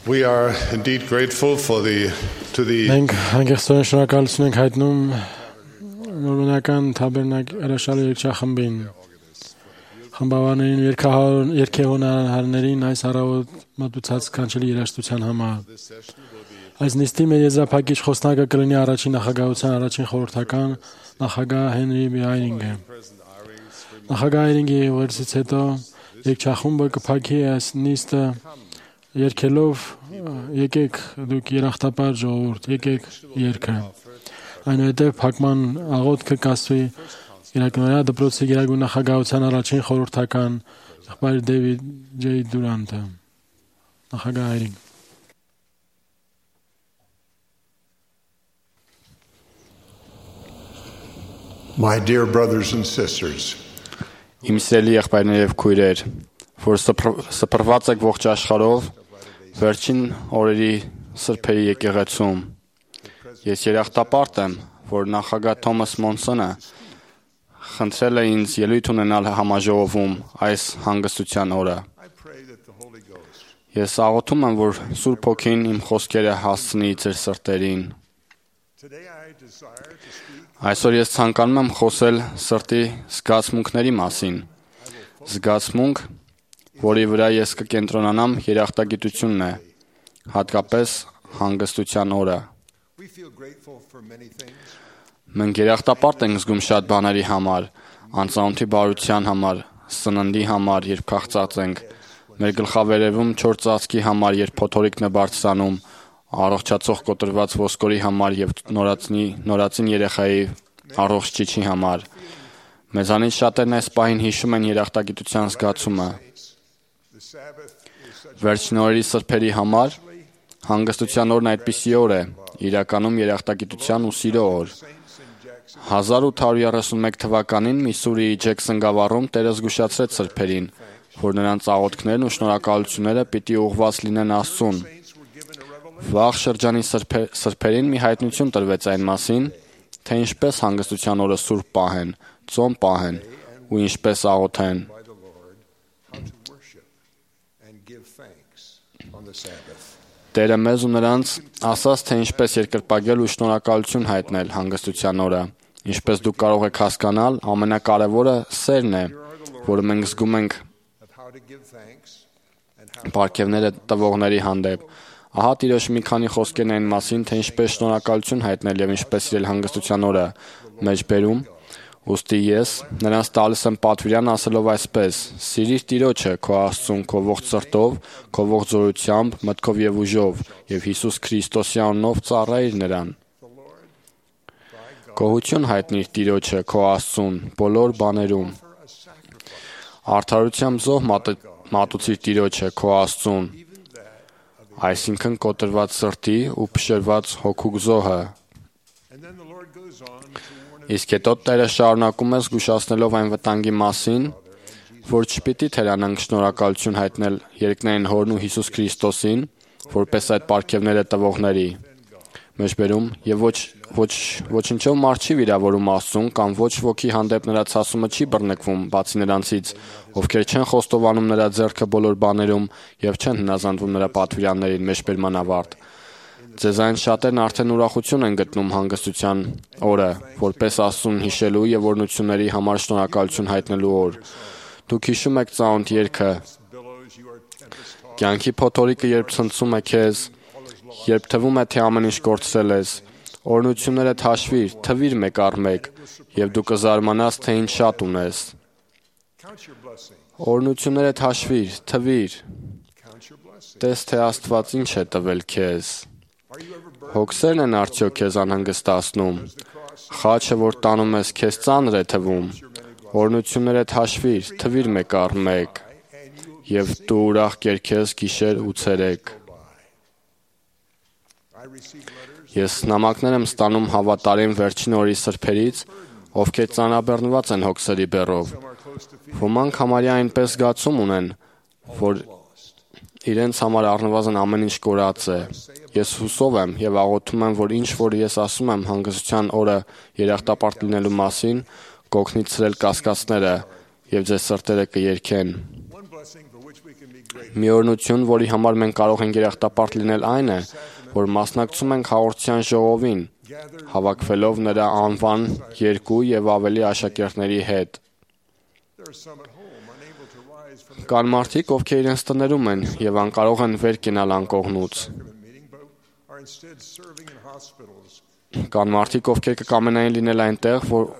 [SPEAKER 3] We are indeed grateful for the to the
[SPEAKER 4] Մենք հանգստորեն շնորհակալություն ենք հայտնում նորմենական թաբերնակ հրաշալի երգչախմբին, խմբավարներին, երգեհոնարներին այս առավոտ մատուցած կանչելի երաժշտության համար։ Այս նիստի մեր եզրափակիչ խոսնակը կլինի առաջին նախագահության առաջին խորհրդական նախագահ Հենրի B. Այրինգը։ Նախագահ Այրինգի ուղերձից հետո երգչախումբը կփակի այս նիստը երգելով եկեք դուք երախտապար ժողովուրդ, եկեք երգը։ Այնուհետև փակման աղոթքը կասվի Իրակնորյա դպրոցի գերագույն նախագահության առաջին խորհրդական եղբայր Դեվիդ Ջեյ Դուրանտը։ Նախագահ Այրինգ։
[SPEAKER 3] My dear brothers and sisters,
[SPEAKER 6] Իմ սիրելի եղբայրներ եւ քույրեր, որ սփռված եք ողջ աշխարհով, վերջին օրերի սրբերի եկեղեցում, ես երախտապարտ եմ, որ նախագահ Թոմաս Մոնսոնը խնդրել է ինձ ելույթ ունենալ համաժողովում այս հանգստության օրը։ Ես աղոթում եմ, որ Սուրբ Հոգին իմ խոսքերը հասցնի ձեր սրտերին։ Այսօր ես ցանկանում եմ խոսել սրտի զգացմունքների մասին։ Զգացմունք, որի վրա ես կկենտրոնանամ երախտագիտությունն է, հատկապես հանգստության օրը։ Մենք երախտապարտ ենք զգում շատ բաների համար, անծանոթի բարության համար, սննդի համար, երբ քաղցած ենք, մեր գլխավերևում չոր ծածկի համար, երբ փոթորիկն է բարձրանում, առողջացող կոտրված ոսկորի համար եւ նորածնի նորածին երեխայի առողջ ճիչի համար։ Մեզանից շատերն այս պահին հիշում են երախտագիտության զգացումը։ Վերջին օրերի սրբերի համար հանգստության օրն այդպիսի օր է, իրականում երախտագիտության ու սիրո օր։ հազար ութ հարյուր երեսունմեկ թվականին Միսուրիի Ջեքսոն գավառում Տերը զգուշացրեց սրբերին, որ նրանց աղոթքներն ու շնորհակալությունները պիտի ուղղված լինեն Աստծուն։ Վաղ շրջանի սրբերին մի հայտնություն տրվեց այն մասին, թե ինչպես հանգստության օրը սուրբ պահեն, ծոմ պահեն ու ինչպես աղոթեն։ Տերը մեզ ու նրանց ասաց, թե ինչպես երկրպագել ու շնորհակալություն հայտնել հանգստության օրը։ Ինչպես դուք կարող եք հասկանալ, ամենակարևորը սերն է, որը մենք զգում ենք պարգևները տվողների հանդեպ։ Ահա Տիրոջ մի քանի խոսքերն այն մասին, թե ինչպես շնորհակալություն հայտնել եւ ինչպես սիրել հանգստության օրը մեջբերում։ Ուստի ես նրանց տալիս եմ պատվիրան ասելով այսպես. «Սիրիր Տիրոջը քո Աստծուն քո ողջ սրտով, քո ողջ զորությամբ, մտքով եւ ուժով, եւ Հիսուս Քրիստոսի անունով ծառայիր նրան»։ Գոհություն հայտնիր Տիրոջը քո Աստծուն բոլոր բաներում։ Արդարությամբ զոհ մատուցիր Տիրոջը քո Աստծուն, այսինքն կոտրված սրտի ու փշրված հոգու զոհը։ Իսկ հետո Տերը շարունակում է զգուշացնելով այն վտանգի մասին, որ չպիտի թերանանք շնորհակալություն հայտնել երկնային Հորն ու Հիսուս Քրիստոսին, որպես այդ պարգևները տվողների։ Մեջբերում եւ ոչ ոչ ոչինչով մարդ չի վիրավորում Աստծուն կամ ոչ ոքի հանդեպ նրա ցասումը չի բռնկվում, բացի նրանցից, ովքեր չեն խոստովանում նրա ձեռքը բոլոր բաներում եւ չեն հնազանդվում նրա պատվիրաններին։ Մեջբերման ավարտ։ Ձեզ այն շատերն արդեն ուրախություն են գտնում հանգստության օրը, որպես Աստծուն հիշելու եւ օրհնությունների համար շնորհակալություն հայտնելու օր։ Դուք հիշում եք ծանոթ երգը. Կյանքի փոթորիկը երբ ցնցում է քեզ, երբ թվում է թե ամեն ինչ կորցրել ես, օրհնություններդ հաշվիր, թվիր մեկ առ մեկ, եւ դու կզարմանաս, թե ինչ շատ ունես։ Օրհնություններդ հաշվիր, թվիր։ Տես թե Աստված ինչ է տվել քեզ։ Հոգսերն են արդյոք քեզ անհանգստացնում։ Խաչը, որ տանում ես, քեզ ծանր է թվում։ Օրհնություններդ հաշվիր, թվիր մեկ առ մեկ, եւ դու ուրախ կերքես գիշեր ու ցերեկ։ Ես նամակներ եմ ստանում հավատարիմ վերջին օրի սրբերից, ովքեր ծանրաբեռնված են հոգսերի բեռով։ Ոմանք համարյա այնպես զգացում ունեն, որ իրենց համար առնվազն ամեն ինչ կորած է։ Ես հուսով եմ եւ աղոթում եմ, որ ինչ որ ես ասում եմ հանգստության օրը երախտապարտ լինելու մասին, կօգնի ցրել կասկածները եւ ձեր սրտերը կերքեն։ Մի օրհնություն, որի համար մենք կարող ենք երախտապարտ լինել, այն է, որ մասնակցում ենք հաղորդության ժողովին, հավաքվելով նրա անվան երկու եւ ավելի աշակերտների հետ։ Կան մարդիկ, ովքեր իրենց տներում են եւ անկարող են վեր կենալ անկողնուց։ Կան մարդիկ, ովքեր կկամենային լինել այնտեղ, որ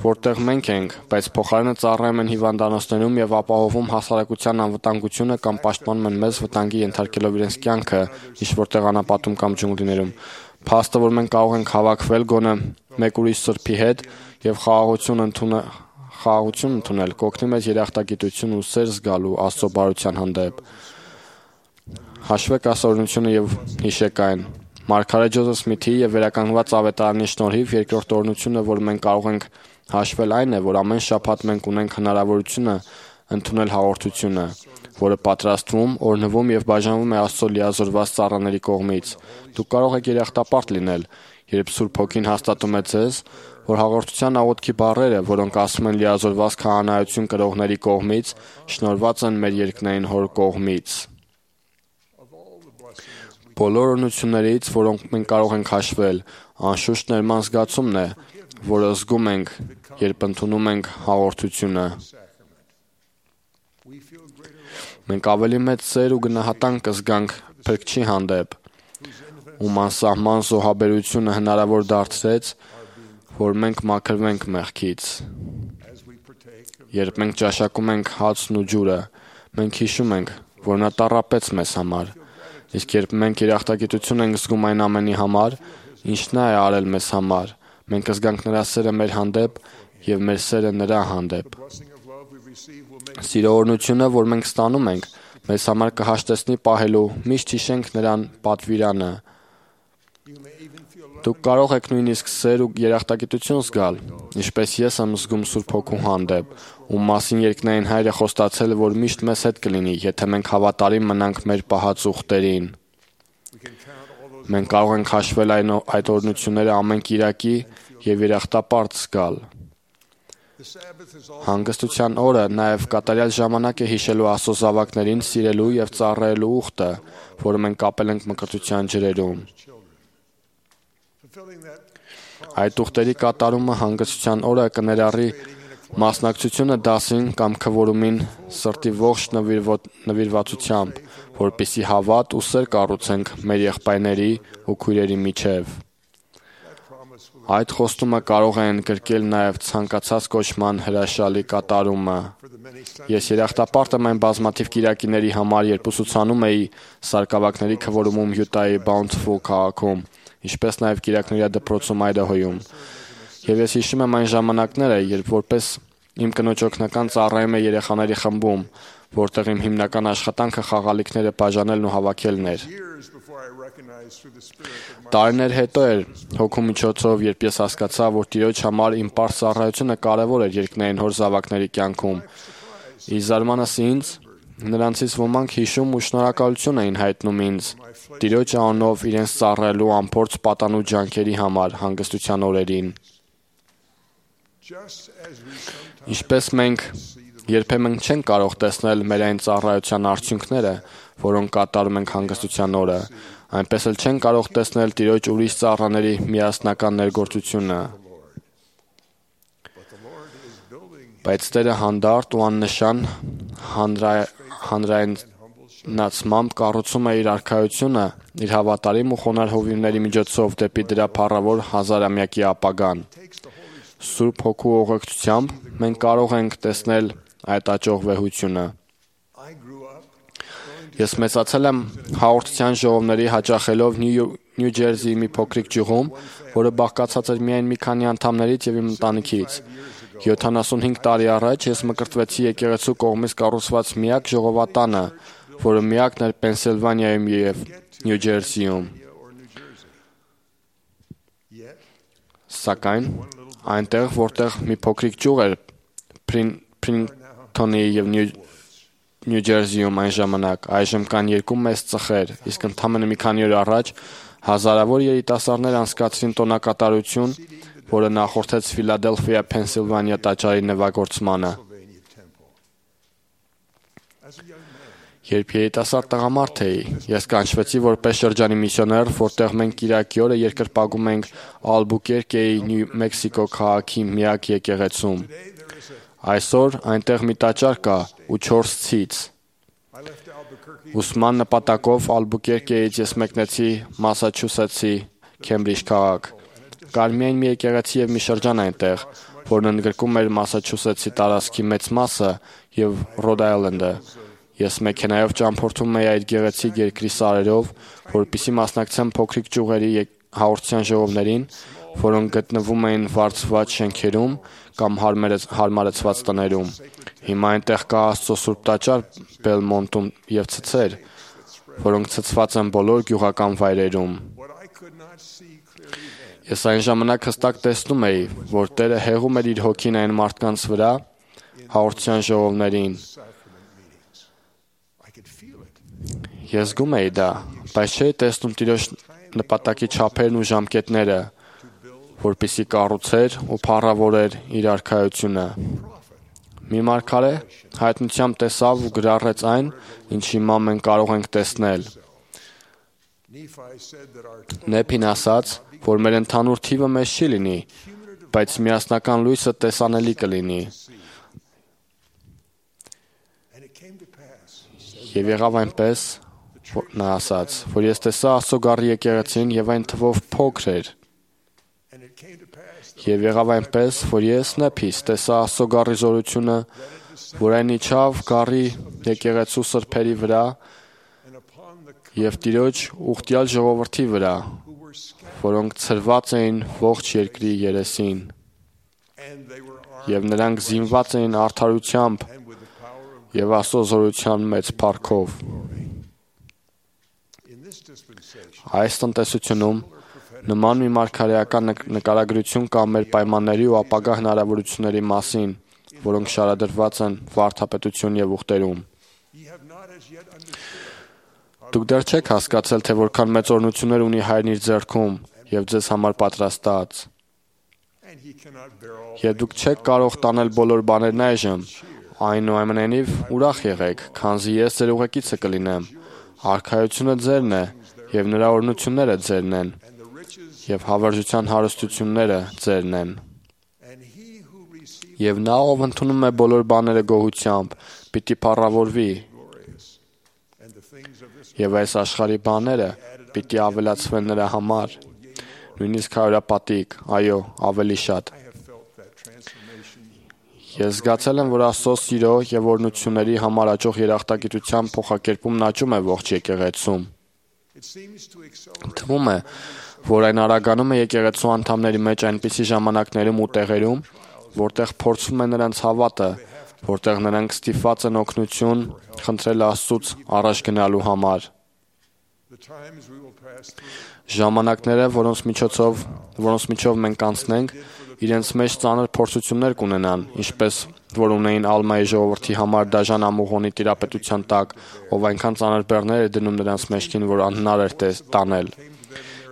[SPEAKER 6] որտեղ մենք ենք, բայց փոխարենը ծառայում են հիվանդանոցներում եւ ապահովում հասարակության անվտանգությունը կամ պաշտպանում են մեզ վտանգի ենթարկելով իրենց կյանքը ինչ որտեղ անապատում կամ ջունգլիներում։ Փաստը, որ մենք կարող ենք հավաքվել գոնե մեկ ուրիշ սրբի հետ եւ խաղաղություն ընդունել, խաղաղություն ընդունել, կօգնի մեզ երախտագիտություն ու սեր զգալու Աստծո բարության հանդեպ։ Հաշվեք այս օրհնությունը եւ հիշեք այն։ Մարգարետ Ջոզեֆ Սմիթի եւ վերականգնված ավետարանի շնորհիվ երկրորդ օրհնությունը, որ մենք կարող ենք հաշվել, այն է, որ ամեն շաբաթ մենք ունենք հնարավորությունը ընդունել հաղորդությունը, որը պատրաստվում, օրհնվում եւ բաժանվում է Աստծո լիազորված ծառաների կողմից։ Դուք կարող եք երախտապարտ լինել, երբ Սուրբ Հոգին հաստատում է ձեզ, որ հաղորդության աղոթքի բառերը, որոնք ասում են լիազորված քահանայություն կրողների կողմից, շնորհված են մեր երկնային Հոր կողմից։ Բոլոր օրհնություններից, որոնք մենք կարող ենք հաշվել, անշուշտ ներման զգացումն է, որը զգում ենք, երբ ընդունում ենք հաղորդությունը։ Մենք ավելի մեծ սեր ու գնահատանք կզգանք Փրկչի հանդեպ, ում անսահման զոհաբերությունը հնարավոր դարձրեց, որ մենք մաքրվենք մեղքից։ Երբ մենք ճաշակում ենք հացն ու ջուրը, մենք հիշում ենք, որ նա տառապեց մեզ համար, իսկ երբ մենք երախտագիտություն ենք զգում այն ամենի համար, ինչ նա է արել մեզ համար, մենք կզգանք նրա սերը մեր հանդեպ եւ մեր սերը նրա հանդեպ։ Սիրո օրհնությունը, որ մենք ստանում ենք, մեզ համար կհաշտեցնի պահելու, միշտ հիշենք նրան պատվիրանը։ Դուք կարող եք նույնիսկ սեր ու երախտագիտություն զգալ, ինչպես ես եմ զգում Սուրբ Հոգու հանդեպ, ում մասին երկնային Հայրը խոստացել է, որ միշտ մեզ հետ կլինի, եթե մենք հավատարիմ մնանք մեր պահած ուխտերին։ Մենք կարող ենք հաշվել այն այդ օրհնությունները ամեն կիրակի եւ երախտապարտ զգալ։ Հանգստության օրը նաև կատարյալ ժամանակ է հիշելու Աստծո զավակներին սիրելու եւ ծառայելու ուխտը, որը մենք կապել ենք մկրտության ջրերում։ Այդ ուխտերի կատարումը հանգստության օրը կներառի մասնակցությունը դասին կամ քվորումին սրտի ողջ նվիրվածությամբ, որպեսզի հավատ ու սեր կառուցենք մեր եղբայրների ու քույրերի միջև։ Այդ խոստումը կարող է ընդգրկել նաև ցանկացած կոչման հրաշալի կատարումը։ Ես երախտապարտ եմ այն բազմաթիվ կիրակիների համար, երբ ուսուցանում էի սարկավակների քվորումում Յուտայի Bountiful քաղաքում, ինչպես նաև կիրակնորյա դպրոցում Այդահոյում։ Եվ ես հիշում եմ այն ժամանակները, երբ որպես իմ կնոջ օգնական ծառայում էի երեխաների խմբում, որտեղ իմ հիմնական աշխատանքը խաղալիքները բաժանելն ու հավաքելն էր։ Տարիներ հետո էր Հոգու միջոցով, երբ ես հասկացա, որ Տիրոջ համար իմ պարզ ծառայությունը կարևոր էր երկնային Հոր զավակների կյանքում։ Ի զարմանս ինձ, նրանցից ոմանք հիշում ու շնորհակալություն էին հայտնում ինձ Տիրոջ անունով իրենց ծառայելու անփորձ պատանու ջանքերի համար հանգստության օրերին։ Ինչպես մենք երբեմն չենք կարող տեսնել մեր այն ծառայության արդյունքները, որոնք կատարում ենք հանգստության օրը, այնպես էլ չենք կարող տեսնել Տիրոջ ուրիշ ծառաների միասնական ներգործությունը։ Բայց Տերը հանդարտ ու աննշան հանրայնացմամբ կառուցում է իր արքայությունը իր հավատարիմ ու խոնարհ հովիվների միջոցով դեպի դրա փառավոր հազարամյակի ապագան։ Սուրբ Հոգու ուղեկցությամբ մենք կարող ենք տեսնել այդ աճող վեհությունը։ Ես մեծացել եմ հաղորդության ժողովների հաճախելով Նյու Ջերսիի մի փոքրիկ գյուղում, որը բաղկացած էր միայն մի քանի անդամներից եւ իմ ընտանիքից։ յոթանասունհինգ տարի առաջ ես մկրտվեցի եկեղեցու կողմից կառուցված միակ ժողովատանը, որը միակն էր Պենսիլվանիայում եւ Նյու Ջերսիում։ Սակայն այնտեղ, որտեղ մի փոքրիկ գյուղ էր Փրինթոնի եւ Նյու Ջերսիում այն ժամանակ, այժմ կան երկու մեծ ծխեր, իսկ ընդամենը մի քանի օր առաջ հազարավոր երիտասարդներ անցկացրին տոնակատարություն, որը նախորդեց Ֆիլադելֆիա, Փենսիլվանիա տաճարի նվագործմանը։ Երբ երիտասարդ տղամարդ էի, ես կանչվեցի որպես շրջանի միսիոներ, որտեղ մենք կիրակի օրը երկրպագում ենք Ալբուկերկեի Նյու Մեքսիկո քաղաքի միակ եկեղեցում։ Այսօր այնտեղ մի տաճար կա ու չորս ցից։ Ուսման նպատակով Ալբուկերկեից ես մեկնեցի Մասաչուսեթսի Քեմբրիջ քաղաք։ Կար միայն մի եկեղեցի եւ մի շրջան այնտեղ, որն ընդգրկում էր Մասաչուսեթսի տարածքի մեծ մասը եւ Ռոդ Այլենդը։ Ես մեքենայով ճամփորդում էի այդ գեղեցիկ երկրի սարերով, որպեսզի մասնակցեմ փոքրիկ ճյուղերի հաղորդության ժողովներին, որոնք գտնվում էին վարձված շենքերում կամ հարմարեցված տներում։ Հիմա այնտեղ կա Աստծո Սուրբ տաճար Բելմոնտում եւ ցցեր, որոնք ցցված են բոլոր գյուղական վայրերում։ Ես այն ժամանակ հստակ տեսնում էի, որ Տերը հեղում էր իր հոգին այն մարդկանց վրա, հաղորդության ժողովներին։ Ես զգում էի դա, բայց չէի տեսնում Տիրոջ նպատակի չափերն ու ժամկետները, որպեսզի կառուցեր ու փառավորեր իր արքայությունը։ Մի մարգարե հայտնությամբ տեսավ ու գրառեց այն, ինչ հիմա մենք կարող ենք տեսնել։ Նեփին ասաց, որ մեր ընդհանուր թիվը մեծ չի լինի, բայց միասնական լույսը տեսանելի կլինի։ Եվ եղավ այնպես, որ նա ասաց, որ ես տեսա Աստծո գառի եկեղեցին եւ այն թվով փոքր էր։ Եվ եղավ այնպես, որ ես նեփիս տեսա Աստծո գառի զորությունը, որ այն իջավ գառի եկեղեցու սրբերի վրա եւ Տիրոջ ուխտյալ ժողովրդի վրա, որոնք ցրված էին ողջ երկրի երեսին, եւ նրանք զինված էին արդարությամբ եւ Աստծո զորության մեծ փառքով։ Այս տնտեսությունում նման մի մարգարեական նկարագրություն կա մեր պայմանների ու ապագա հնարավորությունների մասին, որոնք շարադրված են վարդապետություն եւ ուխտերում։ Դուք դեռ չեք հասկացել, թե որքան մեծ օրհնություններ ունի Հայրն իր ձեռքում եւ ձեզ համար պատրաստած։ Եվ դուք չեք կարող տանել բոլոր բաներն այժմ, այնուամենայնիվ ուրախ եղեք, քանզի ես ձեր ուղեկիցը կլինեմ։ Արքայությունը ձերն է եւ նրա օրհնությունները ձերն են, եւ հավերժության հարստությունները ձերն են։ Եվ նա, ով ընդունում է բոլոր բաները գոհությամբ, պիտի փառավորվի, եւ այս աշխարհի բաները պիտի ավելացվեն նրա համար, նույնիսկ հարյուրապատիկ, այո, ավելի շատ։ Ես զգացել եմ, որ Աստծո սիրո եւ օրհնությունների համար աճող երախտագիտության փոխակերպումն աճում է ողջ եկեղեցում։ Թվում է, որ այն արագանում է եկեղեցու անդամների մեջ այնպիսի ժամանակներում ու տեղերում, որտեղ փորձվում է նրանց հավատը, որտեղ նրանք ստիպված են օգնություն խնդրել Աստծուց առաջ գնալու համար։ Ժամանակները, որոնց միջոցով, որոնց միջով մենք անցնենք, իրենց մեջ ծանր փորձություններ կունենան, ինչպես որ ունեին Ալմայի ժողովրդի համար դաժան ամուղոնի տիրապետության տակ, ով այնքան ծանր բեռներ էր դնում նրանց մեջքին, որ անհնար էր տանել։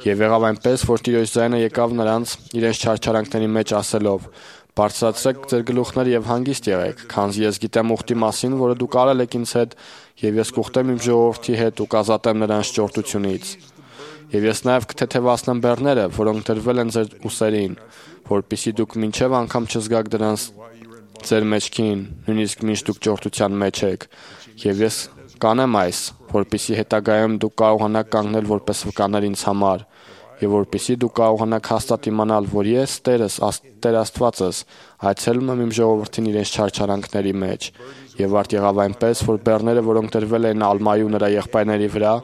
[SPEAKER 6] Եվ եղավ այնպես, որ Տիրոջ ձայնը եկավ նրանց իրենց չարչարանքների մեջ ասելով. «Բարձրացրեք ձեր գլուխները եւ հանգիստ եղեք, քանզի ես գիտեմ ուխտի մասին, որը դուք արել եք ինձ հետ, եւ ես կուխտեմ իմ ժողովրդի հետ ու կազատեմ նրանց ճորտությունից։ Եվ ես նաեւ կթեթևացնեմ բեռները, որոնք դրվել են ձեր ուսերին, որպեսզի դուք մինչեւ անգամ չզգաք դրանց ձեր մեջքին, նույնիսկ մինչ դուք ճորտության մեջ եք։ Եվ ես կանեմ այս, որպեսզի հետագայում դուք կարողանաք կանգնել որպես վկաներ ինձ համար, եւ որպեսզի դուք կարողանաք հաստատ իմանալ, որ ես Տերս, Տեր Աստվածս, այցելում եմ իմ ժողովրդին իրենց չարչարանքների մեջ։ Եվ արդ եղավ այնպես, որ բեռները, որոնք դրվել էին Ալմայի ու նրա եղբայրների վրա,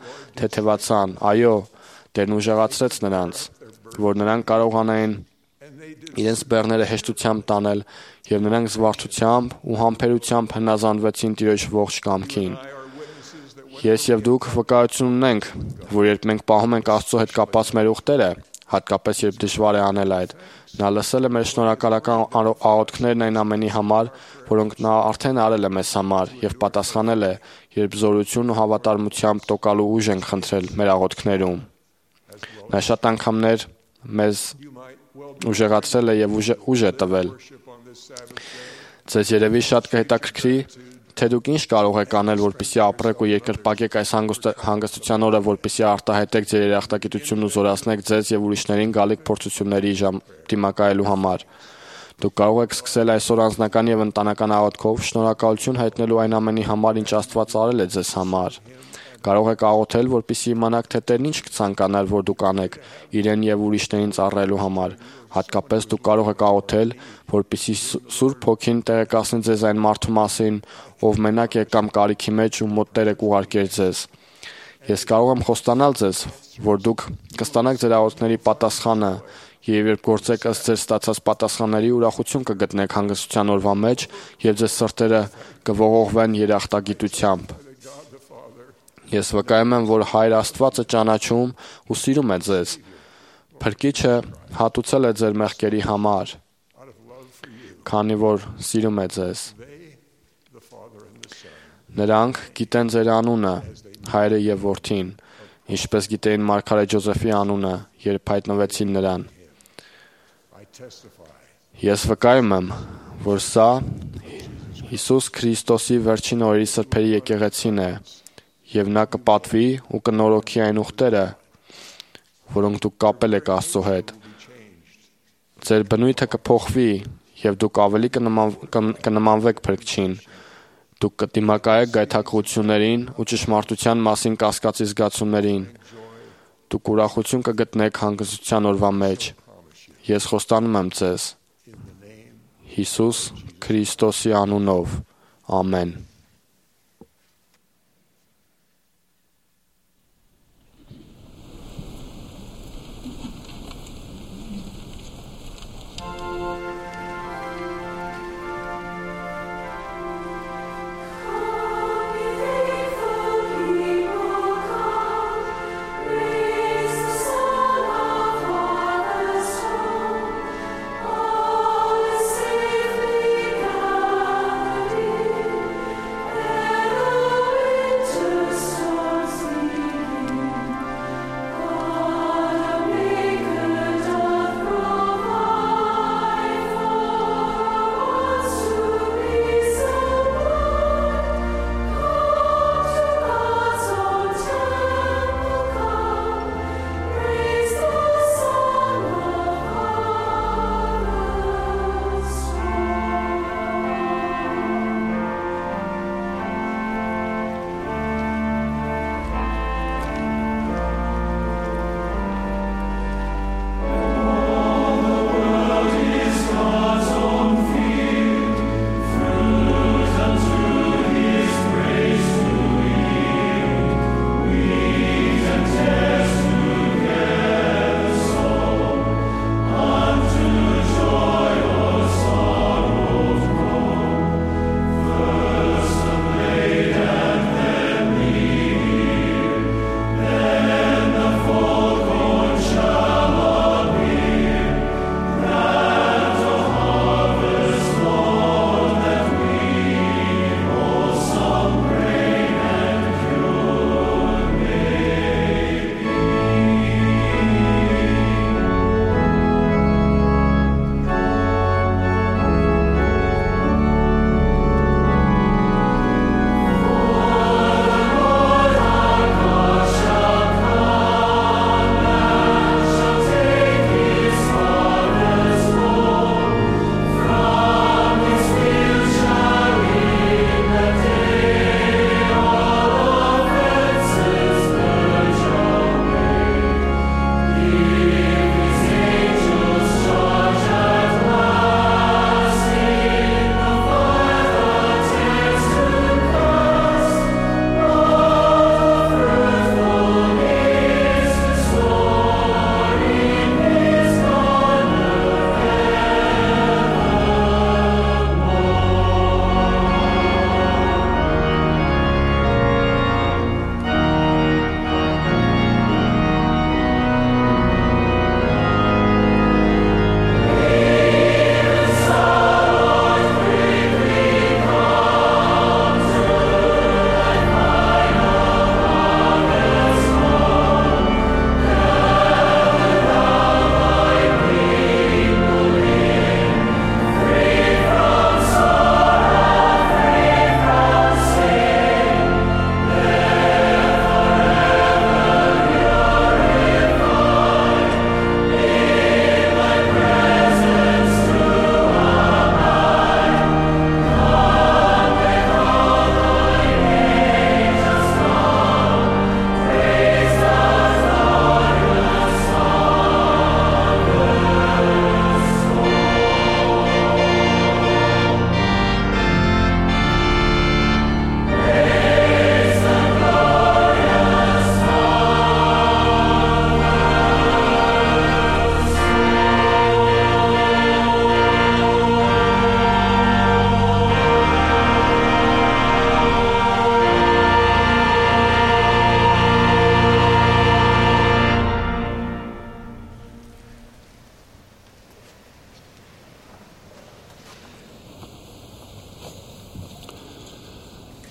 [SPEAKER 6] թեթևացան, այո, Տերն ուժեղացրեց նրանց, որ նրանք կարողանային իրենց բեռները հեշտությամբ տանել, եւ նրանք զվարթությամբ ու համբերությամբ հնազանդվեցին Տիրոջ ողջ կամքին։ Ես եւ դուք վկայություն ունենք, որ երբ մենք պահում ենք Աստծո հետ կապած մեր ուխտերը, հատկապես երբ դժվար է անել այդ, նա լսել է մեր շնորհակալական աղոթքներն այն ամենի համար, որոնք նա արդեն արել է մեզ համար, եւ պատասխանել է, երբ զորություն ու հավատարմությամբ տոկալու ուժ ենք խնդրել մեր աղոթքներում։ Նա շատ անգամներ մեզ ուժեղացրել է եւ ուժ է տվել։ Ձեզ երևի շատ կհետաքրքրի, թե դուք ինչ կարող եք անել, որպեսզի ապրեք ու երկրպագեք այս հանգստության օրը, որպեսզի արտահայտեք ձեր երախտագիտությունն ու զորացնեք ձեզ եւ ուրիշներին գալիք փորձությունների դիմակայելու համար։ Դուք կարող եք սկսել այսօր անձնական եւ ընտանեկան աղոթքով շնորհակալություն հայտնելու այն ամենի համար, ինչ Աստված արել է ձեզ համար։ Կարող եք աղոթել, որպեսզի իմանաք, թե Տերն ինչ կցանկանար, որ դուք անեք իրեն եւ ուրիշներին ծառայելու համար։ Հատկապես դուք կարող եք աղոթել, որպեսզի Սուրբ Հոգին տեղեկացնի ձեզ այն մարդու մասին, ով մենակ է կամ կարիքի մեջ ու մոտ Տերը կուղարկեր ձեզ։ Ես կարող եմ խոստանալ ձեզ, որ դուք կստանաք ձեր աղոթքների պատասխանը, եւ երբ գործեք ըստ ձեր ստացած պատասխանների, ուրախություն կգտնեք հանգստության օրվա մեջ եւ ձեր սրտերը կողողվեն երախտագիտությամբ։ Ես վկայում եմ, որ Հայր Աստվածը ճանաչում ու սիրում է ձեզ, Փրկիչը հատուցել է ձեր մեղքերի համար, քանի որ սիրում է ձեզ։ Նրանք գիտեն ձեր անունը, հայրը եւ որդին, ինչպես գիտեին Մարգարետ Ջոզեֆի անունը, երբ հայտնվեցին նրան։ Ես վկայում եմ, որ սա Հիսուս Քրիստոսի վերջին օրերի սրբերի եկեղեցին է, եւ նա կպատվի ու կնորոգի այն ուխտերը, որոնք դուք կապել եք Աստծո հետ։ Ձեր բնույթը կփոխվի եւ դուք ավելի կնմանվեք Փրկչին։ Դուք կդիմակայեք գայթակղություններին ու ճշմարտության մասին կասկածի զգացումներին։ Դուք ուրախություն կգտնեք հանգստության օրվա մեջ։ Ես խոստանում եմ ձեզ Հիսուս Քրիստոսի անունով։ Ամեն։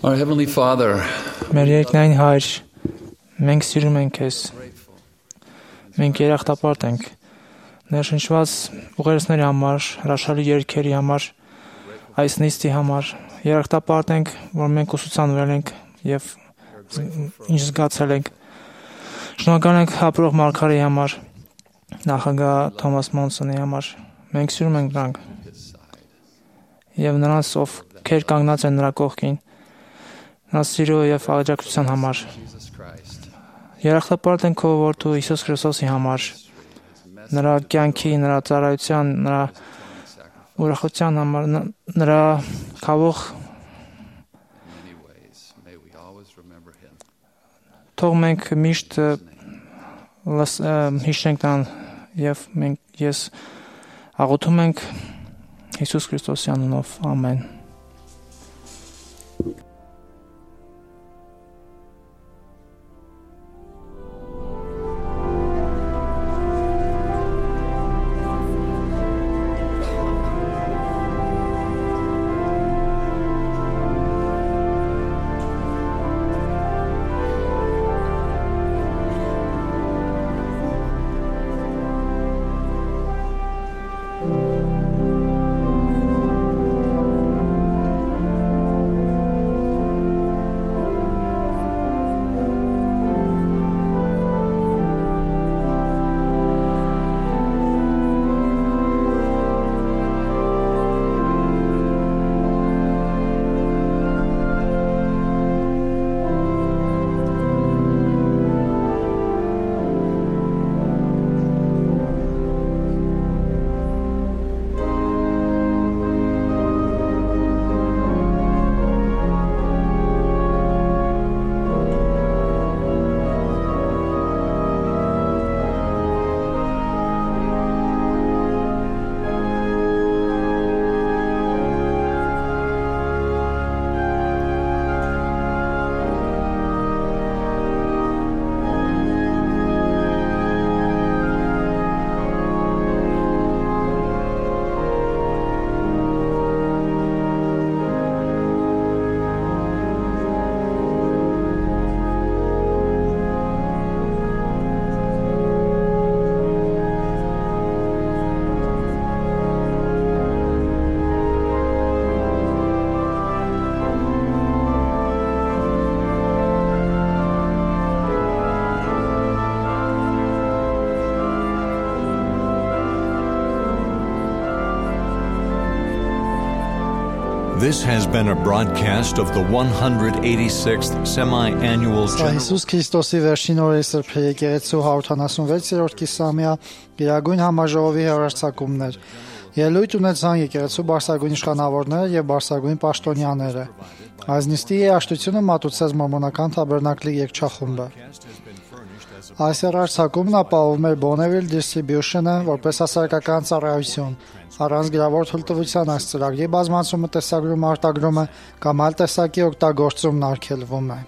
[SPEAKER 15] Our Heavenly Father,
[SPEAKER 13] Մեր երկնային Հայր, մենք սիրում ենք Քեզ։ Մենք երախտապարտ ենք ներշնչված ուղերձների համար, հրաշալի երգերի համար, այս նիստի համար։ Երախտապարտ ենք, որ մենք ուսուցանվել ենք եւ ինչ զգացել ենք։ Շնորհակալ ենք ապրող Մարգարեի համար, նախագահ Թոմաս Մոնսոնի համար։ Մենք սիրում ենք նրանք եւ նրանց, ովքեր կանգնած են նրա կողքին, նա սիրո եւ աջակցության համար։ Երախտապարտ ենք քո որդու Հիսուս Քրիստոսի համար, նրա կյանքի, նրա ծառայության, նրա ուրախության համար, նրա քավող թող մենք միշտ հիշենք նրան եւ մենք ես աղոթում ենք Հիսուս Քրիստոսի անունով, ամեն։
[SPEAKER 1] This has been a broadcast of the one hundred eighty-sixth semi-annual General
[SPEAKER 2] Հիսուս Քրիստոսի վերջին օրերի Սրբի եկեղեցու հարյուրութանասունվեցերորդ կիսամյա Գերագույն համաժողովի հեռարձակումներ։ Ելույթ ունեցան եկեղեցու բարձրագույն իշխանավորները եւ բարձրագույն պաշտոնյաները։ Այս նիստի երաժշտությունը մատուցեց Մորմոնական Թաբերնակլի երգչախումբը։ Այս հեռարձակումն ապահովում էր Bonneville Distribution-ը որպես հասարակական ծառայություն։ Առանց գրավոր թույլտվության այս ծրագրի բազմացումը տեսագրում արտագրումը կամ այլ տեսակի օգտագործումն արգելվում է։